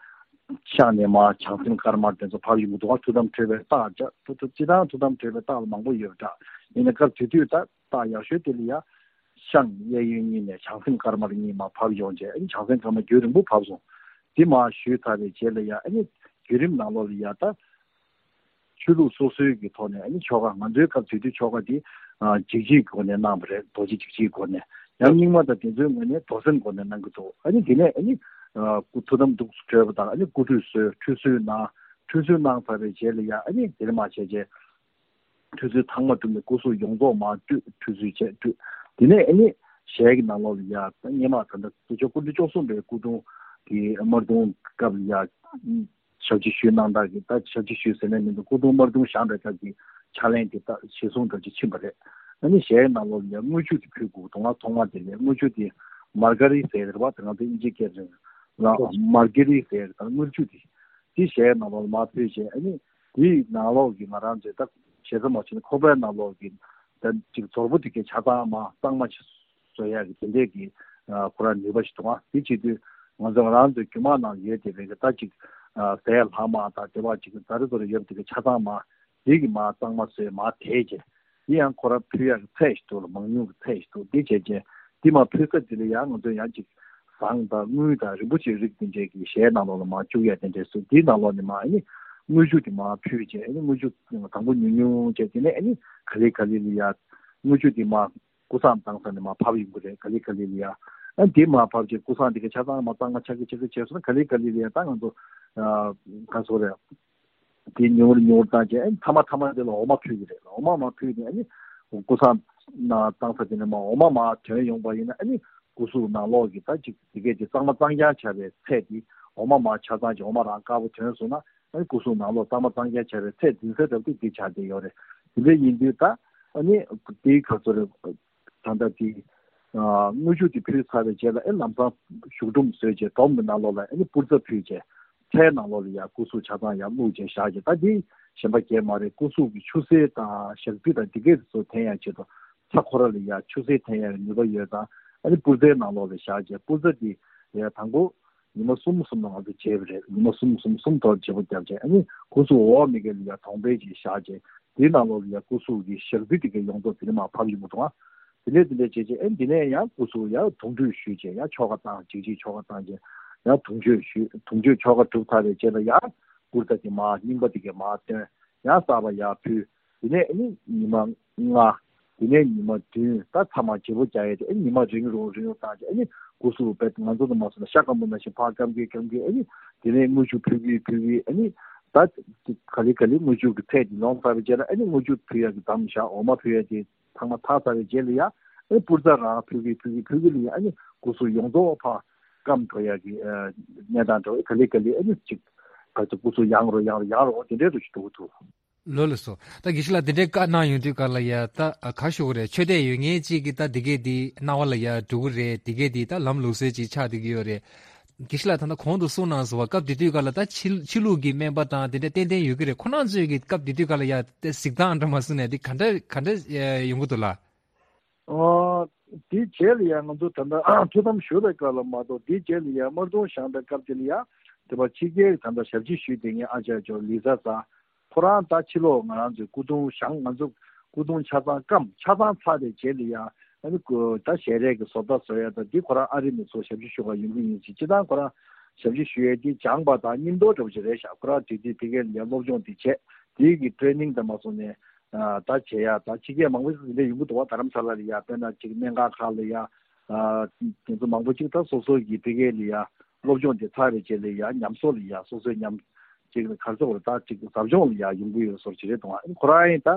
ཤག་ནས་མར་བྱང་སེམས་དཀར་དམར་དེ་ཚོ་ཕབ་ཡོང་གི་འདུག་ཐུགས་དམ་གྲོལ་བའི་རྟགས་ཅག་ཐུགས་ཐུགས་སྤྱི་བཏང་ཐུགས་དམ་གྲོལ་བའི་རྟགས་ལ་མང་པོ་ཡོད་པ་འདྲ། ཡིན་ན་སྐབས་དེ་དུས་ད་རྟགས་ཡག་ཤོས་དེ་ལ་ཡ། ཤངས་གཡས་གཡོན་གཉིས་ནས་བྱང་སེམས་དཀར་དམར་གཉིས་མར་ཕབ་ཡོང་རྗེས་ཨ་ནི་བྱང་སེམས་དཀར་དམར་རྒྱུན་རིང་པོ་ཕབ་སོང་། དེ་མར་ཞུས་ཚར་བའི་རྗེས་ལ་ཡ་ཨ་ནི་བརྒྱུད་རིམ་ནང་ལོགས་ལ་ཡ་ད། ཆོས་ལུགས་སོ་སོའི་གི་ཐོག་ནས་ཨ་ནི་ཆོ་ག་ང་ཚོའི་སྐབས་དེ་དུས་ཆོ་ག་དེ་འཇིགས་བྱེད་ཀྱི་སྒོ་ནས་གནང་བ་རེད། རྡོ་རྗེ་འཇིགས་བྱེད་ཀྱི་སྒོ་ནས་ཡང་རྙིང་མ་དང་དེ་ཚོའི་ངོས་ནས་རྡོར་སེམས་སྒོ་ནས་གནང་གི་འདུག་ཨ་ནི་དེ་ནས་ཨ་ནི་སྐུ་ཐུགས་དམ་འདུག་གྲོལ་བ་དང་ཨ་ནི་སྐུ་ཁྲུས་གསོལ་ཁྲུས་གསོལ་གནང་ཁྲུས་གསོལ་གནང་ཚར་བའི་རྗེས་ལ་ཡ་ཨ་ནི་དེ་ནས་མར་བྱས་རྗེས། ཁྲུས་གསོལ་ཚང་མ་གྲུབ་ནས་སྐུ་གཟུགས་ཡོངས་རྫོགས་མར་བཀྲུས་ཁྲུས་གསོལ་བྱས་བཀྲུས། དེ་ནས་ཨ་ནི་ཞལ་གྱི་ནང་ལོགས་ལ་ཡ་སྔས་མ་ད་ལྟ་སྐུ་ཆོས་སྐུ་ཕྲེང་བཅུ་གསུམ་པའི་སྐུ་གདུང་གི་དམར་གདུང་སྐབས་ལ་ཡ་ཞབས་ཕྱི་ཞུས་གནང་སྟངས་ཀྱི་ད་ཞབས་ཕྱི་ཞུས་ཟེར་ནས་མི་འདུག་སྐུ་གདུང་དམར་གདུང་བཞེངས་པའི་སྐབས་ཀྱི་ཕྱག་ལེན་དེ་ད་གཞིར་བཟུང་འདྲ་ཅིག་ཕྱིན་པ་རེད། ཨ་ནི་ཞལ་གྱི་ནང་ལོགས་ལ་ཡ་དངུལ་ཆུ་དེ་ཕུལ་དགོས་འདུག་ང་ཐོག་མ་དེ་ལ་དངུལ་ཆུ་དེ་མར་ག་རི་ཟེར་རེད་བ། དེ་ང་ཚོ་དབྱིན་ཇི་སྐད་རེད་ལ་མར་ག་རི་ཟེར་ད་དངུལ་ཆུ་དེ། དེ་ཞལ་ནང་ལོགས་ལ་མར་ཕུལ་བྱས་ཨ་ནི་དེའི་ནང་ལོགས་ཀྱི་ང་རང་ཚོའི་ད་ཞེ་ས་མ་བྱས་ན་ཁོག་པའི་ནང་ལོགས་ཀྱི་ད་ཅིག་ཛོར་པོ་དེ་གའི་ཆ་ཚང་མ་གཙང་མ་ཞིག་བཟོ་ཡག་གི་དེ་འདྲས་ཀྱི་ཁོ་རང་ནུས་པ་ཞིག་འདུག་ཨ་དེ་བྱེད་དུས་ང་ཚོ་ང་རང་ཚོའི་རྒྱུད་མང་ནང་ཡོད་དེ་བས་ཀྱི་ད་ཅིག་ཟས་ལྷག་མ་དང་དེ་བ་ཅིག་ཛ་རེ་ཛོ་རེ་ཡོད་པ་དེ་གའི་ཆ་ཚང་མ་དེ་གི་མར་གཙང་མ་བཟོས་མར་དེད་བྱས་དེ་ཡང་ཁོ་རང་ཕུལ་ཡག་གི་ཚད་ཞིག་འདུག་ལ་མང་ཉུང་གི་ཚད་ཞིག་འདུག་དེ་བྱས་རྗེས། དེ་མར་ཕུལ་ས་དེ་ལ་ཡང་ང་ཚོས་ཡང་ཅིག་ཟངས་དང་དངུལ་དང་རིན་པོ་ཆེའི་རིགས་དེ་འདྲས་ཀྱི་གཞས་ནང་ལོགས་ལ་མར་བཅུག་ཡ་དེ་འདྲས་སུ་དེའི་ནང་ལོགས་ནས་མར་ཨ་ནི་དངུལ་ཆུ་དེ་མར་ཕུལ་བྱས། ཨ་ནི་དངུལ་ཆུ་དང་པོ་ཉུང་ཉུང་བྱས། དེ་ནས་ཨ་ནི་ག་ལེ་ག་ལེ་ལ་ཡ་དངུལ་ཆུ་དེ་མར་ཀུ་སངས་བཏང་ས་ནས་མར་ཕབ་ཡོང་གི་རེད། ག་ལེ་ག་ལེ་ལ་ཡ། ཨ་ནི་དེ་མར་ཕབ་བྱས་ཀུ་སངས་དེ་ག་ཆ་ཚང་མར་གཙང་མ་ཆགས་ཀྱི་ཆགས་ཀྱི་བྱས་སོང་ན། ག་ལེ་ག་ལེ་ལ་ཡ་ད་ང་ཚོ་ཨ་ག་ཚོད་རེད། དེ་ཉུང་རུ་ཉུང་རུ་བཏང་བྱས། ཨ་ནི་མཐའ་མ་མཐའ་མ་དེ་ལ་འོ་མ་ཕུལ་གྱི་རེད། འོ་མ་མར་ཕུལ་ནས་ཨ་ནི་ཀུ་སངས་ནང་བཏང་ས་དེ་ནས་མར་འོ་མ་མར་ཐོན་ཡོང་པ་ཡིན་ན། ཨ་ནི་ཀུ་གཟུགས་ནང་ལོགས་ཀྱི་ད་ཅིག་དེ་གས་དེ་གཙང་མ་གཙང་རྐྱང་ཆགས་པའི་ཚད་དེ། འོ་མ་མར་ཆ་ཚང་ཅིག་འོ་མ་རང་དཀར་པོ་ཐོན་སོང་ན། ཨ་ནི་ཀུ་གཟུགས་ནང་ལོགས་གཙང་མ་གཙང་རྐྱང་ཆགས་པའི་ཚད་འཛིན་ས་འདྲ་པོ་དེ་དེ་ཆགས་བསྡད་ཡོད་རེད། དེ་འདྲ་ཡིན་དུས་ད་ཨ་ནི་དེའི་ཁ་ཚོ་རེད། ད་ལྟ་དེ་ཨ་དངུལ་ཆུ་དེ་ཕུལ་ཚར་བའི་རྗེས་ལ། ཨེ་ལམ་སང་བཞུགས་སྒྲོམ་བཟོས་བྱས་སྒྲོམ་གྱི་ནང་ལོགས་ལ་ཨ་ནི་པུར་རྩྭ་ཕུལ་བྱས། ཚྭའི་ནང་ལོགས་ལ་ཡ་ཀུ་གཟུགས་ཆ་ཚང་ཡར་བླུགས་བྱས་བཞག་བྱས། ད་འདི་གཞན་པ་གང་ཡང་མ་རེད། ཀུ་གཟུགས་ཀྱི་ཆུ་སེར་དང་ཞག་རྩི་དང་འདི་གས་ཚོ་འཐེན་ཡ་ཆེད་དུ། ཚྭ་ཁོ་ར་ལ་ཡ་ཆུ་སེར་འཐེན་ཡ་ནུས་པ་ཡོད་ཙང་། ཨ་ནི་པུར་རྩྭའི་ནང་ལོགས་ལ་བཞག་བྱས། པུར་རྩྭ་འདི་ཡ་དང་པོ་ཉི་མ་གསུམ་གསུམ་ལ་ང་ཚོ་བརྗེ་བ་རེད། ཉི་མ་གསུམ་གསུམ་གསུམ་ཐོག་བརྗེ་པོ་བརྒྱབ་བྱས། ཨ་ནི་ཀུ་གཟུགས་འོག་མི་གས་ལ་ཡ་གདོང་པས་ཅིག་བཞག་བྱས། དེའི་ནང་ལོགས་ལ་ཡ་ཀུ་གཟུགས་ཀྱི་ཞག་རྩི་དེ་གས་ཡོངས་རྫོགས་དེ་ནས་མར་ཕབ་ཡོང་གི་འདུག་ཨ། དེ་ནས་དེ་འདྲ་བྱས་བྱས། ཨེ་འདི་ནས་ཡང་ཀུ་གཟུགས་ཡར་དུང་ཁྲུས་ཞུས་བྱས། ཡར་ཆོ་ག་བཏང་། གཅིག་གཅིག་ཆོ་ག་བཏང་བྱས་ཡར་དུང་ཆོས་ཞུས། དུང་ཆོས་ཆོ་ག་གྲུབ་ཚར་བའི་རྗེས་ལ་ཡར་པུར་རྩྭ་དེ་མར་རྙིང་པ་དེ་གས་མར་བཏོན། ཡང་གསར་པ་ཡར་ཕུལ། དེ་ནས་ཨ་ནི་ཉི་མ་ལྔ། དེ་ནས་ཉི་མ་བདུན། ད་ཚང་མ་བརྗེ་པོ་རྒྱག་ཡས་དེ། ཨ་ནི་ཉི་མ་རིང་རུ་རིང་རུ་བཏང་བྱས། ཨ་ནི་ཀུ་གཟུགས་བས་ང་ཚོ་དང་མ་སོང་ན་ཤ་སྐམ་པོ་ནང་བཞིན་ཕར་སྐམ་གི་སྐམ་གི། ཨ་ནི་དེ་ནས་དངུལ་ཆུ་ཕུལ་གི་ཕུལ་གི། ཨ་ནི་ད་ག་ལེ་ག་ལེ་དངུལ་ཆུ་གི་ཚད་དེ་ལོངས་ཚར་བའི་རྗེས་ལ། ཨ་ནི་དངུལ་ཆུ་ཕུལ་ཡ་གི་མཚམས་བཞག་འོ་མ་ཕུལ་ཡ་དེ་ཚང་མ་ཚར་ཚར་བའི་རྗེས་ལ་ཡ། ཨ་ནི་པུར་རྩྭ་རང་ཕུལ་གི་ཕུལ་གི་ཕུལ་གི་ལ་ཡ། ཨ་ནི་ཀུ་གཟུགས་ཡོངས་རྫོགས་ཕར་སྐམ་འགྲོ་ཡ་གི་ཨ་གནས་སྟངས་འདྲ་བོ། ག་ལེ་ག་ལེ་ཨ་ནི་ཅིག་ག་ཚོད་ཀུ་གཟུགས་ཡང་རུ་ཡང་རུ་ཡང་རུ་དེ་འདྲའི་རུ་ཞིག་འགྲོ་གི་འདུག། ལགས་ལགས་སོ། ད་དགེ་བཤེས་ལགས་དེ་འདྲའི་བཀའ་གནང་ཡོང་དུས་ག་ལ་ཡ་ད་ག་ཞུ་གི་རེད། ཆོས་དད་ཡོད་མཁན་ཅིག་གིས་ད་དེ་གས་དེ་སྣང་བ་ལ་ཡ་འགྲོ་གི་རེད། དེ་གས་དེ་ད་ལམ་ལུགས་སྲོལ་ཅིག་ཆགས་བསྡད་ཀྱི་ཡོད་རེད། དགེ་བཤེས་ལགས་ད་ལྟ་གོང་དུ་གསུངས་གནང་སོང་བ། སྐབས་དེ་དུས་ག་ལ་ད་ཕྱི་ཕྱི་ལུགས་ཀྱི་སྨན་པ་དང་དེ་འདྲ་ཏན་ཏན་ཡོད་ཀྱི་རེད། ཁོ་རང་ཚོས་ཀྱི་སྐབས་དེ་དུས་ག་ལ་ཡ་དེ་གཟིགས་སྟངས་འདྲ་མ་གསུངས་ནས་དེ་ག་འདྲ་ག་འདྲ་ཡོང་གི་འདུག་ལགས། ཨ། དེའི་རྗེས་ལ་ཡང་ང་ཚོ་ད་ལྟ་ཐུགས་དམ་ཞུ་བའི་སྐབས་ལ་མ་གཏོགས། དེའི་རྗེས་ལ་ཡང་དམར་གདུང་བཞེངས་པའི་སྐབས་དེ་ལ་ཡང་དེ་བ་ཕྱི་རྒྱལ་ད་ལྟ་ཞབས་ཕྱི་ཞུས་བསྡད་མཁན་ཨ་ཅག་ཇོ་ལི་ས་ས། ཁོ་རང་ད་ཕྱི་ལོགས་ང་རང་ཚོའི་སྐུ་གདུང་བཞེངས། ང་ཚོ་སྐུ་གདུང་ཆ་ཚང་སྐམ། ཆ་ཚང་ཚར་བའི་རྗེས་ལ་ཡང་ཨ་ནི་སྐུ་ད་ཞལ་རས་ཀྱི་བཟོ་ལྟ་བཟོ་ཡ་ད་འདི་ཁོ་རང་ཨ་རི་ནས་ཚུར་ཞབས་ཕྱི་ཞུ་ག་ཡོང་གི་ཡིན་ཟེར། སྤྱིར་བཏང་ཁོ་རང་ཞབས་ཕྱི་ཞུ་ཡས་དེ་སྦྱངས་པ་དང་སྙིང་སྟོབས་འདྲ་བོ་ཅིག་རེད་ཤག། ཁོ་རང་དེ་དུས་ཕ་གིར་ཡང་སློབ་སྦྱོང་དེ་བྱས། དེའི་གི་ཊེ་ནིང་དང་མ་སོང་ནས་ཨ་ད་བྱེད་ཡ་ད་ཕྱི་རྒྱལ་མང་པོ་ཞིག་འདི་འདྲ་ཡོང་གི་འདུག་བ། རྡ་རམ་ས་ལ་ལ་ཡ། དཔེར་ན་ཅིག་སྨན་ཁང་ཁག་ལ་ཡ། ཨ་དེ་ཚོ་མང་པོ་ཅིག་ད་སོ་སོ་གི་ཕ་གི་ལ་ཡ་སློབ་སྦྱོང་དེ་ཚར་བའི་རྗེས་ལ་ཡ་ཉམས་གསོ་ལ་ཡ། སོ་སོའི་ཉམས་ཅིག་ག་རེ་ཟེར་དགོས་རེད། ད་ཅིག་ཟབ་སྦྱོང་ལ་ཡ་ཡོང་གི་ཡོད་བཟོ་འདྲ་ཅིག་རེད་འདུག་བ། ཁོ་རང་ཡིན་ད་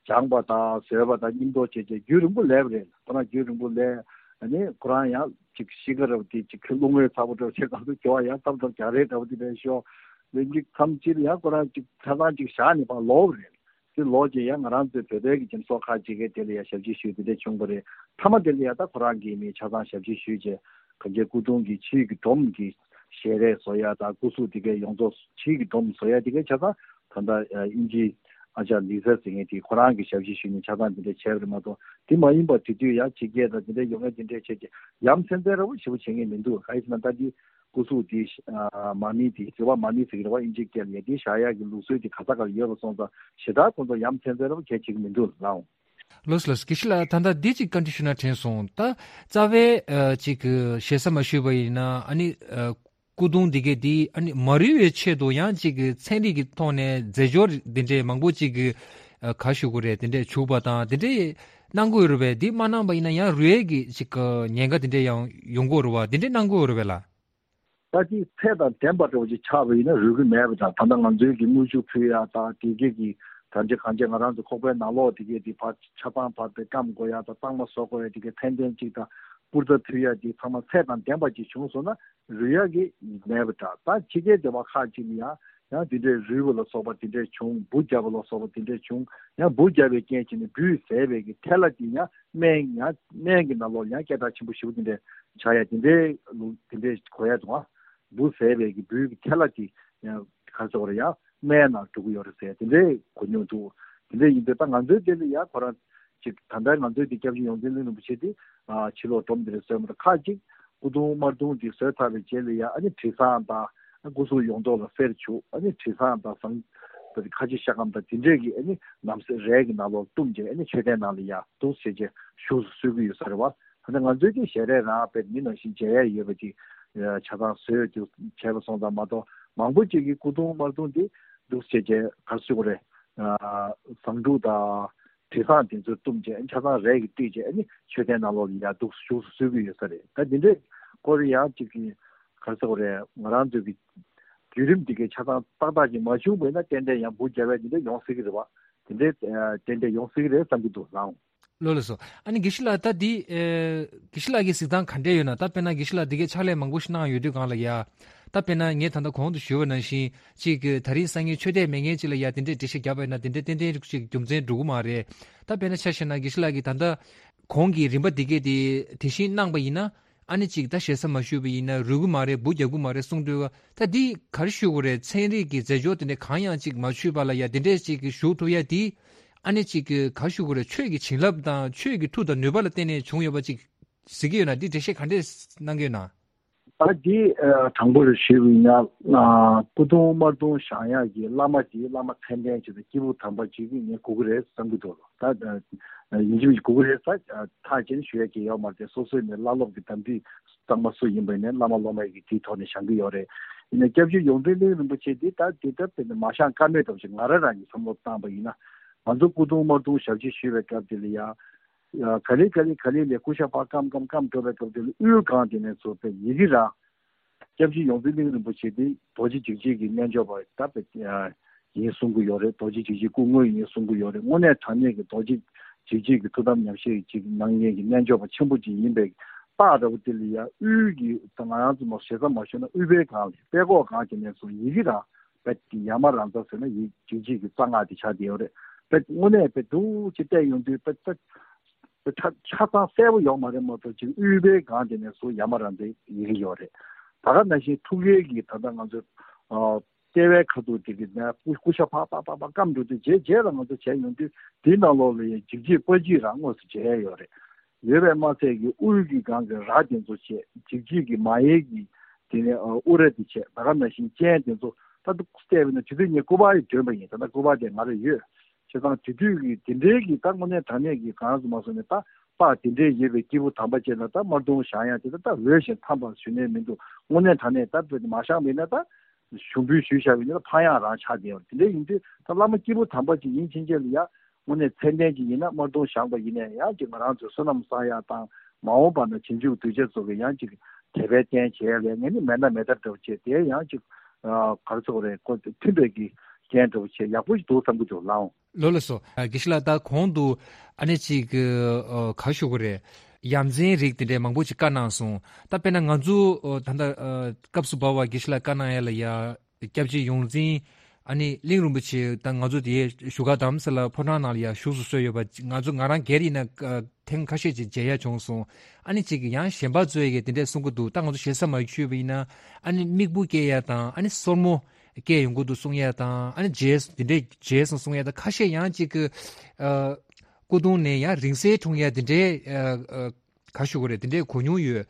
སྦྱངས་པ་དང་བཟོད་པ་དང་སྙིང་སྟོབས་བྱས་བྱས་རྒྱུན་རིང་པོ་ལས་པ་རེད། ཁོ་རང་རྒྱུན་རིང་པོ་ལས། ཨ་ནི་ཁོ་རང་ཡང་ཅིག་གཤིས་ཀ་འདྲ་བོ་དེ་ཅིག་རླུང་བས་ཚ་པོ་འདྲ་བོ་བྱས། གང་དུ་འགྱོ་བ་ཡང་སྟབས་འདྲ་བོ་རྒྱག་རེས་འདྲ་བོ་དེ་འདྲ་ཤོར། ལན་གཅིག་མཚམས་གཅིག་ལ་ཡང་ཁོ་རང་ཅིག་ཆ་ཚང་ཅིག་བཞག་ནས་ཕར་ལོག་པ་རེད། དེ་ལོག་རྗེས་ཡང་ང་རང་ཚོའི་བོད་པའི་གི་སྦྱིན་སོགས་ཁག་ཅིག་གིས་དེ་ལ་ཡང་ཞབས་ཕྱི་ཞུས་དེ་འདྲ་བྱུང་བ་རེད། མཐའ་མ་དེ་ལ་ཡང་ད་ཁོ་རང་གིས་མི་ཆ་ཚང་ཞབས་ཕྱི་ཞུས་བྱས། གངས་ཅན་སྐུ་གདུང་གི་ཕྱིའི་གི་སྒྲོམ་གྱི་ཞལ་རས་བཟོ་ཡ་དང་སྐུ་གཟུགས་དེ་གའི་ཡོངས་རྫོགས་ཕྱིའི་གི་སྒྲོམ་བཟོ་ཡ་དེ་གའི་ཆ་ཚང་ད་ལྟ་དབྱིན་ཇིའི་ཨ་ཅག་ལི་ས་ཟེར་མཁན་དེ་ཁོ་རང་གི་ཞབས་ཕྱི་ཞུས་ནས་ཆ་ཚང་དེ་འདྲ་བྱས་པ་རེད་མ་གཏོགས། དེ་མ་ཡིན་པ་དེ་དུས་ཡང་ཕྱི་རྒྱལ་དང་དེ་འདྲ་ཡོང་ཡ་དེ་འདྲ་བྱས་ཀྱི་ཡ་མཚན་མཚན་ར་བ་ཞེ་པོ་བྱེད་མཁན་མི་འདུག། ག་ཡིན་ཟེར་ན་ད་དེ་སྐུ་གཟུགས་དེ་མ་མི་དེ་རི་བ་མ་མི་ཟེར་གི་རེད་བ། དབྱིན་ཇིའི་སྐད་ལ་ཡ། དེ་བཞག་ཡ་གི་ལུགས་སྲོལ་དེ་ག་ས་ག་ལ་ཡོད་པ་སོང་ཙང་ཞེ་དྲག་ཁོང་ཚོ་ཡ་མཚན་མཚན་ར་བ་གལ་ཆེ་གི་མི་འདུག་ལགས། ལགས་ལགས། དགེ་བཤེས་ལགས་ད་ལྟ་འདི་གཅིག་བཀའ་འདྲི་ཞུ་ན་དྲན་སོང་། ད་རྩ་བའི་ཨ་ཅིག་གི་ཞེ་ས་མ་ཞུས་པ་ཡིན་ན་ཨ་ནི་ཨ་སྐུ་གདུང་འདི་གའི་འདི་ཨ་ནི་མ་རུལ་བའི་ཆེད་དུ་ཡང་ཅིག་གི་ཚན་རིག་གི་ཐོག་ནས་རྫས་སྦྱོར་འདི་འདྲའི་མང་པོ་ཅིག་གི་ཨ་ག་ཞུ་དགོས་རེད། འདི་འདྲའི་བྱུག་པ་དང་འདི་འདྲའི་གནང་དགོས་རེད་པས། འདི་མ་གནང་པ་ཡིན་ན་ཡང་རུལ་བའི་གི་ཅིག་གི་ཉེན་ཁ་འདི་འདྲའི་ཡང་ཡོང་གི་ཡོད་རེད་བ། འདི་འདྲའི་གནང་དགོས་རེད་པས་ལགས། ད་ཅིག་ཚད་དང་ལྡན་པ་འདྲ་བོ་ཅིག་ཆགས་པ་ཡིན་ན་རུལ་གི་མེད་པ་དང་། ད་ལྟ་ང་ཚོའི་གི་དངུལ་ཆུ་ཕུལ་ཡ་དང་དེ་གའི་གི་གང་ཅི་གང་ཅི་ང་རང་ཚོ་ཁོག་པའི་ནང་ལོགས་དེ་གའི་དེ་ཕར་ཆ་ཚང་ཕར་དེ་སྐམ་དགོས་ཡ་དང་གཙང་མ་བཟོ་དགོས་ཡ་དེ་གའི་ཕན་ཚུན་ཅིག་དང་པུར་རྩྭ་ཕུལ་ཡ་དེ་ཚང་མ་ཚད་དང་ལྡན་པ་ཅིག་བྱུང་སོང་ན་རུལ་ཡ་གི་མེད་པ་འདྲ། ད་ཕྱི་རྒྱལ་སྡེ་བ་ཁག་ཅིག་ལ་ཡང་ཡང་དེ་འདྲའི་རུལ་བ་ལ་སོགས་པ་དེ་འདྲའི་བྱུང་། འབུ་བརྒྱབ་པ་ལ་སོགས་པ་དེ་འདྲའི་བྱུང་། ཡང་འབུ་བརྒྱབ་པའི་རྐྱེན་བྱས་ནས་འབུས་བཟས་པའི་གི་ཐལ་བ་དེ་ཡང་སྨན་ཡང་སྨན་གྱི་ནང་ལོགས་ཡང་སྐད་གྲགས་ཆེན་པོ་ཞེ་པོ་དེ་འདྲ་ཆགས་ཡ་དེ་འདྲའི་ལུགས་དེ་འདྲའི་གོ་ཡ་འདུག་ཨ། འབུ་བཟས་པའི་གི་འབུའི་གི་ཐལ་བ་དེ་ཡང་ག་རེ་ཟེར་དགོས་རེད། ཡང་སྨན་ནང་འགྲོ་གི་ཡོད་རེད་ཟེར་དེ་འདྲའི་གོ་མྱོང་འདུག། དེ་འདྲ་ཡིན་དུས་ད་ང་ཚོའི་དེ་ལ་ཡང་ཁོ་རང་ཅིག་ད་ལྟ་ང་ཚོའི་དེ་སྐྱབས་རྗེ་ཡོངས་འཛིན་གླིང་རིན་པོ་ཆེ་དེ་ཨ་ཕྱི་ལོགས་སྒྲོམ་དེ་འདྲ་བཟོས་མ་གཏོགས། ཁག་ཅིག་སྐུ་གདུང་དམར་གདུང་དེ་བཟོས་ཚར་བའི་རྗེས་ལ་ཡང་ཨ་ནི་དྲི་བཟང་དང་སྐུ་གཟུགས་ཡོངས་རྫོགས་ལ་གསེར་བྱུག། ཨ་ནི་དྲི་བཟང་དང་ཟངས་ཁ་ཆེ་ཤ་སྐམ་དང་དེ་འདྲས་ཀྱི་ཨ་ནི་ནམ་ཟས་རས་ཀྱི་ནང་ལོགས་བཏུམས་བྱས་ཨ་ནི་མཆོད་རྟེན་ནང་ལ་ཡར་འདུག་བྱས་བྱས་བཞུགས་སུ་གསོལ་གྱི་ཡོད་ས་རེད་བ། ད་ང་ཚོའི་གི་ཞལ་རས་རང་དཔེ་མི་ནང་བཞིན་མཇལ་ཡ་ཡོད་པ་ཅིག་ཆ་ཚང་བཟོས་ཏེ་བྱས་པ་སོང་ཙང་མ་གཏོགས། མང་པོ་ཅིག་གིས་སྐུ་གདུང་དམར་གདུང་དེ་འདུག་བྱས་བྱས་ག་རེ་ཟེར་དགོས་རེད། བཟང་དྲུག་དང་དྲི་བཟང་དེ་ཚོ་བཏུམས་བྱས། ཆ་ཚང་རས་ཀྱིས་བཏུམས་བྱས། ཨ་ནི་མཆོད་རྟེན་ནང་ལོགས་ལ་ཡར་འདུག་བཞུགས་སུ་གསོལ་གྱི་ཡོད་ས་རེད། ད་འདི་འདྲའི་སྐོར་ཡང་ཅིག་གི་ག་རེ་ཟེར་དགོས་རེད། ང་རང་ཚོའི་གི་བརྒྱུད་རིམ་འདི་གའི་ཆ་ཚང་ཏག་ཏག་ཅིག་མ་བྱུང་བ་ཡིན་ན་ཏན་ཏན་ཡང་འབུ་རྒྱབ་པ་འདི་འདྲ་ཡོང་སྲིད་ཀྱི་རེད་བ། དེ་འདྲའི་ཨ་ཏན་ཏན་ཡོང་སྲིད་ཀྱི་རེད་བསམ་གྱི་འདུག་ལགས། ལགས་ལགས་སོ། ཨ་ནི་དགེ་བཤེས་ལགས། ད་འདི་ཨེ་དགེ་བཤེས་ལགས་ཀྱི་གཟིགས་སྟངས་ག་འདྲས་ཡོད་ན། ད་དཔེར་ན་དགེ་བཤེས་ལགས་འདི་གའི་ཕྱག་ལས་མང་པོ་ཞིག་གནང་ཡོད་དུས་སྒང་ལ་ཡ། ད་དཔེར་ན་ངས་ད་ལྟ་གོང་དུ་ཞུས་པ་ནང་བཞིན་ཅིག་གི་ད་རིང་སང་ཉིན་མཆོད་རྟེན་མེད་མཁན་ཅིག་ལ་ཡ་དེ་འདྲས་འགྲེལ་བཤད་བརྒྱབ་པ་ཡིན་ན། དེ་འདྲས་ཏན་ཏན་ཅིག་རྒྱུ་མཚན་འགྲོ་གི་མ་རེད། ད་དཔེར་ན་ཆ་བཞག་ན་དགེ་བཤེས་ལགས་ཀྱིས་ད་ལྟ་གོང་གི་རིམ་པ་འདི་གས་དེ་དེ་བཞིན་གནང་པ་ཡིན་ན། ཨ་ནི་ཅིག་ད་ཞེ་ས་མ་ཞུས་པ་ཡིན་ན་རུལ་གི་མ་རེད། འབུ་རྒྱག་གི་མ་རེད་གསུངས་འདུག་བ། ད་འདི་ག་རེ་ཞུ་དགོས་རེད། ཚན་རིག་གི་རྫས་སྦྱོར་དེ་འདྲ་གང་ཡང་ཅིག་མ་ཞུས་པ་ལ་ཡ་དེ་འདྲས་ཅིག་གི་ཞུ་ཐུབ་ཡ་དེ། ཨ་ནི་ཅིག་གི་ག་རེ་ཞུ་དགོས་རེད། ཆོས་ཀྱི་བྱིན་རླབས་དང་ཆོས་ཀྱི་མཐུ་དང་ནུས་པ་ལ་བརྟེན་ནས་བྱུང་ཡོད་པ་ཅིག་གཟིགས་ཀྱི་ཡོད་ན། འདི་འགྲེལ་བཤད་ག་འདྲས་གནང་གི་ཡོད་ན། ད་འདི་ཨ་དྲང་པོར་ཞུས་པ་ཡིན་ན། ཨ་སྐུ་གདུང་དམར་གདུང་བཞེངས་ཡག་གི་བླ་མ་དེ་བླ་མ་མཚན་ལྡན་ཅིག་དང་སྐྱེས་བུ་དམ་པ་ཅིག་གིས་ངས་དགོས་ཀྱི་རེད་བསམ་གྱི་འདུག་ལོ། ད་ཡིན་གཅིག་མིན་གཅིག་དགོས་ཀྱི་རེད་ཟེར་ཐག་བཅད་ནས་ཞུ་ཡ་གང་ཡང་ཡོད་མ་རེད། སོ་སོའི་ནས་བླ་སློབ་ཀྱི་དམ་ཚིག་གཙང་མ་སུ་ཡིན་པ་ཡིན་ནའི་བླ་མ་སློབ་མ་ཡི་གི་དེའི་ཐོག་ནས་བཞེངས་ཀྱི་ཡོད་རེད། ཡིན་ནའི་སྐྱབས་རྗེ་ཡོངས་འཛིན་གླིང་རིན་པོ་ཆེ་འདི་ད་དེ་ལྟར་དེ་ནས་མ་བཞེངས་ཀ་མེད་འདྲ་པོ་ཞིག་ང་རང་རང་གིས་བསམ་བློ་བཏང་པ་ཡིན་ན། ང་ཚོ་སྐུ་གདུང་དམར་གདུང་ཞབས་ཕྱི་ཞུས་པའི་སྐབས་དེ་ལ་ཡ། ག་ལེ་ག་ལེ་ག་ལེ་ལས་སྐུ་ཞབས་ཕར་སྐམ་སྐམ་སྐམ་སྐམ་འགྲོ་བའི་སྐབས་དེ་ལ་དབུའི་སྒང་དེ་ནས་ཚུར་དཔེ་ཡི་གེ་ར། སྐྱབས་རྗེ་ཡོངས་འཛིན་གླིང་རིན་པོ་ཆེ་འདི་རྡོ་རྗེ་འཇིགས་བྱེད་ཀྱི་རྣལ་འབྱོར་པ་ད་དཔེ་ཡིན་གསུང་གི་ཡོད་རེད། རྡོ་རྗེ་འཇིགས་བྱེད་སྐུ་དངོས་ཡིན་གསུང་གི་ཡོད་རེད། དངོས་གནས་དྲང་གནས་ཀྱི་རྡོ་རྗེ་འཇིགས་བྱེད་ཀྱི་ཐུགས་དམ་ཉམས་བཞེས་ཀྱི་གནང་མཁན་གྱི་རྣལ་འབྱོར་པ་ཆེན་པོ་ཅིག་ཡིན་པའི་རྟགས་འདྲ་པོ་དེ་ལ་ཡ། དབུས་ཀྱི་ད་ང་རང་ཚོ་མ་ཞེ་ས་མ་ཞུས་ན་དབུས་པའི་སྒང་ལ་དཔྲལ་ཀོག་སྒང་དེ་ནས་ཚུར་ཡི་གེ་ར། དཔེ་ཡ་མ་ར་ཛ་ཟེར་ན་ཡི་འཇིགས་བྱེད་ཀྱི་རྩ་སྔགས་དེ་ཆགས་བསྡད་ཡོད་རེད། དཔེ་དངོས་གནས་དཔེ་འདུག་ཅེས་བལྟས་ཡོང་དུས་དཔེ་དཔེ་དཔེ་ཆ་ཆ་ཚང་གསལ་པོ་ཡོད་མ་རེད་མ་གཏོགས། ཅིག་དབུས་པའི་སྒང་དེ་ནས་ཚུར་ཡ་མ་ར་ཛའི་ཡི་གེ་ཡོད་རེད། ད་ག་ནང་བཞིན་ཐུགས་ཀའི་གི་ད་ལྟ་ང་ཚོ་ཨ་ལྟེ་བའི་ཁ་ཐུག་དེ་གི་ནས་སྐུ་སྐུ་ཞབས་ཕར་ཕར་ཕར་ཕར་སྐམ་འགྲོ་དུས་རྗེས་རྗེས་ལ་ང་ཚོ་བྱས་ཡོང་དུས་དེའི་ནང་ལོགས་ལ་ཡང་འཇིགས་བྱེད་དཔལ་གྱིས་རང་དངོས་སུ་མཇལ་ཡོད་རེད། ཡོད་པས་མ་ཚད་ཀྱི་དབུས་ཀྱི་སྒང་གི་ར་དེ་ཚོ་བྱས། འཇིགས་བྱེད་ཀྱི་མ་ཡལ་གྱི་དེ་ནས་ཨ་དབུ་ར་དེ་བྱས། ད་ག་ནང་བཞིན་སྤྱན་དེ་ཚོ་ད་དུ་བལྟས་པ་ཡིན་ན་དེ་དུས་ངས་སྐུ་པར་ཡང་བསྒྲོན་པ་ཡིན། ད་ལྟ་སྐུ་པར་དེ་ང་རང་ཡོད། བྱས་ཙང་དེ་དུས་ཀྱི་དེ་འདྲའི་གི་ད་དངོས་གནས་དྲང་གནས་ཀྱི་གང་སུ་མ་སོང་ནས་ད་པར་དེ་འདྲའི་ཡོད་པའི་སྐྱེས་བུ་དམ་པ་ཅིག་ལ་ད་དམར་གདུང་བཞེངས་ཡག་དེ་ད་ད་འོས་ཤིང་འཚམས་པ་ཞུ་ནས་མི་འདུག། དངོས་གནས་དྲང་གནས་ད་དཔེ་མ་བཞེངས་པ་ཡིན་ན་ད་ཞུ་འབུལ་ཞུས་བཞག་པ་ཡིན་ན་ད་ཕངས་ཡག་རང་ཆགས་བསྡད་ཡོད། དེ་འདྲ་ཡིན་དུས་ད་བླ་མ་སྐྱེས་བུ་དམ་པ་ཅིག་ཡིན་ཕྱིན་ཆད་ལ་ཡ། དངོས་གནས་མཚན་ལྡན་ཅིག་ཡིན་ན་དམར་གདུང་བཞེངས་པ་ཡིན་ནའི་ཡང་ཅིག་ང་རང་ཚོའི་བསོད་ནམས་བསགས་ཡག་དང་། མ་འོངས་པ་ན་རྗེས་འཇུག་གདུལ་བྱ་ཚོ་གི་ཡང་ཅིག་དད་པའི་རྟེན་བྱེད་ཡག་ལས་ངན་ནི་མེད་ན་མེད་ཐབས་འདྲ་བོ་བྱས། དེ་ཡང་ཅིག་ཨ་ག་རེ་ཟེར་དགོས་རེད། ཁོ་མཐུན་པའི་གི་རྐྱེན་འདྲ་བོ་བྱས་ཡག་པོ་ཞིག་འདུག་བསམ་གྱི་འདུག་ལགས། ལགས་ལགས་སོ། ཨ་དགེ་བཤེས་ལགས། ད་གོང་དུ་ཨ་ནི་ཅིག་ཨ་ག་རེ་ཞུ་དགོས་རེད། ཡ་མཚན་རིགས་དེ་འདྲའི་མང་པོ་ཅིག་བཀའ་གནང་སོང་། ད་དཔེར་ན་ང་ཚོ་ཨ་ད་ལྟ་ཨ་སྐབས་སུ་བབས་པ་དགེ་བཤེས་ལགས་བཀའ་གནང་ཡ་ལ་ཡ། སྐྱབས་རྗེ་ཡོངས་འཛིན་ཨ་ནི་གླིང་རིན་པོ་ཆེ་དང་ང་ཚོ་དེ་བཞུགས་སྒར་རྡ་རམ་ས་ལ་ཕོ་བྲང་ནང་ལ་ཡང་བཞུགས་སུ་གསོལ་ཡོད་པ། ང་ཚོ་ང་རང་སྒེར་ཡིན་ན་ཨ་ཐེངས་ཁ་ཤས་ཅིག་མཇལ་ཡ་བྱུང་སོང་། ཨ་ནི་ཅིག་ཡང་གཞན་པ་ཚོས་ཀྱིས་དེ་འདྲས་གསུང་གི་འདུག། ད་ང་ཚོ་ཞེ་ས་མ་ཞུས་པ་ཡིན་ན་ཨ་ནི་མིག་དཔེ་སྐྱེ་ཡ་དང་ཨ་ནི་སོར་མོ་སྐྱེ་ཡོང་གི་འདུག་གསུང་ཡ་དང་། ཨ་ནི་མཇལ་དེ་འདྲས་མཇལ་སོང་གསུང་ཡ་དང་། ཁ་ཤས་ཡང་ཅིག་གི་ཨ་སྐུ་གདུང་ནས་ཡང་རིང་བསྲེལ་འཁྲུངས་ཡ་དེ་འདྲས་ཨ་ཨ་ག་ཞུ་དགོས་རེད། དེ་འདྲའི་གོ་མྱོང་ཡོད།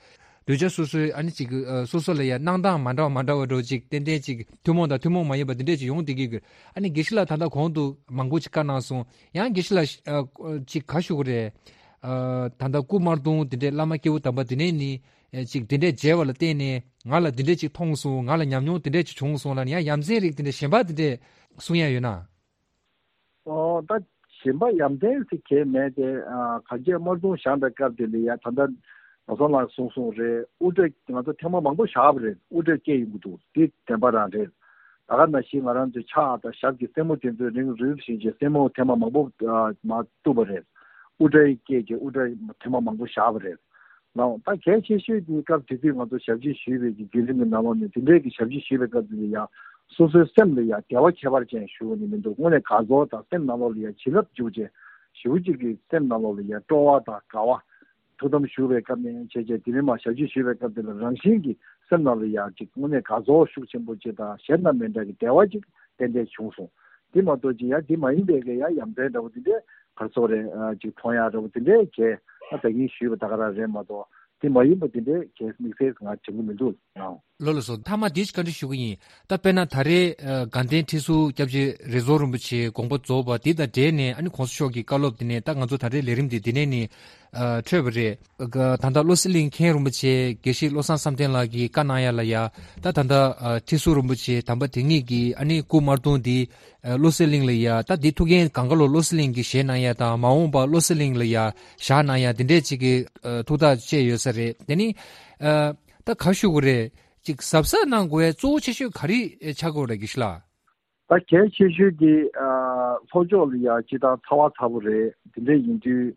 གདུལ་བྱ་སོ་སོའི་ཨ་ནི་ཅིག་ཨ་སོ་སོ་ལ་ཡང་གནང་སྟངས་མ་འདྲ་བ་མ་འདྲ་བ་འདྲ་བོ་ཅིག་ཏན་ཏན་ཅིག་ཐུན་མོང་དང་ཐུན་མོང་མ་ཡིན་པ་དེ་འདྲས་ཅིག་ཡོང་བསྡད་ཀྱི་ཡོད། ཨ་ནི་དགེ་བཤེས་ལགས་ད་ལྟ་གོང་དུ་མང་པོ་ཅིག་བཀའ་གནང་སོང་། ཡང་དགེ་བཤེས་ལགས་ཨ་ཅིག་ག་ཞུ་དགོས་རེད། ཨ་ད་ལྟ་སྐུ་དམར་གདུང་དེ་འདྲས་བླ་མ་སྐྱེས་བུ་དམ་པ་དེ་འདྲས་ནི་ཨ་ཅིག་དེ་འདྲས་མཇལ་བ་ལ་བརྟེན་ནས་ང་ལ་དེ་འདྲས་ཅིག་མཐོང་སོང་། ང་ལ་ཉམས་མྱོང་དེ་འདྲས་ཅིག་བྱུང་སོང་ལབ་ནས་ཡང་ཡ་མཚན་རིགས་དེ་འདྲས་གཞན་པ་དེ་འདྲས་གསུང་ཡ་ཡོད་ན། ཨོ་ད་གཞན་པ་ཡ་མཚན་ཟེར་གྱི་མེད་དེ། ཨ་ག་རེ་དམར་གདུང་བཞེངས་པའི་སྐབས་དེ་ལ་ཡ་ད་ལྟ་ང་ཚོ་ལ་གསུངས་སོང་རེད། དབུ་སྐྲ་ང་ཚོ་ཐེངས་མ་མང་པོ་བཞག་པ་རེད། དབུ་སྐྲ་སྐྱེས་ཡོང་གི་འདུག། དེ་བདེན་པ་རང་རེད། ད་ག་ནང་བཞིན་ང་རང་ཚོའི་ཕྱག་དང་ཞབས་ཀྱི་སེན་མོ་དེ་ཚོ་རིང་རིང་བཞིན་གྱི་སེན་མོ་ཐེངས་མ་མང་པོ་ཨ་མ་གཏུབས་པ་རེད། དབུ་སྐྲ་སྐྱེས་ཀྱི་དབུ་སྐྲ་ཐེངས་མ་མང་པོ་བཞག་པ་རེད། ལགས། ད་གལ་ཆེ་ཤོས་དེ་སྐབས་དེ་དུས་ང་ཚོ་ཞབས་ཕྱི་ཞུས་པའི་གི་བརྒྱུད་རིམ་གྱི་ནང་ལོགས་ནས་དེ་འདྲའི་གི་ཞབས་ཕྱི་ཞུས་པའི་སྐབས་དེ་ལ་ཡང་སོ་སོའི་སེམས་ལ་ཡང་བདེ་བ་ཁྱད་པར་ཅན་ཞུ་བ་ནི་མི་འདུག། དངོས་གནས་དགའ་ཚོར་དང་སེམས་ནང་ལོགས་ལ་ཡང་བྱིན་རླབས་འཇུག་བྱས་ཞེ་པོ་ཅིག་གི་སེམས་ནང་ལོགས་ལ་ཡང་སྤྲོ་བ་དང་དགའ་བ། ཐུགས་དམ་ཞུ་བའི་སྐབས་ནས་བྱས་བྱས་དེ་རིང་མ་ཞབས་ཕྱི་ཞུས་པའི་སྐབས་དེ་ལ་རང་བཞིན་གྱི་སེམས་ནང་ལ་ཡང་ཅིག་དངོས་གནས་དགའ་ཚོར་ཤུགས་ཆེན་པོ་ཅིག་དང་གཞན་དང་མི་འདྲ་གི་བདེ་བ་ཅིག་ཏན་ཏན་བྱུང་སོང་། དེ་མ་གཏོགས་ཅིག་ཡང་དེ་མ་ཡིན་པའི་གི་ཡང་ཡ་མཚན་འདྲ་བོ་དེ་འདྲའི་ག་རེ་ཟེར་དགོས་རེད། ཨ་ཅིག་མཐོང་ཡག་འདྲ་བོ་དེ་འདྲའི་གས་ཨ་ད་གིན་ཞུས་པ་ད་ག་རང་རེད་མ་གཏོགས། དེ་མ་ཡིན་པ་དེ་འདྲའི་གས་དམིགས་བསལ་ང་དྲན་གྱི་མི་འདུག་ཨང་། ལགས་ལགས་སོ། མཐའ་མ་འདི་ཞིག་བཀའ་འདྲི་ཞུ་གི་ཡིན། ད་དཔེར་ན་ད་རེས་ཨ་དགའ་ལྡན་ཁྲི་ཟུར་སྐྱབས་རྗེ་རིག་འཛིན་རིན་པོ་ཆེ་དགོངས་པ་རྫོགས་པ་འདི་དང་འབྲེལ་ནས་ཨ་ནི་གོང་ས་མཆོག་གི་བཀའ་སློབ་འདི་ནས་ད་ང་ཚོ་ད་རེས་ལས་རིམ་འདི་འདི་ནས་ནི་ཨ་འཕྲོས་པ་རེད། ད་ལྟ་བློ་གསལ་གླིང་མཁན་རིན་པོ་ཆེ་དགེ་བཤེས་བློ་བཟང་བསམ་གཏན་ལགས་ཀྱིས་བཀའ་གནང་ཡ་ལ་ཡ། ད་ད་ལྟ་ཨ་ཁྲི་ཟུར་རིན་པོ་ཆེ་དམ་པ་དེ་ཉིད་ཀྱིས་ཨ་ནི་སྐུ་དམར་གདུང་འདི་ཨ་བློ་གསལ་གླིང་ལ་ཡ། ད་འདི་ཐུགས་འགན་གང་ག་ལོ་བློ་གསལ་གླིང་གིས་བཞེས་གནང་ཡ་དང་མ་འོངས་པ་བློ་གསལ་གླིང་ལ་ཡ་བཞག་གནང་ཡ་འདི་འདྲས་ཅིག་གི་ཨ་ཐུགས་ཐག་བཅད་ཡོད་ས་རེད། དེ་ནི་ཨ་ད་ག་ཞུ་དགོས་རེད། ཅིག་གཟབ་གཟབ་གནང་དགོས་གཙོ་བོ་ཆེ་ཤོས་ག་རེ་ཆགས་དགོས་རེད་དགེ་བཤེས་ལགས། ད་གལ་ཆེ་ཤོས་དེ་ཨ་ལྷོ་ཕྱོགས་ལ་ཡ་སྤྱི་བཏང་ཚ་བ་ཚ་པོ་རེད། དེ་འདྲ་ཡིན་དུས་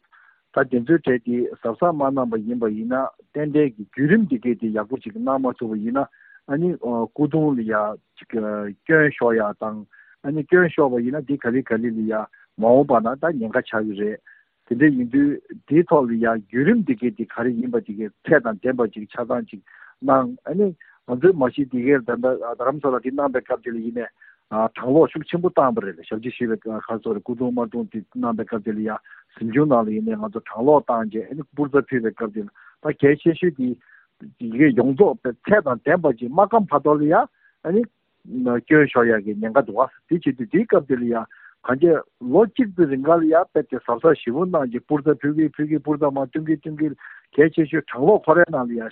ད་དེ་ཚོའི་གྲས་དེ་གཟབ་གཟབ་མ་གནང་པ་ཡིན་པ་ཡིན་ན་ཏན་ཏན་གྱི་བརྒྱུད་རིམ་དེ་གས་དེ་ཡག་པོ་ཅིག་གནང་མ་ཐུབ་པ་ཡིན་ན་ཨ་ནི་ཨ་སྐུ་གདུང་ལ་ཡ་ཅིག་ཨ་སྐྱོན་ཤོར་ཡ་དང་ཨ་ནི་སྐྱོན་ཤོར་བ་ཡིན་ན་དེ་ག་ལེ་ག་ལེ་ལ་ཡ་མ་འོངས་པ་ན་ད་ཉེན་ཁ་ཆགས་ཀྱི་རེད། དེ་འདྲ་ཡིན་དུས་དེའི་ཐོག་ལ་ཡང་བརྒྱུད་རིམ་འདི་གས་འདི་ག་རེ་ཡིན་པ་འདི་གས་ཚད་དང་ལྡན་པ་ཅིག་ཆ་ཚང་ཅིག་གནང་། ཨ་ནི་ང་ཚོའི་མ་གཞི་འདི་གས་ད་ལྟ་རྡ་རམ་ས་ལ་འདི་གནང་པའི་སྐབས་དེ་ལ་ཡིན་ནས་ཨ་གྲང་གློག་ཤུགས་ཆེན་པོ་བཏང་པ་རེད། ཞབས་ཕྱི་ཞུས་པའི་ཁ་སོ་རེ་སྐུ་གདུང་དམར་གདུང་འདི་གནང་པའི་སྐབས་དེ་ལ་ཡང་གཟིམ་ཆུང་ནང་ལ་ཡིན་ནས་ང་ཚོ་གྲང་གློག་བཏང་རྗེས་ཨ་ནི་པུར་རྩྭ་ཕུལ་བའི་སྐབས་དེ་ལ་ད་གལ་ཆེ་ཤོས་འདི་འདི་གས་ཡོངས་རྫོགས་ཚད་དང་ལྡན་པ་ཅིག་མ་བསྐམ་བར་དོ་ལ་ཡང་ཨ་ནི། སྐྱོན་ཤོར་ཡག་གི་ཉེན་ཁ་འདུག་བ། དེ་བྱེད་དུས་དེའི་སྐབས་དེ་ལ་ཡང་གང་ཅི་ལོ་གཅིག་པའི་རིང་ག་ལ་ཡང་དཔེ་དེ་གཟབ་གཟབ་ཞེ་པོ་གནང་རྗེས་པུར་རྩྭ་ཕུལ་གི་ཕུལ་གི་པུར་རྩྭ་མར་བཏོན་གི་བཏོན་གི་གལ་ཆེ་ཤོས་གྲང་གློག་ཁོ་རའི་ནང་ལ་ཡང་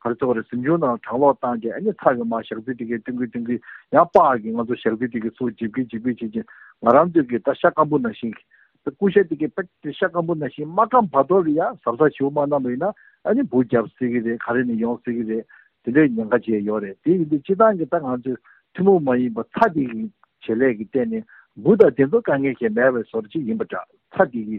ག་རེ་ཟེར་དགོས་རེད། གཟིམ་ཆུང་ནང་གྲང་གློག་བཏང་རྗེས་ཨ་ནི་ཚ་གི་མར་ཞག་རྩི་དེ་གའི་བཏོན་གི་བཏོན་གི་ཡང་པགས་ཀྱི་ང་ཚོ་ཞག་རྩི་དེ་གའི་ཚུར་འཇིབ་གི་འཇིབ་གི་བྱེད་ཀྱི་ང་རང་ཚོས་ཀྱི་ད་ཤ་སྐམ་པོ་ནང་བཞིན་གྱི་ད་ཀུ་ཤ་དེ་གའི་དཔེ་དེ་ཤ་སྐམ་པོ་ནང་བཞིན་མ་སྐམ་བར་དོ་ལ་ཡང་གཟབ་གཟབ་ཞེ་པོ་མ་གནང་བ་ཡིན་ན་ཨ་ནི་འབུ་རྒྱབ་སྲིད་གི་རེད། ག་རེ་ནས་ཡོང་སྲིད་གི་རེད། དེ་འདྲའི་ཉེན་ཁ་ཅིག་ཡོད་རེད། དེ་ཡིན་དུས་སྤྱི་བཏང་གི་ད་ང་ཚོས་ཐུན་མོང་མ་ཡིན་པ་ཚྭ་དེ་གི་བྱེད་ལས་ཀྱི་སྟེང་ནས་འབུ་དང་དེ་ཚོ་དཀའ་ངལ་ཞིག་མེད་པའི་བཟོ་འདྲ་ཅིག་ཡིན་པ་འདྲ། ཚྭ་དེ་གི་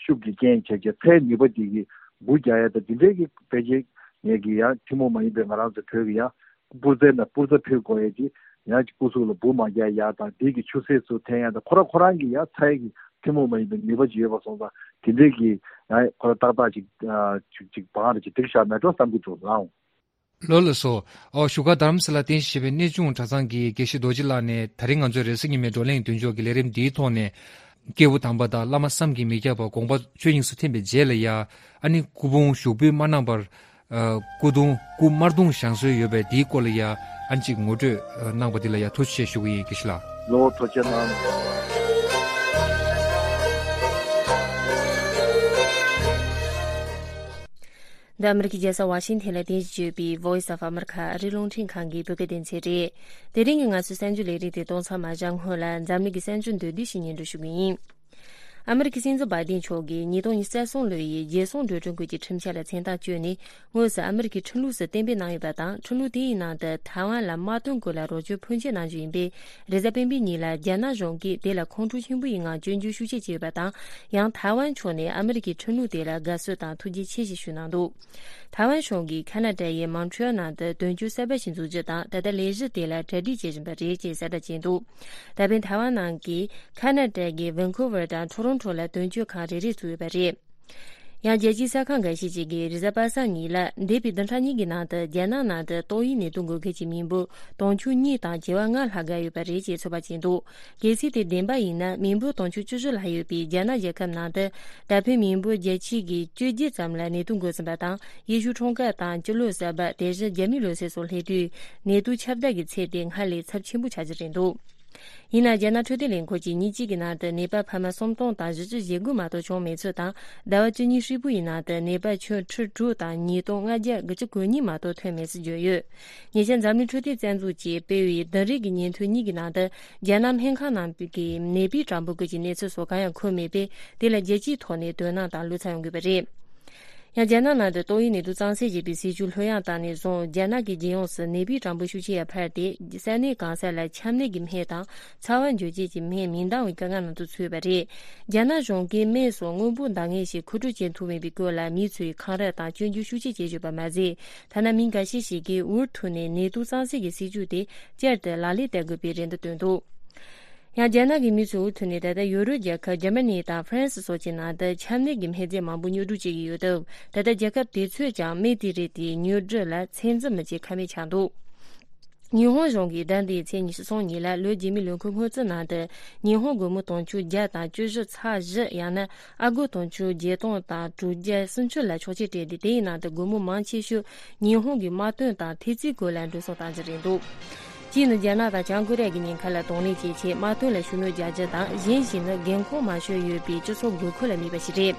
ཤུགས་ཀྱི་རྐྱེན་བྱས་རྗེས་ཚྭའི་ནུས་པ་དེ་གི་འབུ་རྒྱག་ཡ་ད་དེ་འདྲའི་གི་ཕལ་ཆེར་ངས་ཀྱི་ཡང་ཐུན་མོང་མ་ཡིན་པའི་ང་རང་ཚོ་བོད་ཀྱི་ཡང་པུར་རྩྭའི་ནང་པུར་རྩྭ་ཕུལ་དགོས་ཡ་ཅིག་ཡང་ཅིག་སྐུ་གཟུགས་ལ་འབུ་མ་རྒྱག་ཡ་དང་དེ་གི་ཆུ་སེར་ཚོ་འཐེན་ཡ་དང་ཁོ་ར་ཁོ་རང་གི་ཡང་ཚྭའི་གི་ཐུན་མོང་མ་ཡིན་པའི་ནུས་པ་ཅིག་ཡོད་པ་སོང་ཙང་དེ་འདྲའི་གི་ཡང་ཁོ་ར་ཏག་ཏག་ཅིག་ཅིག་ཅིག་བང་རེ་ཅིག་སྒྲིག་བཞག་མེད་འགྲོ་བསམ་གི་འདུག་ལགས། ལགས་ལགས་སོ། ཨོ་བཞུགས་སྒར་རྡ་རམ་ས་ལ་རྟེན་གཞི་བྱས་པའི་གནས་ཆུང་གྲྭ་ཚང་གི་དགེ་བཤེས་རྡོ་རྗེ་ལགས་ནས་ད་རིང་ང་ཚོའི་རེས་གཟའ་ཉི་མའི་བགྲོ་གླེང་མདུན་ཅོག་གི་ལས་རིམ་འདིའི་ཐོག་ནས་སྐྱེས་བུ་དམ་པ་དང་བླ་མ་བསམ་གྱིས་མི་ཁྱབ་པ་དགོངས་པ་ཆོས་དབྱིངས་སུ་ཐིམ་པའི་རྗེས་ལ་ཡ་ཨ་ནི་སྐུ་ཕུང་ཞུགས་འབུལ་མ་གནང་བར་ཨ་སྐུ་གདུང་སྐུ་དམར་གདུང་བཞེངས་སྲོལ་ཡོད་པས་འདིའི་སྐོར་ལ་ཡ་ཨ་ནི་ཅིག་ངོ་སྤྲོད་གནང་བ་འདི་ལ་ཡ་ཐུགས་རྗེ་ཆེ་ཞུ་གི་ཡིན་དགེ་བཤེས་ལགས། ལོ་ཐུགས་རྗེ་གནང་། འདི་ཨ་མི་རི་ཀའི་རྒྱལ་ས་ཝ་ཤིང་ཐན་ལ་རྟེན་གཞི་བྱས་པའི་Voice of America ཨ་རིའི་རླུང་འཕྲིན་ཁང་གི་བོད་སྐད་སྡེ་ཚན་རེད། དེ་རིང་གི་ང་ཚོའི་གསར་འགྱུར་ལས་རིམ་དེ་གཏོང་མཚམས་མ་བཞག་སྔོན་ལ་འཛམ་གླིང་གི་གསར་འགྱུར་མདོར་བསྡུས་ཤིག་སྙན་སྒྲོན་ཞུ་གི་ཡིན། ཨ་མི་རི་ཀའི་སྲིད་འཛིན་བྷའི་ཌེན་མཆོག་གིས་ཉིས་སྟོང་ཉི་ཤུ་རྩ་གསུམ་ལོའི་རྒྱལ་སྲུང་འགྲོ་གྲོན་སྐོར་གྱི་ཁྲིམས་འཆར་ལ་མཚན་རྟགས་བཅོས་ནས་དངོས་སུ་ཨ་མི་རི་ཀའི་ཁྲིམས་ལུགས་སུ་གཏན་འབེབས་གནང་ཡོད་པ་དང་། ཁྲིམས་ལུགས་དེའི་ནང་དུ་ཐའེ་ཝན་ལ་དམག་དོན་སྐོར་ལ་རོགས་སྐྱོར་ཕོན་ཆེ་གནང་རྒྱུ་ཡིན་པས། རེས་གཟའ་སྤེན་པའི་ཉིན་ལ་རྒྱ་ནག་གཞུང་གིས་དེ་ལ་ཁོང་ཁྲོ་ཆེན་པོ་ཡི་ངང་སྐྱོན་བརྗོད་ཤུགས་ཆེ་བྱས་ཡོད་པ་དང་། ཡང་ཐའེ་ཝན་ཕྱོགས་ནས་ཨ་མི་རི་ཀའི་ཁྲིམས་ལུགས་དེ་ལ་དགའ་བསུ་དང་ཐུགས་རྗེ་ཆེ་ཞེས་ཞུས་གནང་འདུག་ཐའེ་ཝན་གཞུང་གིས་ཁ་ན་ཌ་ཡི་མོན་ཊི་ཡལ་ནང་དུ་དོན་གཅོད་གསར་པ་ཞིག་འཛུགས་རྒྱུ་དང་། ད་ལྟ་ལས་གཞི་དེ་ལ་གྲ་སྒྲིག་བྱེད་བཞིན་པ་རེད་ཅེས་གསལ་བསྒྲགས་བྱས་འདུག་ད་ཕན་ཐའེ་ཝན་ནང་གི་ཁ་ན་ཌ་གི་ཝན་ཀུ་ཝར་དང་ཊོ་རོན་ཊོ་ལ་དོན་གཅོད་ཁང་རེ་རེ་བཙུགས་ཡོད་པ་རེད། ཡང་རྒྱལ་སྤྱིའི་གསར་ཁང་འགའ་ཤས་ཤིག་གིས་རེས་གཟའ་པ་སངས་ཉིན་ལ་འདས་པའི་བདུན་ཕྲག་གཉིས་ཀྱི་ནང་དུ་རྒྱ་ནག་ནང་དུ་ཏོག་དབྱིབས་ནད་དུག་འགོས་མཁན་གྱི་མི་འབོར་དུང་ཕྱུར་གཉིས་དང་བྱེ་བ་ལྔ་ལྷག་བརྒལ་ཡོད་པ་རེད་ཅེས་ཚོད་དཔག་བྱས་འདུག་གལ་སྲིད་དེ་བདེན་པ་ཡིན་ན། མི་འབོར་དུང་ཕྱུར་བཅུ་བཞི་ལྷག་ཡོད་པའི་རྒྱ་ནག་རྒྱལ་ཁབ་ནང་དུ་ད་ཕན་མི་འབོར་བརྒྱད་ཅུ་གི་བཅོ་བརྒྱད་ཙམ་ལ་ནད་དུག་འགོས་ཟིན་པ་དང་། ཡེ་ཤུ་འཁྲུངས་སྐར་དང་སྤྱི་ལོ་གསར་པ། དེ་བཞིན་རྒྱ་མིའི་ལོ་གསར་སོགས་སླེབས་དུས་ནད་དུག་ཁྱབ་གདལ་གྱི་ཚད་དེ་སྔར་ལས་ཚབས་ཆེན་པོ་ཆགས་ཀྱི་རེད་འདུག་ཡིན་ན་རྒྱ་ནག་འཕྲོད་བསྟེན་ལས་ཁུངས་ཀྱིས་ཉིན་གཅིག་གི་ནང་དུ་ནད་པ་ཕལ་མ་སུམ་སྟོང་དང་བཞི་བཅུ་ཞེ་དགུ་མ་གཏོགས་བྱུང་མེད་ཚུལ་དང་། ཟླ་བ་བཅུ་གཉིས་ཧྲིལ་པོ་ཡི་ནང་དུ་ནད་པ་ཁྱོན་ཁྲི་དྲུག་དང་ཉིས་སྟོང་ལྔ་བརྒྱ་དགུ་བཅུ་གོ་གཉིས་མ་གཏོགས་ཐོན་མེད་ཚུལ་བརྗོད་ཡོད། ཉེ་ཆར་འཛམ་གླིང་འཕྲོད་བསྟེན་རྩ་འཛུགས་ཀྱིས་སྤེལ་བའི་བདུན་རེ་གི་ཉིན་ཐོ་གཉིས་ཀྱི་ནང་དུ་རྒྱ་ནག་སྨན་ཁང་ནང་གི་ནད་པའི་གྲངས་འབོར་སྐོར་གྱི་གནས་ཚུལ་སོགས་གང་ཡང་འཁོད་མེད་པས། དེ་ལ་རྒྱལ་སྤྱིའི་ཐོག་ནས་དོ་སྣང་དང་བློ་འཚབ་ཡོང་དགོས་པ་རེད། ཡང་རྒྱ་ནག་ནང་དུ་ཏོག་དབྱིབས་ནད་དུག་གཙང་སེལ་བྱེད་པའི་སྲིད་ཇུས་ལྷོད་ཡངས་བཏང་ནས་བཟུང་། རྒྱ་ནག་གི་རྒྱལ་ཡོངས་སུ་ནད་པའི་གྲངས་འབོར་ཤུགས་ཆེ་བ་འཕར་ཏེ། ས་གནས་གང་ས་ལ་ཆམ་ནད་ཀྱི་སྨན་དང་ཚ་བ་འཇུ་བྱེད་ཀྱི་སྨན་མི་འདང་བའི་དཀའ་ངལ་ནང་དུ་ཚུད་ཡོད་པ་རེད། རྒྱ་ནག་གཞུང་གིས་སྨན་སོགས་སྔོན་འགོག་འདང་ངེས་ཤིག་མཁོ་སྤྲོད་བྱེད་ཐུབ་མེད་པའི་སྐོར་ལ་མི་ཚོས་འཁང་ར་དང་སྐྱོན་བརྗོད་ཤུགས་ཆེ་བྱེད་བཞིན་པ་མ་ཟད། ཐ་ན་མི་འགའ་ཤས་ཤིག་གིས་འུར་ཐུག་ནས་ནད་དུག་གཙང་སེལ་གྱི་སྲིད་ཇུས་དེ་བསྐྱར་དུ་ལག་ལེན་བསྟར་དགོས་པའི་རེ་འདུན་བཏོན་འདུག་ཡང་རྒྱ་ནག་གི་མི་ཚོས་འུ་ཐུག་ནས་ད་ལྟ་ཡོ་རོབ་རྒྱལ་ཁབ་འཇར་མ་ནི་དང་ཧྥ་རན་སི་སོགས་ཀྱི་ནང་དུ་ཆམ་ནད་ཀྱི་སྨན་རྫས་མང་པོ་ཉོ་སྒྲུག་བྱེད་ཀྱི་ཡོད་སྟབས། ད་ལྟ་རྒྱལ་ཁབ་དེ་ཚོས་ཀྱང་སྨན་དེ་རིགས་དེའི་ཉོ་སྒྲུབ་ལ་ཚོད་འཛིན་མི་བྱེད་ཁ་མེད་ཆགས་འདུག་ཉི་ཧོང་གཞུང་གིས་ཟླ་འདིའི་ཚེས་ཉི་ཤུ་རྩ་གཉིས་ལ་ལོ་རྗེས་མའི་ལོ་འཁོར་སྔོན་རྩིས་ནང་དུ། ཉི་ཧོང་སྒོར་མོ་དུང་ཕྱུར་བརྒྱ་དང་བཅུ་བཞི་ཚེག་བཞི། ཡང་ན་ཨ་སྒོར་དུང་ཕྱུར་བརྒྱད་སྟོང་དང་དྲུག་བརྒྱ་སུམ་ཅུ་ལ་ཆོག་མཆན་སྤྲད་དེ། དེའི་ནང་དུ་སྒོར་མོ་མང་ཆེ་ཤོས་ཉི་ཧོང་གི་དམག་དོན་དང་ཐེལ་ཙེའི་སྐོར་ལ་འགྲོ་སོང་བཏང་རྒྱུ་རེད་འདུག་གཅིག་ནི་རྒྱ་ནག་དང་བྱང་ཀོ་རི་ཡ་གི་ཉེན་ཁ་ལ་གདོང་ལེན་བྱེད་ཆེད་དམག་དོན་ལ་ཤུགས་སྣོན་རྒྱག་རྒྱུ་དང་། གཞན་ཞིག་ནི་རྒན་འཁོགས་མང་ཤོས་ཡོད་པའི་སྤྱི་ཚོགས་དགོས་མཁོ་ལ་དམིགས་པ་ཞིག་རེད།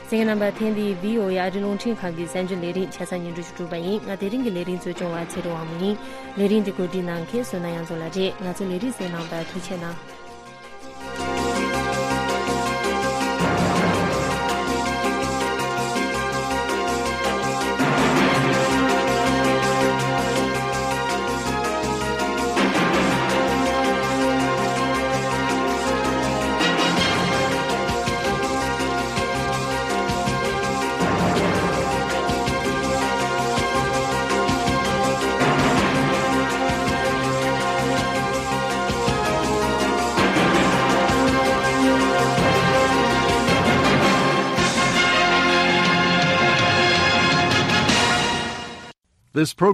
གསན་མཁན་རྣམ་པ། ཐེངས་འདིའི་བྷི་ཨོ་ཨེ་ཨ་རིའི་རླུང་འཕྲིན་ཁང་གི་གསར་འགྱུར་ལས་རིམ་ཆ་ཚང་སྙན་སྒྲོན་ཞུ་གྲུབ་པ་ཡིན། ང་དེ་རིང་གི་ལས་རིམ་གཙོ་སྐྱོང་བ་ཚེ་རིང་དབང་མོ་ཡིན། ལས་རིམ་འདི་གོ་སྒྲིག་གནང་མཁན་བསོད་ནམས་དབྱངས་འཛོམས་ལགས་རེད། ང་ཚོ་ལས་རིམ་གསན་གནང་བར་ཐུགས་རྗེ་གནང་། This program